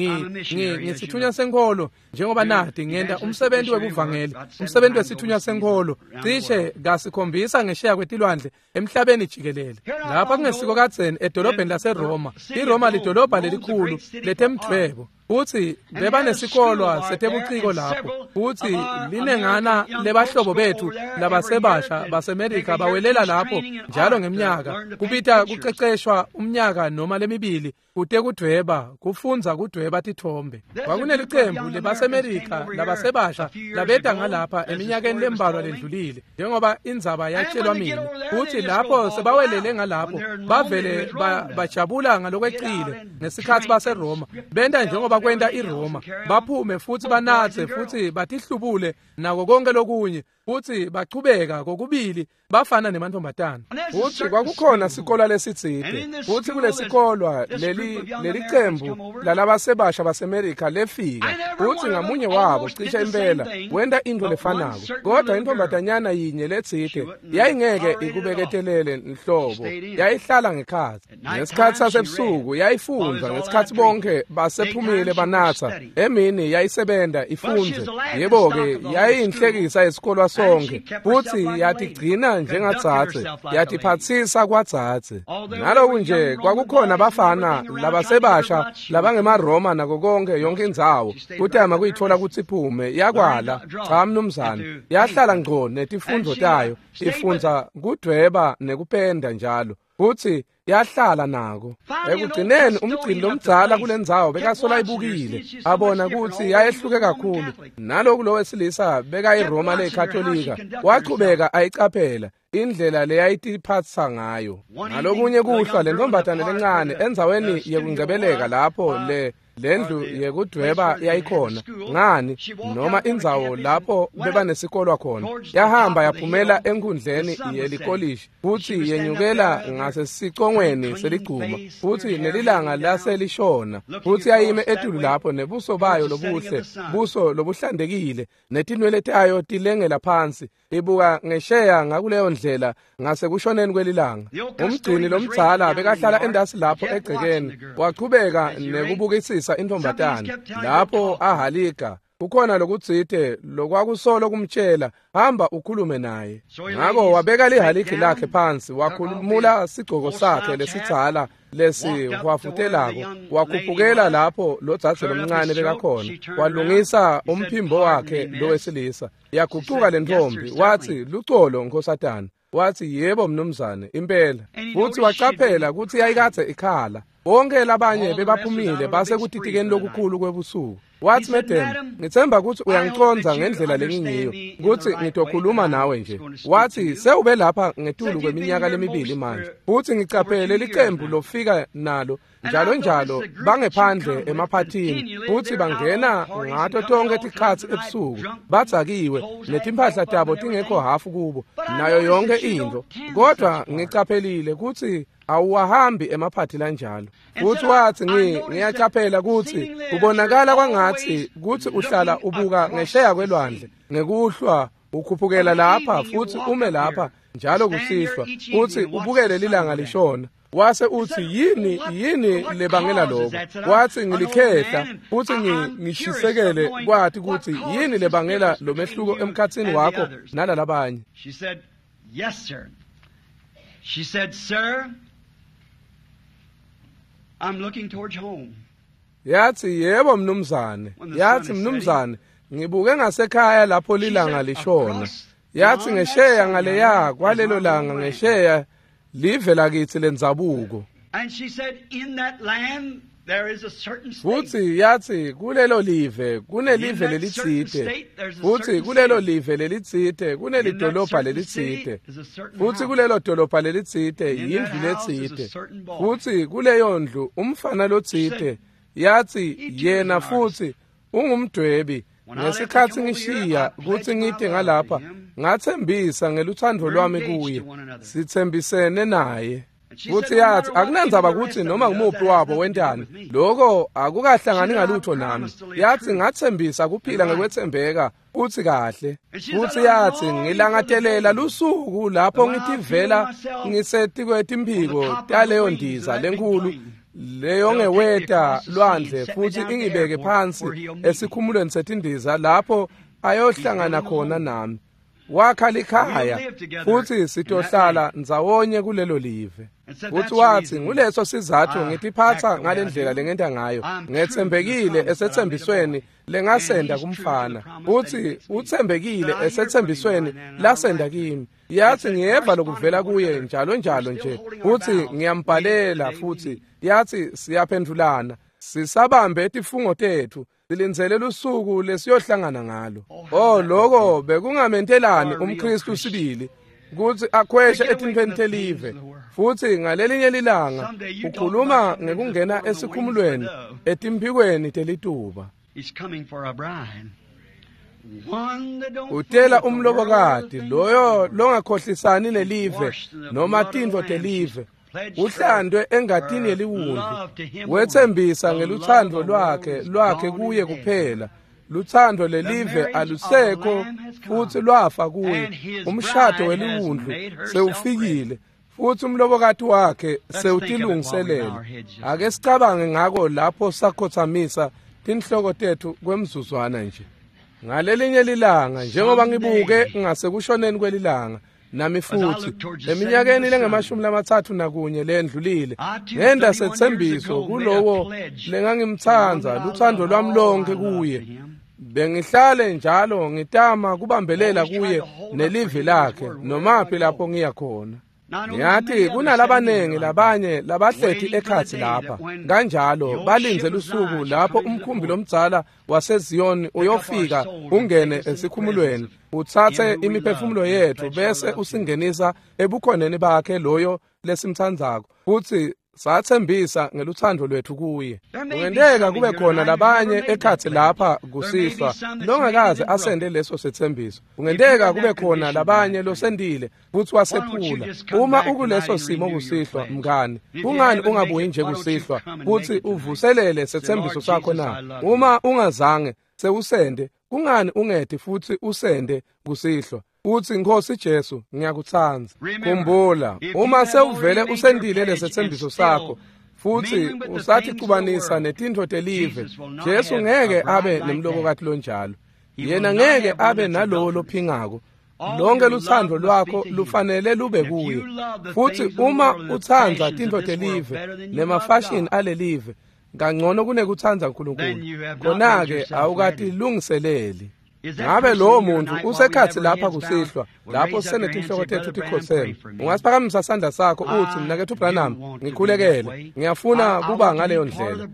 Ngisithunywa senkholo, njengoba nati ngenta umsebenzi webuvangeli, umsebenzi wesithunywa senkholo cishe kasikhombisa ngesheya kwetilwandle emhlabeni jikelele. Lapha kungesiko kadzeni edolobheni laseRoma. IRoma lidolobha lelikhulu letemdvwebo, futhi bebanesikolwa setebuciko lapho, futhi linengana lebahlobo bethu labasebasha baseMerika bawelela lapho njalo ngeminyaka, kubita kuceceshwa umnyaka noma lemibili kute kudvweba, kufundza kudvweba tithombe. Kwakunelicembu lebaseMerika labasebasha labeta ngalapha eminyakeni lembalwa lendlulile, njengoba indzaba yatshelwa mina, futhi lapho sebawelele ngalapho bavele bajabula ngalokwecile ngesikhathi baseRoma, benta njengoba kwenta iRoma, baphume futhi banatse futhi batihlubule nako konke lokunye, futhi bachubeka kokubili bafana nemantombazana. Futhi kwakukhona sikolwa lesitsite, futhi kulesikolwa leli cembu lalabasebasha baseMerika lefika, futhi ngamunye wabo cishe impela wenta into lefanako, kodwa intombazanyana yinye letsite yayingeke ikubeketelele nhlobo, yayihlala ngekhatsi. Ngesikhathi sasebusuku yayifundza, ngesikhathi bonke basephumile banatsa, emini yayisebenta ifundze. Yebo-ke, yayinhlekisa esikolwa sonke, futhi yatigcina njengadzadze, yatiphatsisa kwadzadze. Naloku nje kwakukhona bafana labasebasha labangemaroma nako konke yonke indzawo, kutama kuyithola kutsi iphume, yakwala. Cha mnumzane, yahlala ngco netifundvo tayo, ifundza kudvweba nekupenda njalo, futhi yahlala nako. Ekugcineni umgcini lomdzala kulendzawo bekasola ibukile, abona kutsi yayehluke kakhulu. Naloku lo wesilisa bekayiRoma leyiKatolika, wachubeka ayicaphela indlela leyayitiphatsa ngayo. Ngalokunye kuhlwa le ntombazane lencane endzaweni yekungcebeleka lapho Lendlu yekudweba yayikhona ngani noma indzawo lapho bebanesikolwa khona. Yahamba yaphumela enkundleni yelikolishi futhi yenyukela ngasesicongweni seligcuma futhi nelilanga laselishona futhi yayime etulu lapho nebuso bayo lobuhle, buso lobuhlantekile, netinwele tayo tilengela phansi, ibuka ngesheya ngakuleyo ndlela ngasekushoneni kwelilanga. Umgcini lomdzala bekahlala endasi lapho egcekeni, wachubeka nekubukisisa intombatane lapho ahalika. Kukhona lokutsite lokwakusolo kumtshela, hamba ukhulume naye. Ngako wabeka lihaliki lakhe phansi, wakhulumula sigcoko sakhe lesidzala lesihwafutelako, wakhuphukela lapho lodzadze lomncane bekakhona, walungisa umphimbo wakhe lowesilisa. Yagucuka lentombi, wathi, "Lucolo nkhosatana." Wathi, "Yebo mnumzane, impela." Futhi wacaphela kutsi yayikadze ikhala. Bonke labanye bebaphumile base kutitikeni lokukhulu kwebusuku. Wathi, "Madam, ngitsemba kutsi uyangiconza ngendlela lengingiyo, kutsi ngitokhuluma nawe nje." Wathi, "Sewube lapha ngetulu kweminyaka lemibili manje, futhi ngicaphele licembu lofika nalo njalo njalo bangephandle emaphathini, futhi bangena ngato tonke tikhatsi ebusuku, badzakiwe, netimphahla tabo tingekho hafu kubo, nayo yonke intfo. Kodwa ngicaphelile kutsi awuwahambi emaphathi lanjalo." Futhi wathi, "Ngiyacaphela kutsi kubonakala kwangatsi kutsi uhlala ubuka ngesheya kwelwandle ngekuhlwa, ukhuphukela lapha futhi ume lapha njalo kusihlwa futhi ubukele lilanga lishona." Wase uthi, yini lebangela lokho? Wathi, "Ngilikhehla futhi ngishisekele kwati kutsi yini lebangela lo mehluko emkhatsini wakho nalalabanye." She said, "Yes, sir." She said, "Sir, I'm looking towards home." Yathi, "Yebo mnumzane." Yathi, "Mnumzane, ngibuke ngasekhaya lapho lilanga lishona." Yathi, "Ngesheya ngaleya kwalelo langa ngesheya live lakithi lendzabuko." And she said, "In that land there is a certain state." Futhi yathi, "Kulelo live kunelive lelitsite, futhi kulelo live lelitsite kunelidolobha lelitsite, futhi kulelo dolobha lelitsite yindlu letsite, futhi kuleyo ndlu umfana lotsite." Yathi, "Yena futhi ungumdwebi. Ngesikhatsi ngishiya kutsi ngite ngalapha, ngatsembisa ngeluthando lwami kuye, sitsembisene naye." Futhi yathi, "Akunandzaba kutsi noma ngumuphi wabo wentani, lokho akukahlangani ngalutho nami." Yathi, "Ngatsembisa kuphila ngekwetsembeka futhi kahle." Futhi yathi, "Ngilangatelela lusuku lapho ngitivela ngisetikwetimphiko taleyo ndiza lenkhulu leyo ngeweta lwandle futhi ingibeke phansi esikhumulweni setindiza lapho ayohlangana khona nami. Wakha likhaya futhi sitohlala ndzawonye kulelo live." Futhi wathi, "Nguleso sizathu ngitiphatsa ngalendlela lengenta ngayo. Ngetsembekile esetsembisweni lengasenda kumfana, futhi utsembekile esetsembisweni lasenda kimi." Yathi, "Ngiyeva lokuvela kuye njalo njalo nje, futhi ngiyambhalela." Futhi yathi, "Siyaphendulana, sisabambe tifungo tethu, silindzele lusuku lesiyohlangana ngalo." Oh, lokho bekungamentelani umKristu sibili kutsi akhweshe etintfweni telive. Futhi ngalelinye lilanga ukhuluma ngekungena esikhumulweni etimphikweni telituba. Utela umlobokati loyo longakhohlisani nelive noma tintfo telive, uhlandwe engatini yeliwundlu, wetsembisa ngeluthando lwakhe kuye kuphela. Luthando lelive alusekho futhi lwafa kuye. Umshado weliwundlu sewufikile futhi umlobokati wakhe sewutilungiselele. Ake sicabange ngako lapho sakhothamisa tinhloko tethu kwemzuzwana nje. Ngalelinye lilanga, njengoba ngibuke ngasekushoneni kwelilanga, nami futhi eminyakeni lengamashumi 31 lendlulile, ngenda setsembiso kulowo lengangimtsandza, luthando lwami lonke kuye. Bengihlale njalo ngitama kubambelela kuye nelivi lakhe nomaphi lapho ngiya khona. Ngiyathi kunalabanengi labanye labahleti ekhatsi lapha kanjalo balinze lusuku lapho umkhumbi lomdzala waseZiyoni uyofika ungene esikhumulweni, utsatse imiphefumulo yethu bese usingenisa ebukhoneni bakhe loyo lesimtsandzako futhi Sathembisa ngeluthando lwethu kuye. Kungenteka kube khona labanye ekhatsi lapha kusihlwa longakaze asende leso sethembiso. Kungenteka kube khona labanye losendile futsi wasephula. Uma ukuleso simo kusihlwa, mngani, kungani ungabuyi nje kusihlwa futsi uvuselele sethembiso sakho na? Uma ungazange sewusende, kungani ungeti futhi usende kusihlwa? Uthi, Nkosi Jesu, ngiyakutsandza. Khumbula, uma sewuvele usendile lesethembiso sakho futhi usaticubanisa netintfo telive, Jesu ngeke abe nemlobokati lonjalo. Yena ngeke abe nalowo lophingako. Lonke lutsandvo lwakho lufanele lube kuye. Futhi uma utsandza tintfo telive nemafashini alelive kangcono kunekutsandza uNkulunkulu, khona-ke awukatilungiseleli. Ngabe lowo muntu usekhatsi lapha kusihlwa, lapho sisenetinhloko tetfu tikhotseme, ungasiphakamisa sandla sakho uthi, Mnaketfu Branham, ngikhulekele. Ngiyafuna kuba ngaleyo ndlela.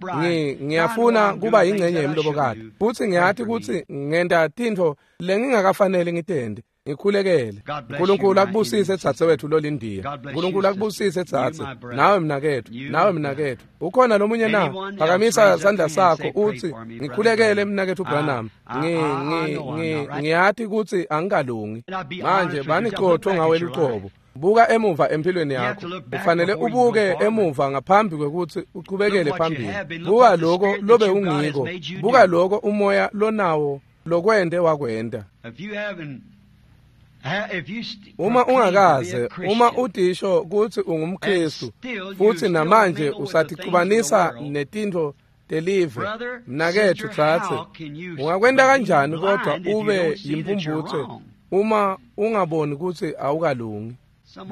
Ngiyafuna kuba yingcenye yemlobokati, futsi ngiyati kutsi ngenta tintfo lengingakafanele ngitente. Ngikhulekele. Nkulunkulu akubusise dzadzewetfu lolindiya. Nkulunkulu akubusise dzadze. Nawe mnaketfu, nawe mnaketfu. Ukhona lomunye na? Phakamisa sandla sakho uthi, ngikhulekele mnaketfu Branham. Ngiyati kutsi angikalungi. Manje banicotho ngawe lucobo. Buka emuva empilweni yakho. Ufanele ubuke emuva ngaphambi kwekutsi uchubekele phambili. Buka lokho lobe ungiko. Buka lokho umoya lonawo lokwente wakwenta. Uma ungakaze, uma utisho kutsi ungumKristu futhi namanje usaticubanisa netintfo telive, mnaketfu dzadze, ungakwenta kanjani kodwa ube yimphumphutse uma ungaboni kutsi awukalungi?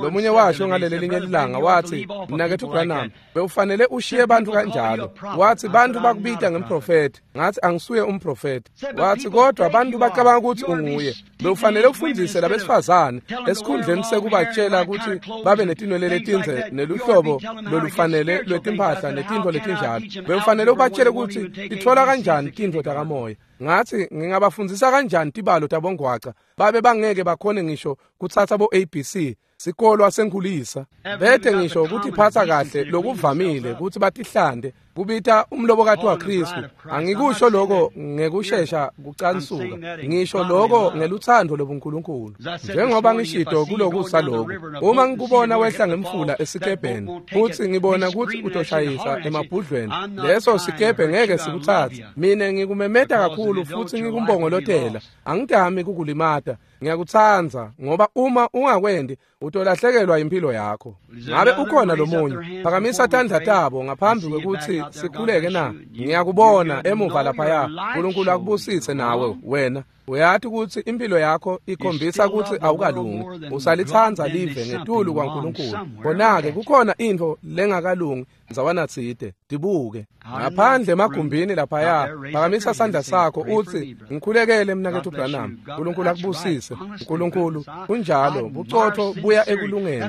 Lomunye washo ngaleli linye lilanga wathi, Mnaketfu Branham, bewufanele ushiye bantfu kanjalo. Wathi bantfu bakubita ngemprofethi. Ngathi angisuye umprofethi. Wathi kodwa bantfu bacabanga kutsi unguye. Bewufanele ufundzise labesifazane esikhundleni sekubatshela kutsi babe netinwele letindze neluhlobo lolufanele lwetimphahla netintfo letinjalo. Bewufanele ubatshele kutsi titfola kanjani tintfo takamoya. Ngathi ngingabafundzisa kanjani tibalo tabongwaca babe bangeke bakhone ngisho kutsatsa bo ABC sikolwa senkhulisa bete ngisho kutiphatsa kahle lokuvamile kutsi batihlande kubita umlobokati waKristu. Angikusho lokho ngekushesha kucansuka, ngisho lokho ngelutsandvo lobuNkulunkulu. Njengoba ngishito kulokusa lokhu, uma ngikubona wehla ngemfula esikebheni futhi ngibona kutsi utoshayisa emabhudlweni, leso sikebhe ngeke sikutsatse. Mina ngikumemeta kakhulu futhi ngikumbongolotela, angidami kukulimata. Ngiyakutsandza ngoba uma ungakwendi utolahlekelwa impilo yakho. Ngabe ukhona lomunye? Phakamisa tandla tabo ngaphambi kwekutsi sikhuleke na? Ngiyakubona emuva laphaya. Nkulunkulu akubusise nawe wena. Uyati kutsi impilo yakho ikhombisa kutsi awukalungi. Usalitsandza live ngetulu kwaNkulunkulu. Khona-ke kukhona intfo lengakalungi ndzawana tsite. Tibuke ngaphandle emagumbini laphaya. Phakamisa sandla sakho utsi, ngikhulekele mnaketfu Branham. Nkulunkulu akubusise. Nkulunkulu kunjalo, bucotfo buya ekulungeni.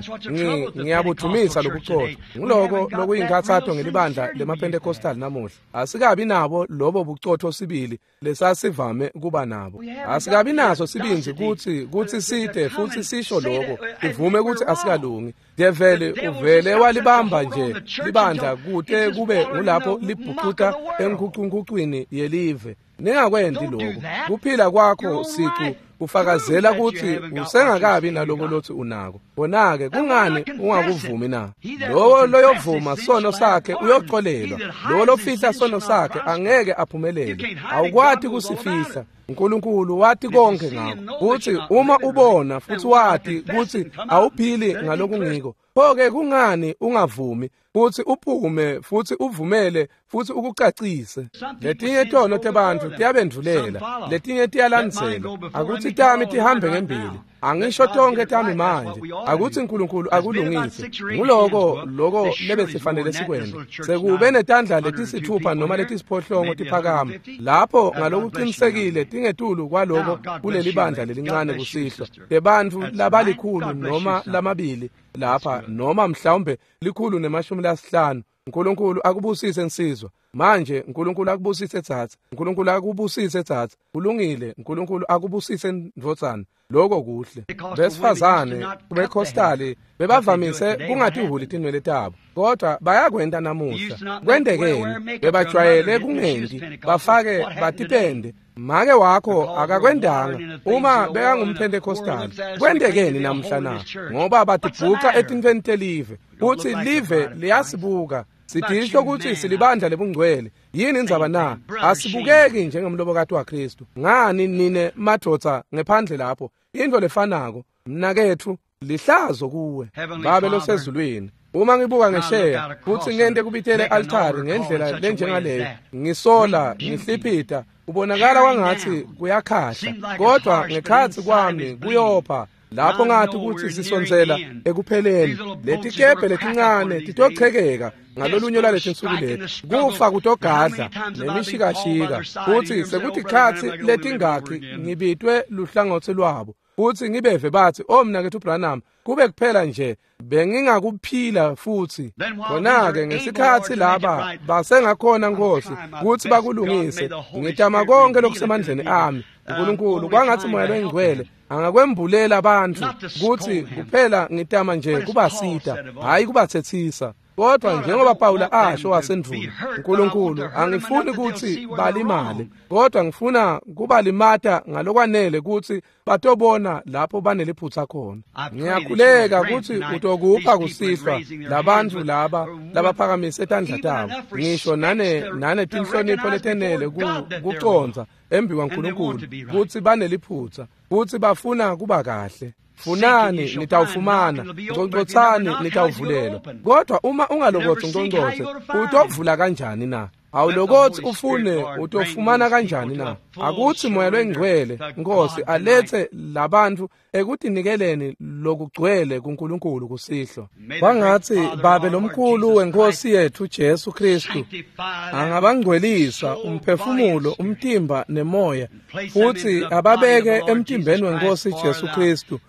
Ngiyabudvumisa lobucotfo. Nguloko lokuyinkhatsato ngelibandla lemaPentecostal namuhla. Asikabi nabo lobo bucotfo sibili lesasivame kuba nabo. Asikabi naso sibindzi kutsi site futhi sisho lokho, ivume kutsi asikalungi. Develi uvele walibamba nje libandla kute kube ngulapho libhukuta enkhucunkucwini yelive. Ningakwendi lokho. Kuphila kwakho sicu kufakazela kutsi usengakabi naloko lothi unako. Bona-ke kungani ungakuvumi na? Lowo loyovuma sono sakhe uyoxolelwa. Lowo lofihla sono sakhe angeke aphumelele. Awukwati kusifihla. uNkulunkulu wati konke ngakho. Kuthi uma ubona futhi wati kutsi awuphili ngalokungiko, pho-ke kungani ungavumi futhi uphume futhi uvumele futhi ukucacise? Letinye tono tebantfu tiyabendvulela, letinye tiyalandzela. Akuthi tami tihambe ngembili. Angisho tonke tami manje. Akuthi uNkulunkulu akulungise. Nguloko loko lebesifanele sikwente. Sekube netandla letisithupha noma letisiphohlongo tiphakama lapho ngalokuqinisekile tingetulu kwaloko kuleli bandla lelincane kusihlwa. Tebantfu labalikhulu noma lamabili lapha, noma mhlawumbe 150. uNkulunkulu akubusise nsizwa. Manje uNkulunkulu akubusise tsatsa, uNkulunkulu akubusise tsatsa. Kulungile, uNkulunkulu akubusise ndvodzana. Lokho kuhle. Besifazane beCostali bebavamise kungatihuli tinwele tabo, kodwa bayakwenta namuhla. Kwentekeni? Bebajwayele kungendi, bafake batipende. Make wakho akakwendanga uma bekangumpentecostali. Kwentekeni namuhla na? Ngoba batibhuca etintfweni telive, kutsi live liyasibuka. Sidisho kutsi silibandla lebungcwele. Yini indzaba na? Asibukeki njengemlobokati waKristu. Ngani nine madvodza ngephandle lapho? Into lefanako, mnaketfu, lihlazo kuwe. Babe losezulwini, uma ngibuka ngesheya futsi ngente kubitele altari ngendlela lenjengaleyo, ngisola, ngihliphita, ubonakala kwangatsi kuyakhahla, kodwa ngekhatsi kwami kuyopha. Lapho ngathi kutsi sisondzela ekupheleni, letikebhe letincane titochekeka ngalolunye lwaletinsuku leti. Kufa kutogadla nemishikashika, futsi sekutikhatsi letingakhi ngibitwe luhlangotsi lwabo, futsi ngibeve batsi, "O mnaketfu Branham, kube kuphela nje bengingakuphila futhi." Khona-ke ngesikhatsi laba basengakhona Nkosi kutsi bakulungise, ngitama konke lokusemandleni ami. uNkulunkulu, kwangatsi Moya loyiNgcwele angakwembulela bantfu kutsi kuphela ngitama nje kubasita, hhayi kubatsetsisa. Kodwa njengoba Pawula asho wasendvulo, uNkulunkulu, angifuni kutsi balimale, kodwa ngifuna kubalimata ngalokwanele kutsi batobona lapho baneliphutsa khona. Ngiyakhuleka kutsi utokupha kusihlwa labantfu laba labaphakamise tandla tabo, ngisho nane tinhlonipho letenele kucondza embi kwaNkulunkulu kutsi baneliphutsa, kutsi bafuna kuba kahle. Funani nitawufumana, ngcongcotsani nitawuvulelwa. Kodwa uma ungalokotsi ngcongcotse, utovula kanjani na? Awulokotsi ufune, utofumana kanjani na? Akutsi Moya loyiNgcwele, Nkosi, alethe labantfu ekutinikeleni lokugcwele kuNkulunkulu kusihlwa. Kwangatsi Babe lomkhulu weNkosi yetfu Jesu Kristu angabangcwelisa umphefumulo, umtimba nemoya, futsi ababeke emtimbeni weNkosi Jesu Kristu,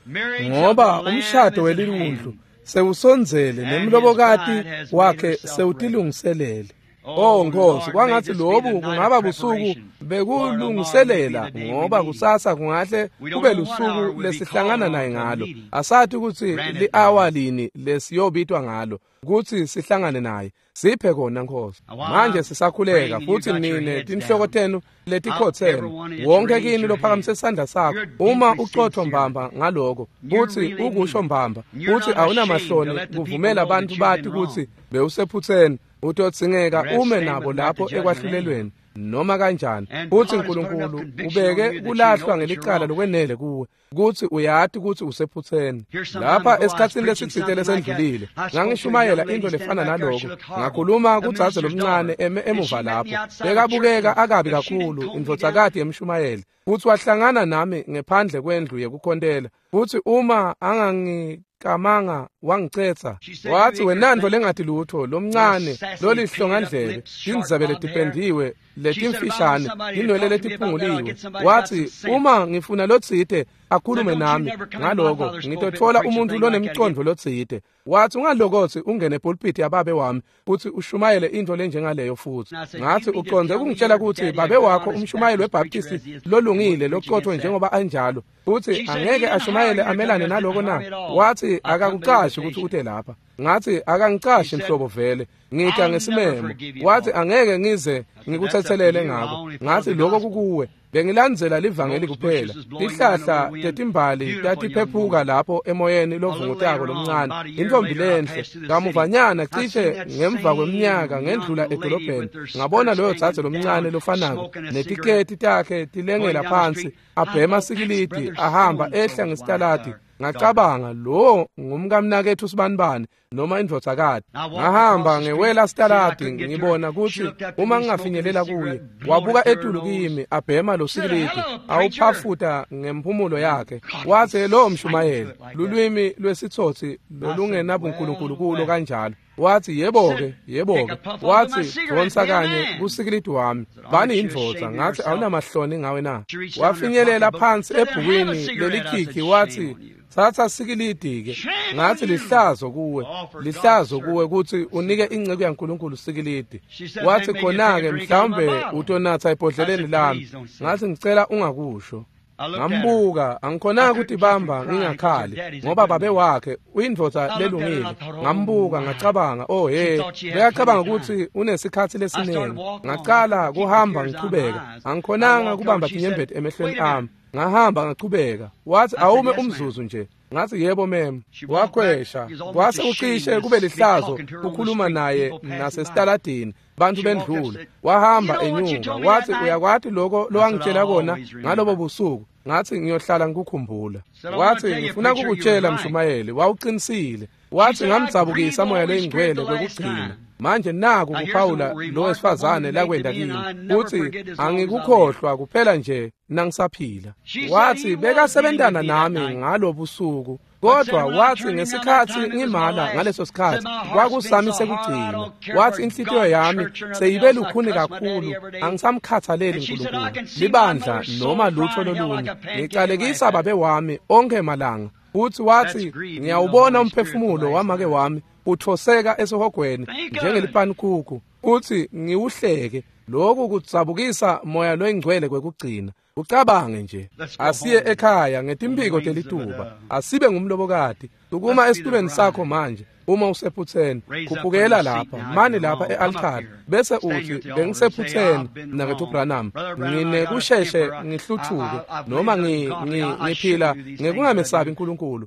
ngoba umshado weliwundlu sewusondzele nemlobokati wakhe sewutilungiselele. Oh Nkosi, kwangatsi lobu kungaba busuku bekulungiselela, ngoba kusasa kungahle kube lusuku lesihlangana naye ngalo. Asati kutsi li-awa lini lesiyobitwa ngalo kutsi sihlangane naye. Siphe kona Nkosi. Manje sisakhuleka futsi nine tinhloko tenu letikhotsene, wonke kini lophakamise isandla sakho, uma ucotho mbamba ngaloko, kutsi ukusho mbamba, kutsi awunamahloni kuvumela bantfu bati kutsi bewusephutseni, utodzingeka ume nabo lapho ekwahlulelweni noma kanjani. Futsi uNkulunkulu ubeke kulahlwa ngelicala lokwenele kuwe kutsi uyati kutsi usephutseni. Lapha esikhatsini lesitsite lesendlulile ngangishumayela into lefana naloko. Ngakhuluma kudzadze lomncane eme emuva lapho, bekabukeka akabi kakhulu, indvodzakati yemshumayeli, futsi wahlangana nami ngephandle kwendlu yekukhontela. Futsi uma angangikamanga wangicetsa, wathi, "Wenantfo lengati lutho, lomncane lolihlongandlebe, tindzebe letipendiwe letimfishane, tinwele letiphunguliwe." Wathi, "Uma ngifuna lotsite akhulume nami ngaloko, ngitotfola umuntfu lonemcondvo lotsite." Wathi, "Ungalokotsi ungene epulpiti yababe wami futsi ushumayele intfo lenjengaleyo futhi." Ngathi, "Ucondze kungitshela kutsi babe wakho umshumayeli weBaptisti lolungile locotho njengoba anjalo, futsi angeke ashumayele amelane naloko na?" Wathi, "Akakucashi kutsi ute lapha." Ngathi, "Akangicashi nhlobo vele, ngita ngesimemo." Wathi, "Angeke ngize ngikutsetselele ngako." Ngathi, "Lokho kukuwe. Bengilandzela livangeli kuphela." Tihlahla tetimbali tatiphephuka lapho emoyeni lovungutako lomncane, intfombi lenhle. Kamuvanyana cishe ngemva kweminyaka ngendlula edolobheni, ngabona loyo dzadze lomncane lofanako netiketi takhe tilengela phansi, abhema sikilidi, ahamba ehla ngesitaladi. Ngacabanga, lo ngumkamnaketfu sibanibani noma indvodzakati. Ngahamba ngewela sitaladi, ngibona kutsi uma ngingafinyelela kuye. Wabuka etulu kimi, abhema lo sikilidi, awuphafuta ngemphumulo yakhe. Watsi, "Lo mshumayeli, lulwimi lwesitsotsi lolungenabunkulunkulu kulo kanjalo." Wathi yebo-ke, yebo-ke. Wathi dvonsa kanye kusikilidi wami, bani indvodza. Ngathi awunamahloni ngawe na? Wafinyelela phansi ebhukwini lelikhikhi, wathi thatha sikilidi-ke. Ngathi lihlazo kuwe, lihlazo kuwe kutsi unike inceku yaNkulunkulu sikilidi. Wathi khona-ke mhlawumbe utonatha ebhodleleni lami. Ngathi ngicela ungakusho. Ngambuka, angikhonanga ukutibamba ngingakhali ngoba babe wakhe uyindvodza lelungile. Ngambuka ngacabanga, oh hey, bekacabanga ukuthi unesikhathi lesiningi. Ngacala kuhamba ngichubeka, angikhonanga kubamba tinyembeti emehlweni ami. Ngahamba ngachubeka. Wathi awume umzuzu nje. Ngathi yebo mem. Wakhwesha, kwase ucishe kube lihlazo ukukhuluma naye nasesitaladini, bantu bendlula. Wahamba enyuka, wathi uyakwati lokho lowangitshela kona ngalobo busuku? Ngathi ngiyohlala ngikukhumbula. Wathi ngifuna kukutshela mshumayeli, wawuqinisile. Wathi ngamdzabukisa moya leyingcwele kwekugcina. Manje naku kuphawula lo wesifazane lakwenda kimi, uthi angikukhohlwa kuphela nje nangisaphila. Wathi bekasebentana nami ngalobusuku, kodwa wathi ngesikhathi ngimala ngaleso sikhathi kwakusami sekugcina. Wathi inhlitiyo yami seyibe lukhuni kakhulu, angisamkhathaleli uNkulunkulu, libandla noma lutho lolunye. Ngicalekisa babe wami onke malanga. Futhi wathi ngiyawubona umphefumulo wamake wami uthoseka esihogweni njengelipankukhu, uthi ngiwuhleke. Lokhu kudzabukisa moya loyingcwele kwekugcina. Ucabange nje, asiye ekhaya ngetimphiko telituba, asibe ngumlobokati. Sukuma esitulweni sakho manje uma usephutheni, khuphukela lapha, mani lapha e-altare, bese uthi bengisephutheni mnakethu Branham, nginekusheshe ngihluthuke noma ngiphila ngekungamesabi uNkulunkulu.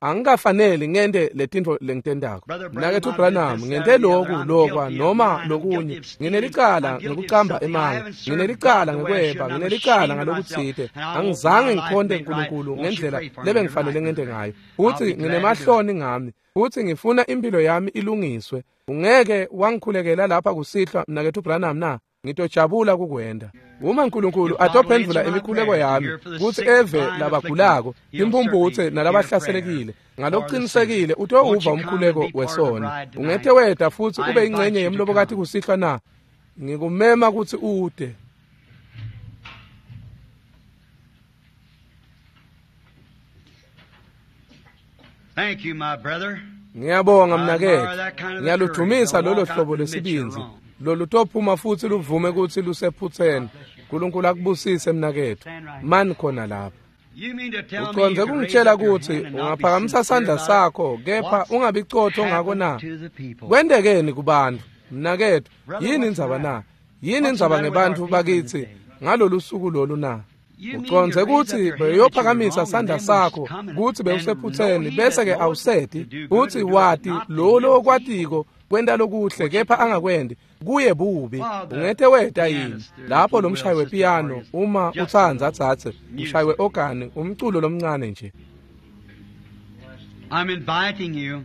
Angikafaneli ngente letintfo lengitentako. Mnakethu Branham, ngente lokhu lokwa noma lokunye. Nginelicala ngekucamba emanga, nginelicala ngekweba, nginelicala ngalokutsite. Angizange ngikhonte uNkulunkulu ngendlela lebengifanele ngente ngayo. Futhi nginemahloni ngami, futhi ngifuna impilo yami ilungiswe. Ungeke wangikhulekela lapha kusihlwa mnakethu Branham na? Ngitojabula kukwenda. Uma uNkulunkulu atophendvula imikhuleko yami kutsi eve labagulako, imphumphutse nalabahlaselekile, ngalokuqinisekile utowuva umkhuleko wesona. Ungethe weda futhi ube ingcenye yemlobokati kusihlwa na? Ngikumema kutsi ude. Thank you, my brother. Ngiyabonga mnaketfu. Ngiyaludumisa lolo hlobo lwesibindzi lolutophuma futhi luvume kutsi lusephutheni. uNkulunkulu akubusise mnaketfu. Mani khona lapha. Ucondze kungitshela kutsi ungaphakamisa sandla sakho kepha ungabi cotho ngako na? Kwentekeni kubantfu mnaketfu? Yini indzaba na? Yini indzaba ngebantfu bakitsi ngalolu suku lolu na? Ucondze kutsi beyophakamisa sandla sakho kutsi bewusephutheni bese-ke awuseti, utsi wati lo lokwatiko kwenta lokuhle kepha angakwendi, kuye bubi. Ungete weta yini lapho lo mshayi wepiyano, uma utsandza dzadze, umshayi we-ogani, umculo lomncane nje. I'm inviting you.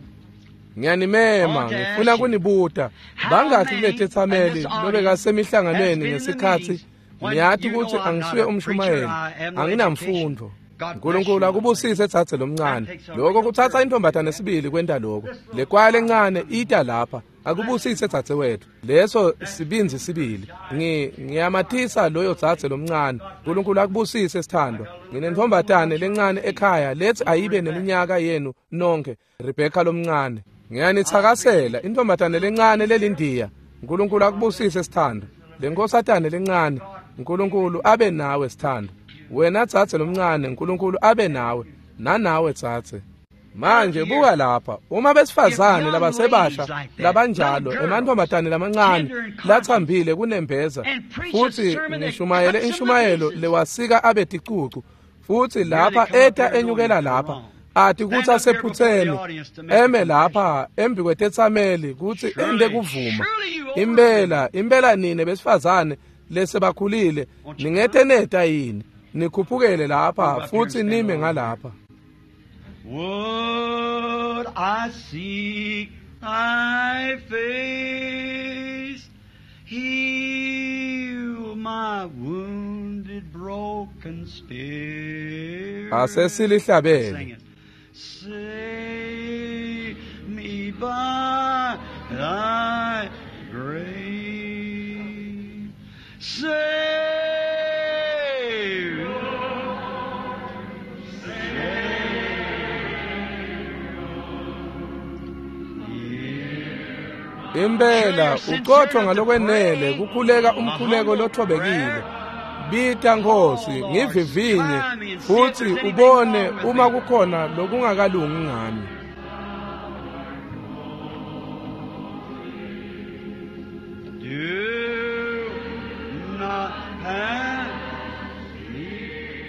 Ngiyanimema, ngifuna kunibuta bangakhi kuletetsameli lobekasemihlanganweni ngesikhatsi niyati kutsi angisuye umshumayeli, anginamfundo. uNkulunkulu akubusise dzadze lomncane. Lokho kutsatsa intombatane sibili kwenta lokho. Le kwaya lencane ita lapha. Akubusise dzadze wethu. Leso sibindzi sibili. Ngiyamatisa loyo dzadze lomncane. uNkulunkulu akubusise sithandwa. Nginentombatane lencane ekhaya lethi ayibe neminyaka yenu nonke, Rebecca lomncane. Ngiyanitsakasela intombatane lencane lelindiya. uNkulunkulu akubusise sithandwa. Lenkosatane lencane, uNkulunkulu abe nawe sithandwa. Wena dzadze lomncane, uNkulunkulu abe nawe, nanawe dzadze. Manje buka lapha, uma besifazane labasebasha labanjalo, emantfombatane lamancane latsambile kunembeza, futhi ngishumayele inshumayelo lewasika abe ticucu, futhi lapha eta enyukela lapha, ati kutsi asephutheni, eme lapha embi kwetetsameli kutsi ente kuvuma. Impela, impela nine besifazane lesebakhulile, ningete neta yini? Nikhuphukele lapha futhi nime ngalapha. Would I seek thy face, heal my wounded, broken spirit. Asesilihlabele. Save me by thy grace. Savior, Savior, Impela uqothwa ngalokwenele kukhuleka umkhuleko lothobekile. Bita Nkosi ngivivinye futhi ubone uma kukhona lokungakalungi ngami. Do not pass me.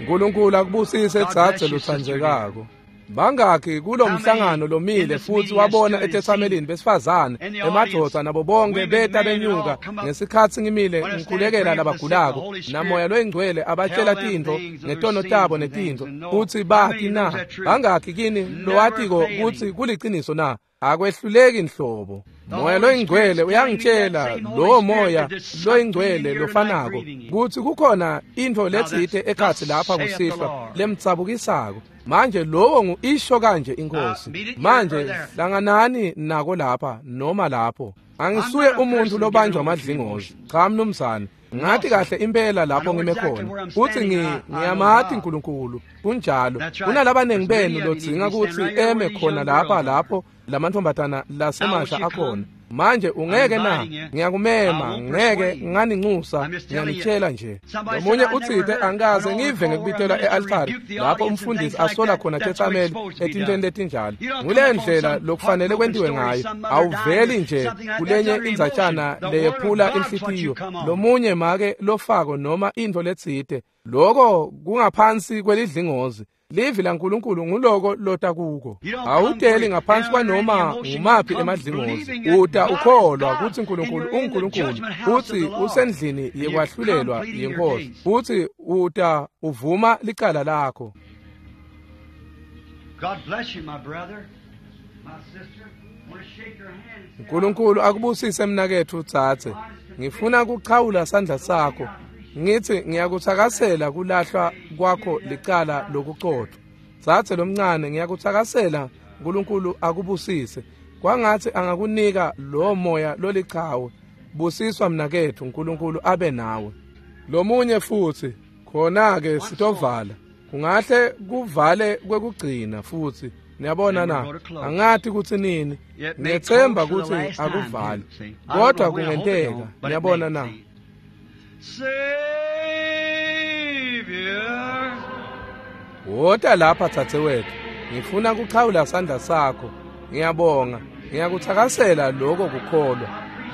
uNkulunkulu akubusise dzadze lotsandzekako. Bangakhi kulomhlangano lomile futhi wabona etetsamelini besifazane emadvodza nabo bonke beta benyuka ngesikhatsi ngimile ngikhulekela labagulako namoya loyingcwele abatshela tintfo ngetono tabo netintfo kutsi bati na. Bangakhi kini lowatiko kutsi kuliciniso na? Akwehluleki nhlobo. Moya loyingcwele uyangitshela lowo moya loyingcwele lofanako kutsi kukhona intfo letsite ekhatsi lapha kusihlwa lemtsabukisako. Manje lowo ngu-isho kanje inkosi. Manje hlanganani nako lapha noma lapho. Angisuye umuntu lobanjwa amadlingozi. Cha mnumzane. Ngathi kahle impela lapho ngime khona kutsi ngiyamati uNkulunkulu. Kunjalo. Kunalabanengi benu lodzinga kutsi eme khona lapha lapho lamantfombatana lasemasha akhona. Manje ungeke na? Ngiyakumema, ngeke nganincusa, ngiyanitshela nje. Lomunye utsite angikaze ngive ngekubitelwa e-altari lapho umfundisi asola khona tetsameli etintweni letinjalo. Ngule ndlela lokufanele kwentiwe ngayo. Awuveli nje kulenye indzatshana leyephula inhlitiyo. Lomunye make lofako noma intfo letsite. Loko kungaphansi kwelidlingozi. Livi laNkulunkulu nguloko lota kuko. Awuteli ngaphansi kwanoma ngumaphi emadlingozi. Uta ukholwa kutsi uNkulunkulu unguNkulunkulu, kutsi usendlini yekwahlulelwa yenkosi, kutsi uta uvuma licala lakho. God bless you, my brother, my sister. Want to shake your hand and say, uNkulunkulu akubusise mnaketfu dzadze. Ngifuna kuchawula sandla sakho. Ngithi ngiyakuthakasela kulahlwa kwakho licala lokucotfwa. Dzadze lomncane ngiyakuthakasela, uNkulunkulu akubusise. Kwangathi angakunika lo moya lolichawe. Busiswa mnaketfu, uNkulunkulu abe nawe. Lomunye futhi khona ke sitovala. Kungahle kuvale kwekugcina futhi. Niyabona na? Angathi kutsi nini. Ngiyethemba kutsi akuvali. Kodwa kungenteka. Niyabona na? Savior, Wota lapha dzadzewetfu. Ngifuna kuchawula sandla sakho. Ngiyabonga. Ngiyakuthakasela lokho kukholwa.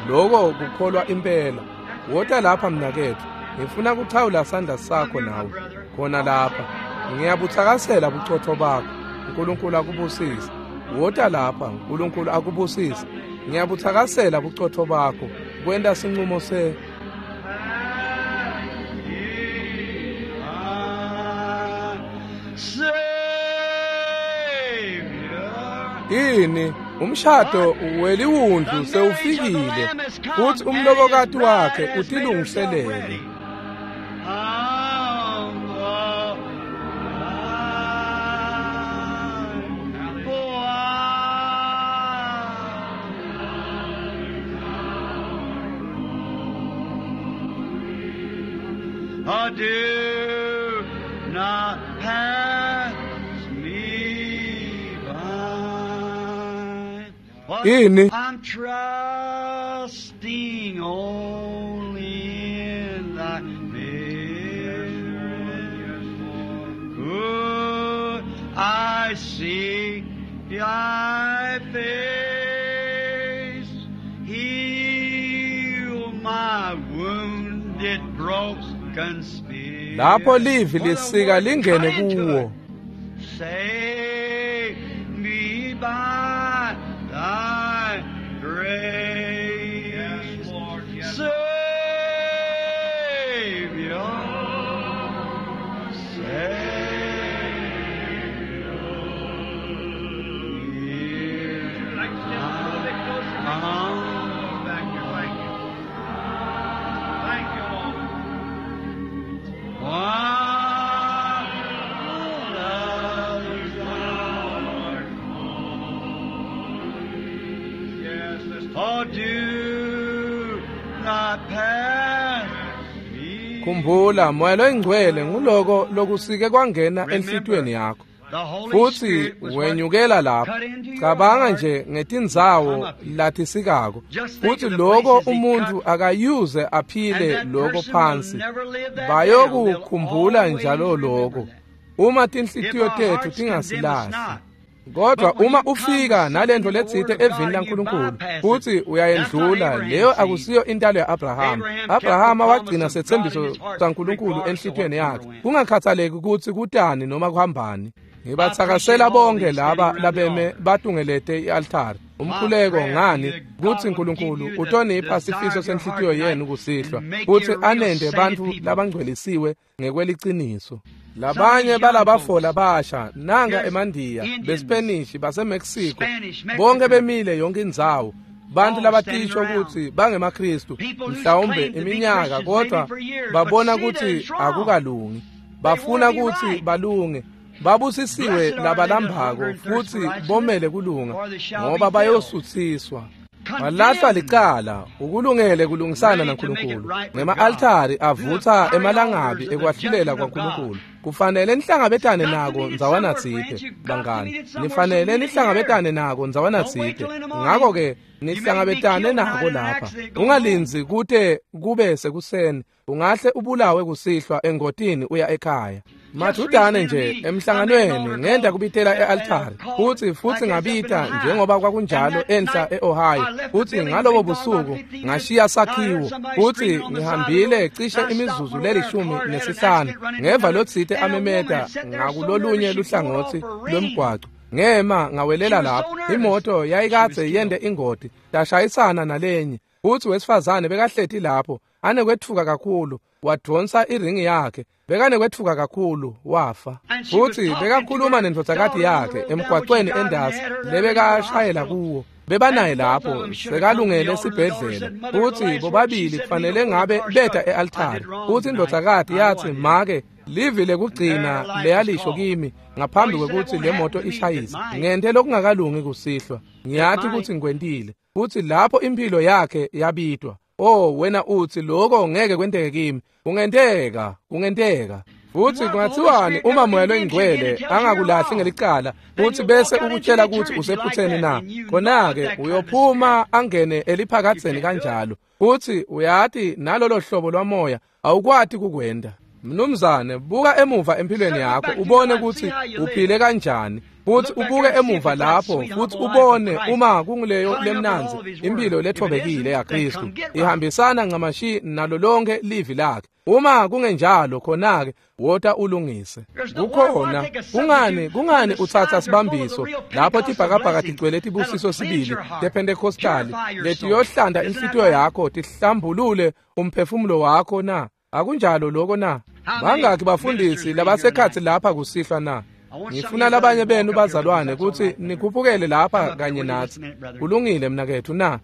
Lokho kukholwa impela. Wota lapha mnaketfu. Ngifuna kuchawula sandla sakho nawe. Khona lapha. Ngiyabuthakasela bucotfo bakho. uNkulunkulu akubusise. Wota lapha, uNkulunkulu akubusise. Ngiyabuthakasela bucotfo bakho. Kwenta sincumo se Savior. Ini umshado weliwundlu sewufikile futhi umlobokati wakhe utilungiselele. Oh, do not pass me by. What? Ini I'm trusting only in thy miracle. I see thy face, heal my wounded, broken spirit. Lapho livi lisika lingene kuwo. Save me by thy grace. Yes, Lord, yes. Savior, Savior. Hear Like to step a little bit closer. my Back here, thank you. Thank you, Lord. While others are Yes. Oh, do not pass me. Khumbula, Moya loyiNgcwele nguloko lokusike kwangena enhlitiyweni yakho. The Holy Futhi Spirit was what wenyukela lapho. cut into your Cabanga heart. nje ngetindzawo lathisikako. Just think Futhi of the lokho places he umuntu cut. akayuze And aphile that lokho person will phansi. never live that down. They'll Bayokukhumbula always njalo remember lokho. that. Uma If tinhlitiyo our tethu hearts condemn us tingasilahli. not. Kodwa But when uma you come ufika to nalento something in the letsite Word of evini God and you laNkulunkulu bypass it, futhi that's not uyayendlula, Abraham's leyo seed. akusiyo intalo ya-Abrahama. Abraham kept the Abrahama promise wagcina of God in setsembiso his heart, saNkulunkulu regardless of what enhlitiyweni number yakhe, went. kungakhathaleki ukuthi kutani noma kuhambani. I Ngibathakasela appreciate all bonke these laba standing around the labeme altar. batungelete i-altari. My Umkhuleko prayer ngani is that kutsi God will give Nkulunkulu you the utonipha desire sifiso of your heart senhlitiyo tonight yenu kusihlwa, and make kutsi you real anente sainted bantfu people. labangcwelisiwe ngekweliciniso. Some of Labanye these young balabafo folks, labasha nanga here's emandiya, Indians, beSpanish, baseMexico, Spanish, bonke Mexicans, bemile yonke indzawo. Bantu all standing labatisho around. kutsi bangemaKristu People who's mhlawumbe claimed to be iminyaka, Christians maybe kodwa for years, but babona see that kutsi it's wrong. akukalungi. They want to Bafuna be kutsi right. balunge. Babusisiwe Blessed are they that labalambako hunger and thirst for futhi righteousness, bomele kulunga, for they shall ngoba be filled. bayosutsiswa. Balahlwa Condemned, licala ukulungele kulungisana ready to make it naNkulunkulu. right with God. Ngema-altari Through the avutha fiery emalangabi altars of the ekwahlulela judgment of God. kwaNkulunkulu. Kufanele nihlangabetane Got to nako meet it ndzawana somewhere, friends. tsite, You've got to bangani. meet it somewhere, so Nifanele meet it here. nihlangabetane nako ndzawana Don't wait tsite. till in the morning. Ngako-ke You may be nihlangabetane killed tonight nako in an lapha. accident going home. Ungalindzi kute kube sekuseni, ungahle ubulawe kusihlwa engotini uya ekhaya. Just Madudane recently in a nje meeting, I made an emhlanganweni altar ngenta call kubitela and e-altari called futhi futhi like this up in ngabita Ohio. njengoba And kwakunjalo that enhla night, e-Ohio. I left the Futhi building, ngalobo been gone about busuku 15 minutes, ngashiya and I heard sakhiwo somebody futhi screaming on the side of the ngihambile road. cishe And I stopped imizuzu went over there. A lelishumi car had had an nesihlanu accident, run into ngeva another, lotsite and a woman amemeta had sat there so nervous ngakulolunye she pulled off luhlangotsi her ring. lwemgwaco. Ngema She ngawelela was lapho. so nervous. Imoto She was yayikadze yente killed. ingoti yashayisana nalenye. Futhi wesifazane bekahleti lapho anekwetfuka kakhulu, wadvonsa iringi yakhe, bekanekwetfuka kakhulu wafa. And she was Futhi talking to bekakhuluma her nendvodzakati daughter on the yakhe road down when she emgwacweni died and endasi had her there in the lebekashayela hospital. kuwo. Bebanaye And both of lapho them should have come to the sekalungele altar. The daughter esibhedlela. said, Mother, the Futhi last word she bobabili said to me kufanele before the ngabe car beta started, I e-altari. did wrong Futhi tonight. indvodzakati I know I yathi, did. make livi And there lekugcina her life was leyalisho called. kimi Oh, ngaphambi he said, that kwekutsi won't le happen moto to me. It ishayise. might. Ngente lokungakalungi kusihlwa. It Ngiyati might. kutsi ngikwentile. Futhi lapho impilo yakhe yabitwa. Oh, wena uthi lokho ngeke kwenteke kimi. Kungenteka, kungenteka. And Futhi what if the Holy kungathiwani Spirit uma never Moya condemns you again and loyiNgcwele tells you you're angakulahli wrong? ngelicala Then futhi you'll bese walk out into ukutshela kutsi eternity like usephutseni that, na? and you know what Khona-ke that kind of a spirit. uyophuma angene You eliphakatheni can't do it. kanjalo. Futhi uyati nalolo hlobo lwamoya awukwati kukwenta. Mnumzane, buka emuva empilweni Look yakho back through your ubone life, see kutsi how you uphile lived. kanjani. Futhi Look back ubuke there and see if emuva it's that lapho sweet, futhi humble life of ubone Christ uma kunguleyo cutting up with all lemnandzi of His impilo Word. If it lethobekile isn't, then yaKristu come get right. ihambisana ncamashi nalo lonke livi lakhe. Uma kungenjalo khona-ke wota ulungise. There's no why Kukhona take a kungani substitute when kungani the uthatha skies are full of the sibambiso real lapho Pentecostal tibhakabhaka blessings tigcwele that'll tibusiso cleanse sibili your heart, tePentecostali purify your soul. letiyohlanta Isn't that inhlitiyo right? yakho tihlambulule umphefumulo wakho na? Akunjalo lokho na? How many Bangaki ministers bafundisi are in here labasekhatsi tonight? lapha kusihlwa na? I want some of Ngifuna you labanye brothers to benu walk up here with us. bazalwane That's all kutsi right, brother. nikhuphukele Come lapha up here kanye with you just natsi. a minute, brother. Kulungile mnaketfu na?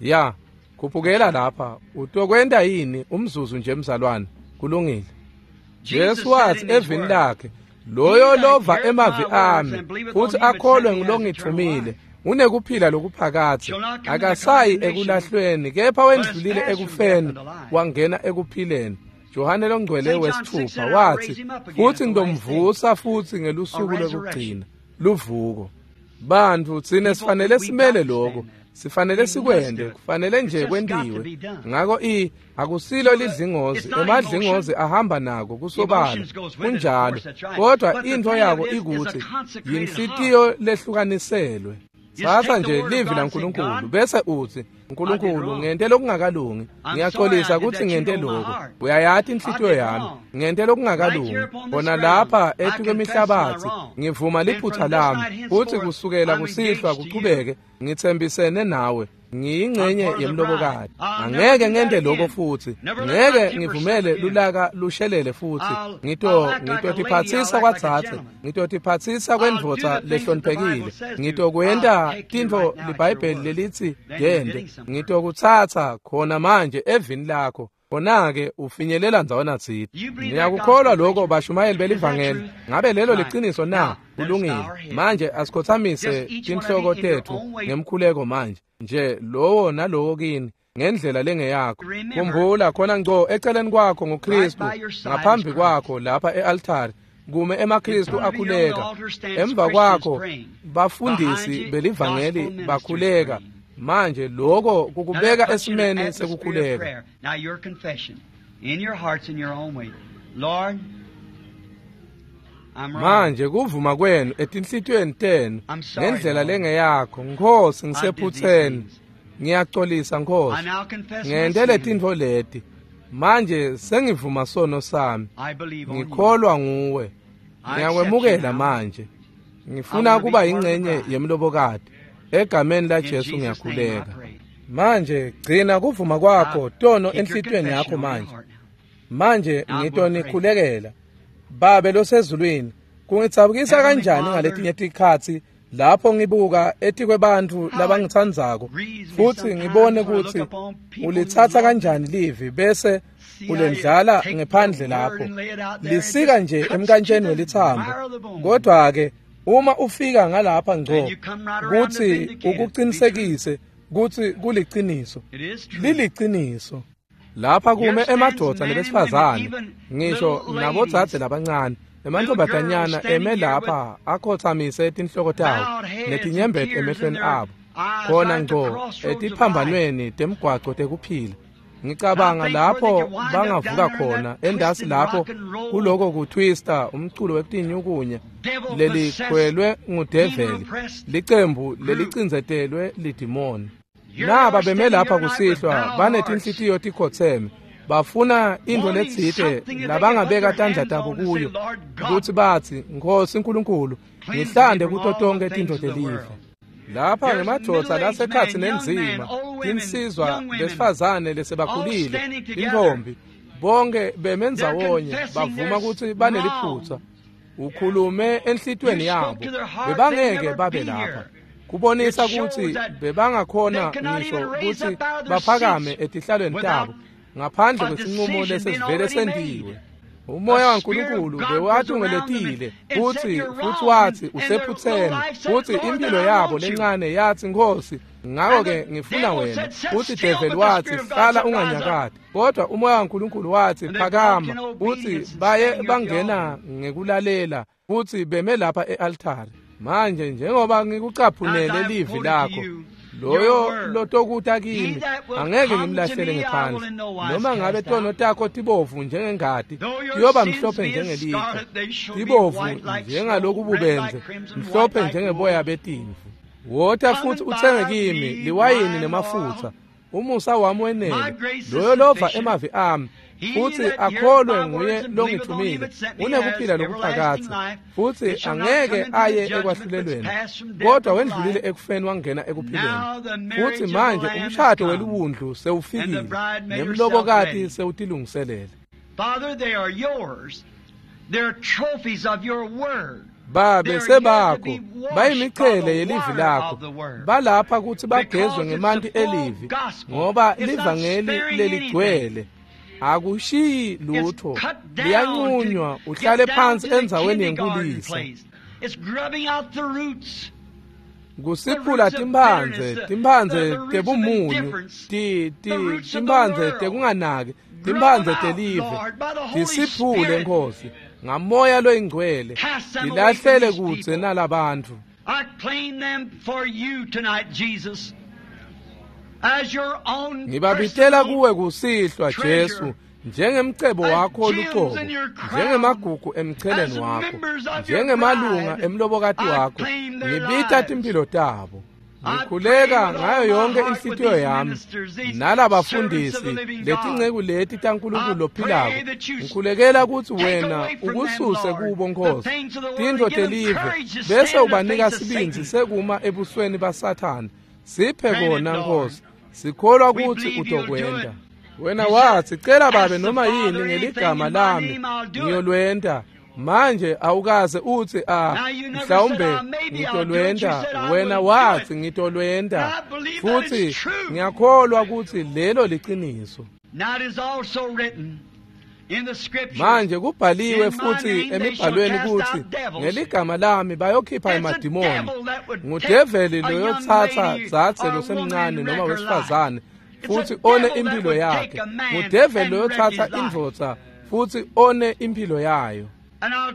Ya, That's khuphukela right. lapha. Utokwenta yini umzuzu nje mzalwane? Kulungile. Jesus Jesu said wathi in His evini Word, lakhe, He loyo that lova heareth my emavi words ami and believeth on futhi him that sent akholwe me has eternal ngulongithumile life, unekuphila lokuphakadze, shall not come into akasayi condemnation, ekulahlweni kepha but is wendlulile passed from death ekufeni unto life. wangena ekuphileni. Johane longcwele St. John 6 wesithupha said, I'll wathi, raise him up again futhi at the last day. ngomvusa futhi A ngelusuku resurrection. lokugcina, luvuko. Bantfu tsine People, sifanele we've got simele to lokho, stand that. sifanele We must sikwente, do it. kufanele It's nje just got to kwentiwe. be done. Ngako akusilo So lidlingozi, it's not emadlingozi emotion. ahamba nako kusobala, Emotions goes with it, of kunjalo. course, that's right. Kodwa But the into thing of yako it is a ikutsi consecrated heart. yinhlitiyo lehlukaniselwe. Just Tsatsa take the nje word of livi God and say, laNkulunkulu God, bese utsi, I did Nkulunkulu wrong. ngente lokungakalungi, I'm sorry I ngiyaxolisa did kutsi that. You ngente know my lokhu. heart. Uyayati I inhlitiyo did yami, wrong. ngente Right lokungakalungi. here upon this Khona ground, lapha I confess my etukwemihlabatsi wrong. ngivuma And liphutha from this lami, night futhi henceforth, kusukela I'm kusihlwa engaged to you. kuchubeke ngitsembisene nawe. I'm Ngiyingcenye part of the bride. yemlobokati. I'll never Angeke do that ngente lokho again. futhi. Never let my Ngeke temper slip ngivumele again. lulaka lushelele futhi. I'll Ngito act like a lady. I'll ngitotiphatsisa act like a kwatsatse, gentleman. ngitotiphatsisa I'll do kwendvodza the things that the Bible lehloniphekile. says to. I'll Ngitokwenta take you tintfo right now at your liBhayibheli word. lelitsi Then you're tente. getting somewhere. Ngitokutsatsa khona manje evini lakho. Khona-ke ufinyelela ndzawana tsite. Niyakukholwa lokho bashumayeli belivangeli? Ngabe lelo liciniso na? Kulungile. Manje asikhothamise tinhloko tetfu ngemkhuleko manje. Nje lowo nalowo kini ngendlela lengeyakho. Khumbula khona ngco eceleni kwakho nguKristu, ngaphambi kwakho lapha e-altari kume emaKristu akhuleka. Emva kwakho bafundisi belivangeli bakhuleka. Manje lokho kukubeka esimeni sekukhuleka. Now your confession in your hearts in your own way. Lord, I'm wrong. Manje kuvuma kwenu etinhlitiyweni tenu ngendlela lengeyakho. Nkosi, ngisephutseni. Ngiyaxolisa Nkosi. I now confess my Ngente sin. tintfo leti. Manje sengivuma sono sami. I believe on you. Ngikholwa nguwe. I accept Ngiyakwemukela you now. manje. I Ngifuna wanna be kuba part of the ingcenye bride. yemlobokati. Egameni la In Jesu Jesus' name I ngiyakhuleka. pray. Manje gcina kuvuma kwakho tono Keep your enhlitiyweni confession yakho on your manje. heart now. Manje Now I'm ngitonikhulekela. Babe losezulwini, kungitsabukisa Heavenly kanjani Father, ngaletinye tikhatsi lapho ngibuka etikwebantfu labangitsandzako grieves me futsi sometimes ngibone when I look kutsi upon people ulitsatsa who love kanjani livi bese See how you ulendlala take the ngephandle word lapho and lay it out there, it lisika just nje cuts to emkantsheni the welitsambo. marrow of the bone. Kodwa-ke uma ufika ngalapha ngco And you come right around to kutsi vindicate it, be ukuqinisekise kutsi kuliciniso, It is true. liliciniso. Lapha kume Here stands emadvodza men and nebesifazane, women, even ngisho little nabodzadze ladies, labancane, emantfombatanyana little girls eme standing here lapha akhothamise tinhloko tawo bowed heads netinyembeti and tears in emehlweni their abo, eyes khona right at the ngco crossroads of life. etiphambanweni temgwaco tekuphila. Ngicabanga I think where they lapho could wind up bangavuka down there in khona that endasi twisted lapho rock and roll, kuloko kutwista umculo wekutinyukunya devil-possessed, lelikhwelwe ngudeveli, demon-oppressed licembu group. lelicindzetelwe lidimoni. Here they Naba are beme standing lapha here tonight with kusihlwa bowed hearts, banetinhlitiyo tikhotseme, bafuna intfo wanting letsite something that they can put labangabeka their tandla hands tabo on and say, kuyo Lord God, kutsi batsi, Nkosi Nkulunkulu, cleanse me ngihlande from kuto all tonkhe the tintfo things of the telive. world. Lapha There's ngemadvodza middle-aged lasekhatsi men, young men, nenzima, old women, tinsizwa young women, besifazane all lesebakhulile, standing together. tintfombi, bonke beme They're ndzawonye confessing bavuma their kutsi baneliphutsa. wrong. Ukhulume enhlitiyweni You spoke yabo, to their heart, they'd bebangeke never babe be lapha. here. Kubonisa It shows kutsi that bebangakhona they cannot ngisho even raise kutsi up out of their baphakame seats etihlalweni without tabo ngaphandle a kwesinqumo decision being lesesivele already sentiwe. made. Umoya The Spirit of waNkulunkulu God was around them bewatungeletile and said, kutsi You're futsi wrong. watsi And their little usephutseni, life said, kutsi Lord, then impilo I yabo want you. lencane yatsi, Nkosi, And ngako-ke the ngifuna devil wena. said, Sit Kutsi still, develi but the watsi, Spirit of God hlala said, Rise up. unganyakati. Kodwa umoya waNkulunkulu watsi, And they walked phakama. in Kutsi obedience and baye standing here at the bangena altar. ngekulalela kutsi beme lapha e-altari. Manje njengoba As ngikucaphunele I have livi quoted to lakho, you your loyo word, lotokuta he kimi that will angeke come to ngimlahlele me, I will ngephandle. in no wise Noma ngabe cast tono out. takho tibovu njengengati, Though your tiyoba sins mhlophe be as njengelikhwa, scarlet, they shall be tibovu white like snow, red njengalokububendze, like crimson, white mhlophe like njengeboya wool. betimvu. Wota Come futhi and utsenge buy kimi me liwayini wine and nemafutsa. oil. Umusa wami My wenele. grace is Loyo lova sufficient. emavi ami He futsi that heareth akholwe my nguye words and believeth on him longithumile that sent me has unekuphila everlasting lokuphakadze, life, futsi and shall not angeke come into the aye judgment, but ekwahlulelweni, pass from death kodwa unto wendlulile life. ekufeni wangena ekuphileni. Now the Futsi marriage of the manje Lamb is umshado come, weliwundlu and the sewufikile, bride made herself nemlobokati ready. sewutilungiselele. Father, they are yours. They're trophies of your word. Babe They're here to sebakho be washed by bayimichele the yelivi water lakho, of the word. balapha kutsi bagezwe Because it's ngemanti the full elivi, gospel. ngoba It's not livangeli sparing leligcwele anything. akushiyi It's lutho, cut down to liyanqunywa get uhlale down phansi to the endzaweni kindergarten yenkulisa. place. It's grubbing out the roots. The Kusiphula roots of timphandze, bitterness, the, timphandze the roots of tebumunyu, indifference, ti the roots of the timphandze world. tekunganaki, Grub them timphandze out, telive. Lord, by the Holy Tisiphule Spirit. Nkosi ngamoya loyingcwele, Cast them away from tilahlele these kudze people. nalabantfu. I claim them for you tonight, Jesus, as your own Ngibabitela personal kuwe kusihlwa Jesu treasure, njengemcebo as wakho gems lucobo, in your crown, njengemagugu as emcheleni wakho, members of your njengemalunga bride. emlobokati I wakho, claim their ngibita lives. timphilo tabo. I pray Ngikhuleka with all ngayo my yonke heart with inhlitiyo these yami ministers, these servants of nalabafundisi the living God. letinceku leti taNkulunkulu I pray lophilako. that you Ngikhulekela kutsi take wena away from them, ukususe Lord, kubo the Nkosi things of the world tintfo and give them telive, courage to bese stand in the ubanika face of sibindzi Satan. sekuma ebusweni baSathane. Siphe Grant it, kona Lord. Nkosi, sikholwa We kutsi believe you'll do it. utokwenta. Wena You said, watsi, cela babe ask the noma yini Father anything ngeligama in my lami name, I'll do it. ngiyolwenta. Manje awukaze utsi a Now you never said, mhlawumbe maybe I'll do it. You ngitolwenta. said, I Wena will do watsi it. ngitolwenta. And I believe that Futsi it's true. ngiyakholwa kutsi lelo liciniso. Now it is also written in the scriptures. Manje kubhaliwe futhi emibhalweni ukuthi ngeligama lami bayokhipha emadimoni. Ngudeveli loyotsatsa dzadze losemncane noma wesifazane futhi one impilo yakhe. Ngudeveli loyotsatsa indvodza futhi one impilo yayo. And I'll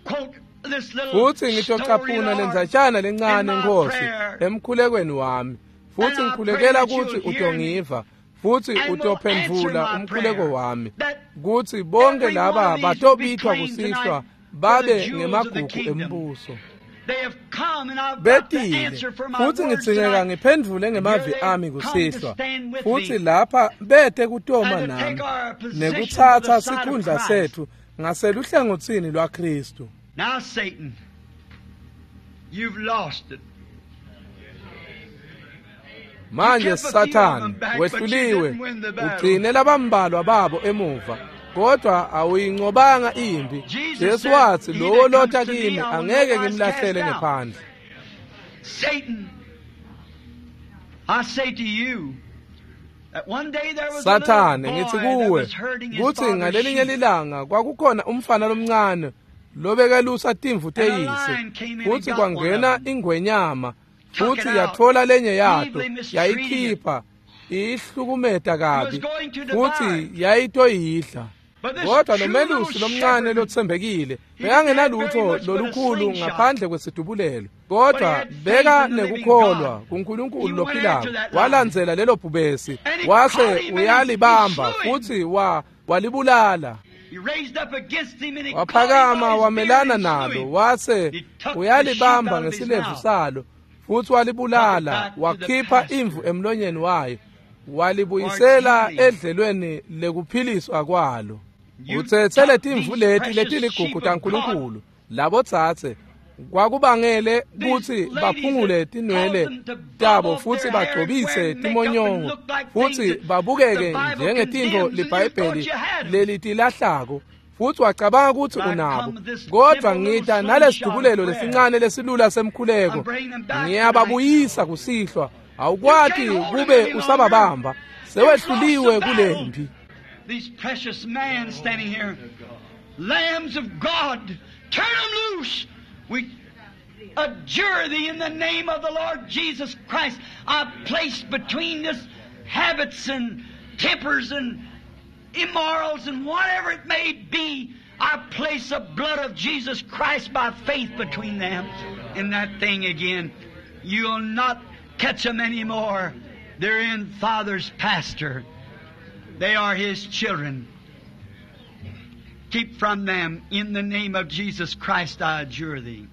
quote this little Futhi story, ngitocaphuna Lord, lendzatshana lencane in my Nkosi prayer. emkhulekweni wami. Futhi And I ngikhulekela pray that ukuthi you'll hear me utongiva futhi and will utophendvula answer my umkhuleko prayer. wami. That Kuthi bonke every laba one of these will be batobitwa claimed kusihlwa tonight for babe the jewels of the ngemagugu kingdom. embuso. They have come and I've got the Betile answer for my futhi words ngitsingeka tonight. ngiphendvule ngemavi Here they ami come to kusihlwa. stand with Futhi me lapha bete kutoma and to nami take our position to nekutsatsa the side of sikhundla Christ. sethu ngaseluhlangotsini lwaKristu. Now, Satan, you've lost it. Manje You kept a few of Sathane them back, but you wehluliwe didn't win the battle. ugcine labambalwa babo emuva kodwa awuyincobanga impi. Jesus Jesu said, wathi "He lowo that lotha comes to me, kimi I will angeke no wise ngimlahlele cast out." ngephandle. Satan, I say to you that one day there was a little Sathane boy ngithi that kuwe was herding his kuthi father's ngalelinye sheep. lilanga kwakukhona umfana lomncane lobekelusa timvu And a teyise lion came in and futhi got one kwangena of them. ingwenyama Took it futhi out, yathola lenye yato evilly mistreating it. yayikhipha iyihlukumeta kabi It was going to devour futhi it. yayitoyidla. But this Kodwa true lo melusi little lomncane shepherd, lotsembekile he didn't have very bekangenalutho much but a lolukhulu slingshot. ngaphandle kwesidubulelo But kodwa he had faith beka in the living nekukholwa God. kuNkulunkulu He went lophilako after that lion. walandzela lelo bhubesi And he wase caught him and he uyalibamba slew him. futhi walibulala. He raised up against him and he caught him by Waphakama his beard wamelana and slew nalo him. wase He took the sheep uyalibamba out of his ngesilevu mouth. salo futhi walibulala Took it back to the wakhipha pasture. imvu emlonyeni wayo walibuyisela For its healing. edlelweni lekuphiliswa kwalo. You Utsetse took letimvu these leti precious letiligugu sheep of taNkulunkulu labotsatse kwakubangele These kutsi ladies baphungule that tinwele caused them to bob tabo off futhi their hair and bagcobise wear makeup and timonyongo look like futhi things that babukeke the Bible njengetintfo condemns, and you libhayibheli thought you had 'em. lelitilahlako futhi wacabanga kutsi But I unabo come with this kodwa simple little ngita slingshot nalesidubulelo of prayer. lesincane lesilula semkhuleko I'm bringing them back ngiyababuyisa kusihlwa awukwati You can't hold 'em kube any longer. usababamba sewehluliwe You've lost the battle. kulempi. These precious men standing here, lambs of God, turn them loose. We adjure thee in the name of the Lord Jesus Christ. I place between this habits and tempers and immorals and whatever it may be, I place the blood of Jesus Christ by faith between them and that thing again. You'll not catch them anymore. They're in Father's pasture. They are His children. Keep from them. In the name of Jesus Christ, I adjure thee.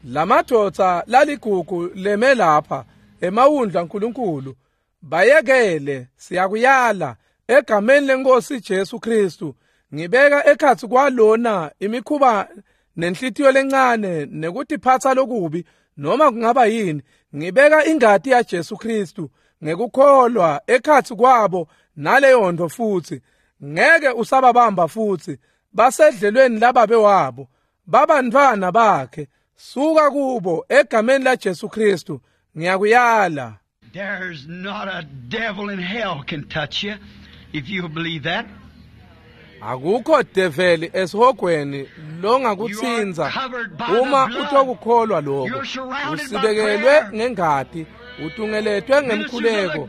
Lamadvodza laligugu leme lapha emawundla nkulunkulu bayekele siyakuyala egameni lenkosi Jesu Kristu ngibeka ekhatsi kwalona imikhuba nenhlitiyo lencane nekutiphatsa lokubi noma kungaba yini ngibeka ingati ya Jesu Kristu ngekukholwa ekhatsi kwabo naleyo nto futhi ngeke usababamba futhi basedlelweni lababe wabo babantwana bakhe suka kubo egameni la Jesu Kristu ngiyakuyala. There's not a devil in hell can touch you if you believe that. Akukho develi esihogweni longakutsinza uma utokukholwa lokho. Usibekelwe ngengati, utungeletwe ngemkhuleko,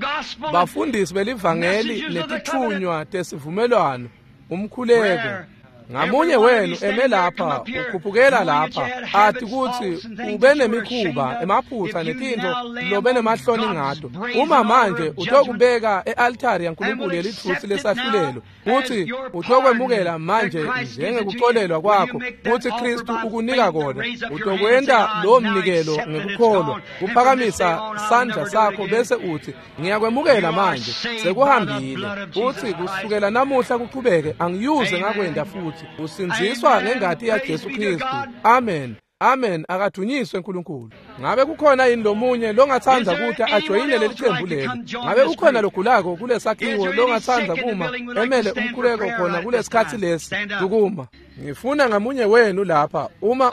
bafundisi belivangeli netithunywa tesivumelwano, umkhuleko. Ngamunye wenu eme lapha ukhuphukela lapha athi kuthi ube nemikhuba emaphutha netintfo lobe nemahloni ngato uma manje utokubeka e-altari yaNkulunkulu yelitfusi lesahlulelo kuthi utokwemukela manje njengekuxolelwa kwakho kuthi Kristu ukunika kona utokwenta lowo mnikelo ngekukholwa kuphakamisa sandla sakho bese uthi ngiyakwemukela manje sekuhambile uthi kusukela namuhla kuqhubeke angiyuze ngakwenda futhi usindziswa ngengati ya Jesu Kristu. Amen. Amen. Akadunyiswe uNkulunkulu. Ngabe kukhona yini lomunye longathanda ukuthi ajoyine leli qembu leli? Ngabe ukhona logulako kulesakhiwo longathanda kuma emele umkhuleko khona kulesikhathi lesi? Dukuma. Ngifuna ngamunye wenu lapha, uma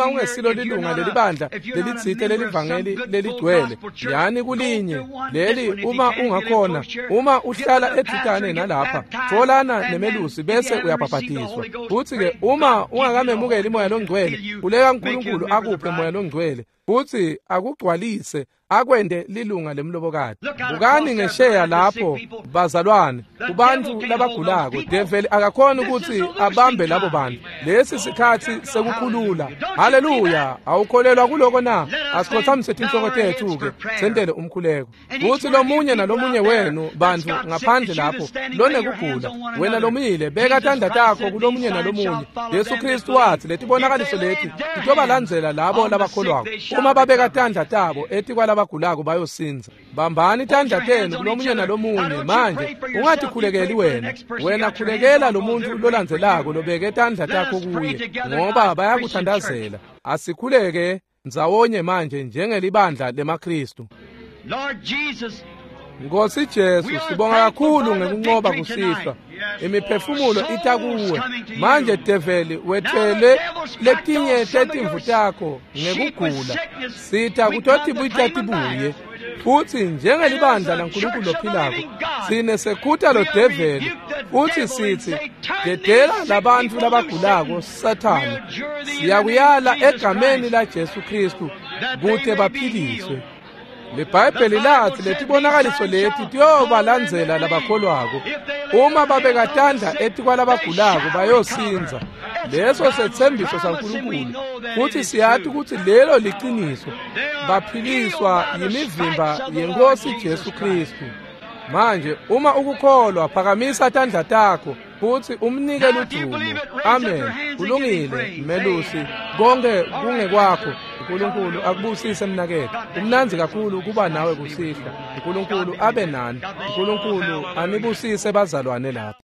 ungesilo lilunga lelibandla lelitsite lelivangeli leligcwele, yani kulinye leli, uma ungakhona, uma uhlala edvutane nalapha, tfolana nemelusi bese uyabhabhatiswa. Futsi-ke uma ungakamemukeli Moya Longcwele, khuleka uNkulunkulu akuphe Moya Longcwele futsi akugcwalise akwente lilunga lemlobokati. Bukani ngesheya lapho bazalwane, kubantu labagulako, develi akakhoni ukuthi abambe labo bantu. Lesi sikhathi sekukhulula. Haleluya! Awukholelwa kuloko na? Asikhothamise tinhloko tethu-ke sentele umkhuleko. Kuthi lomunye nalomunye wenu bantu ngaphandle lapho lonekugula, wena lomile, beka tandla takho kulomunye nalomunye. Jesu Kristu wathi letibonakaliso leti titobalandzela labo labakholwako. Uma babeka tandla tabo etikwalabagulako bayosindza. Bambani tandla tenu kulomunye nalomunye. Manje ungatikhulekeli wena, wena khulekela lo muntu lolandzelako lobeke tandla takho kuye, ngoba bayakuthandazela. Asikhuleke ndzawonye manje njengelibandla lemaKristu. Nkosi Jesu, sibonga kakhulu ngekunqoba kusihlwa. Imiphefumulo ita kuwe. Manje develi wethele letinye tetimvu takho ngekugula. Sita kutotibita tibuye. Futsi njengelibandla laNkulunkulu lophilako, sine sekhuta lo develi futsi sitsi dedela labantfu labagulako Sathane. Siyakuyala egameni la Jesu Kristu kute baphiliswe. LiBhayibheli lathi letibonakaliso leti tiyobalandzela labakholwako. Uma babeka tandla etikwalabagulako bayosindza. Leso setsembiso saNkulunkulu, futsi siyati kutsi lelo liciniso. Baphiliswa yimivimba yeNkosi Jesu Kristu. Manje uma ukukholwa, phakamisa tandla takho futsi umnike ludumo. Amen. Kulungile melusi, konke kungekwakho. uNkulunkulu akubusise mnaketfu. Kumnandzi kakhulu kuba nawe kusihlwa. uNkulunkulu abe nani. uNkulunkulu anibusise bazalwane lapha.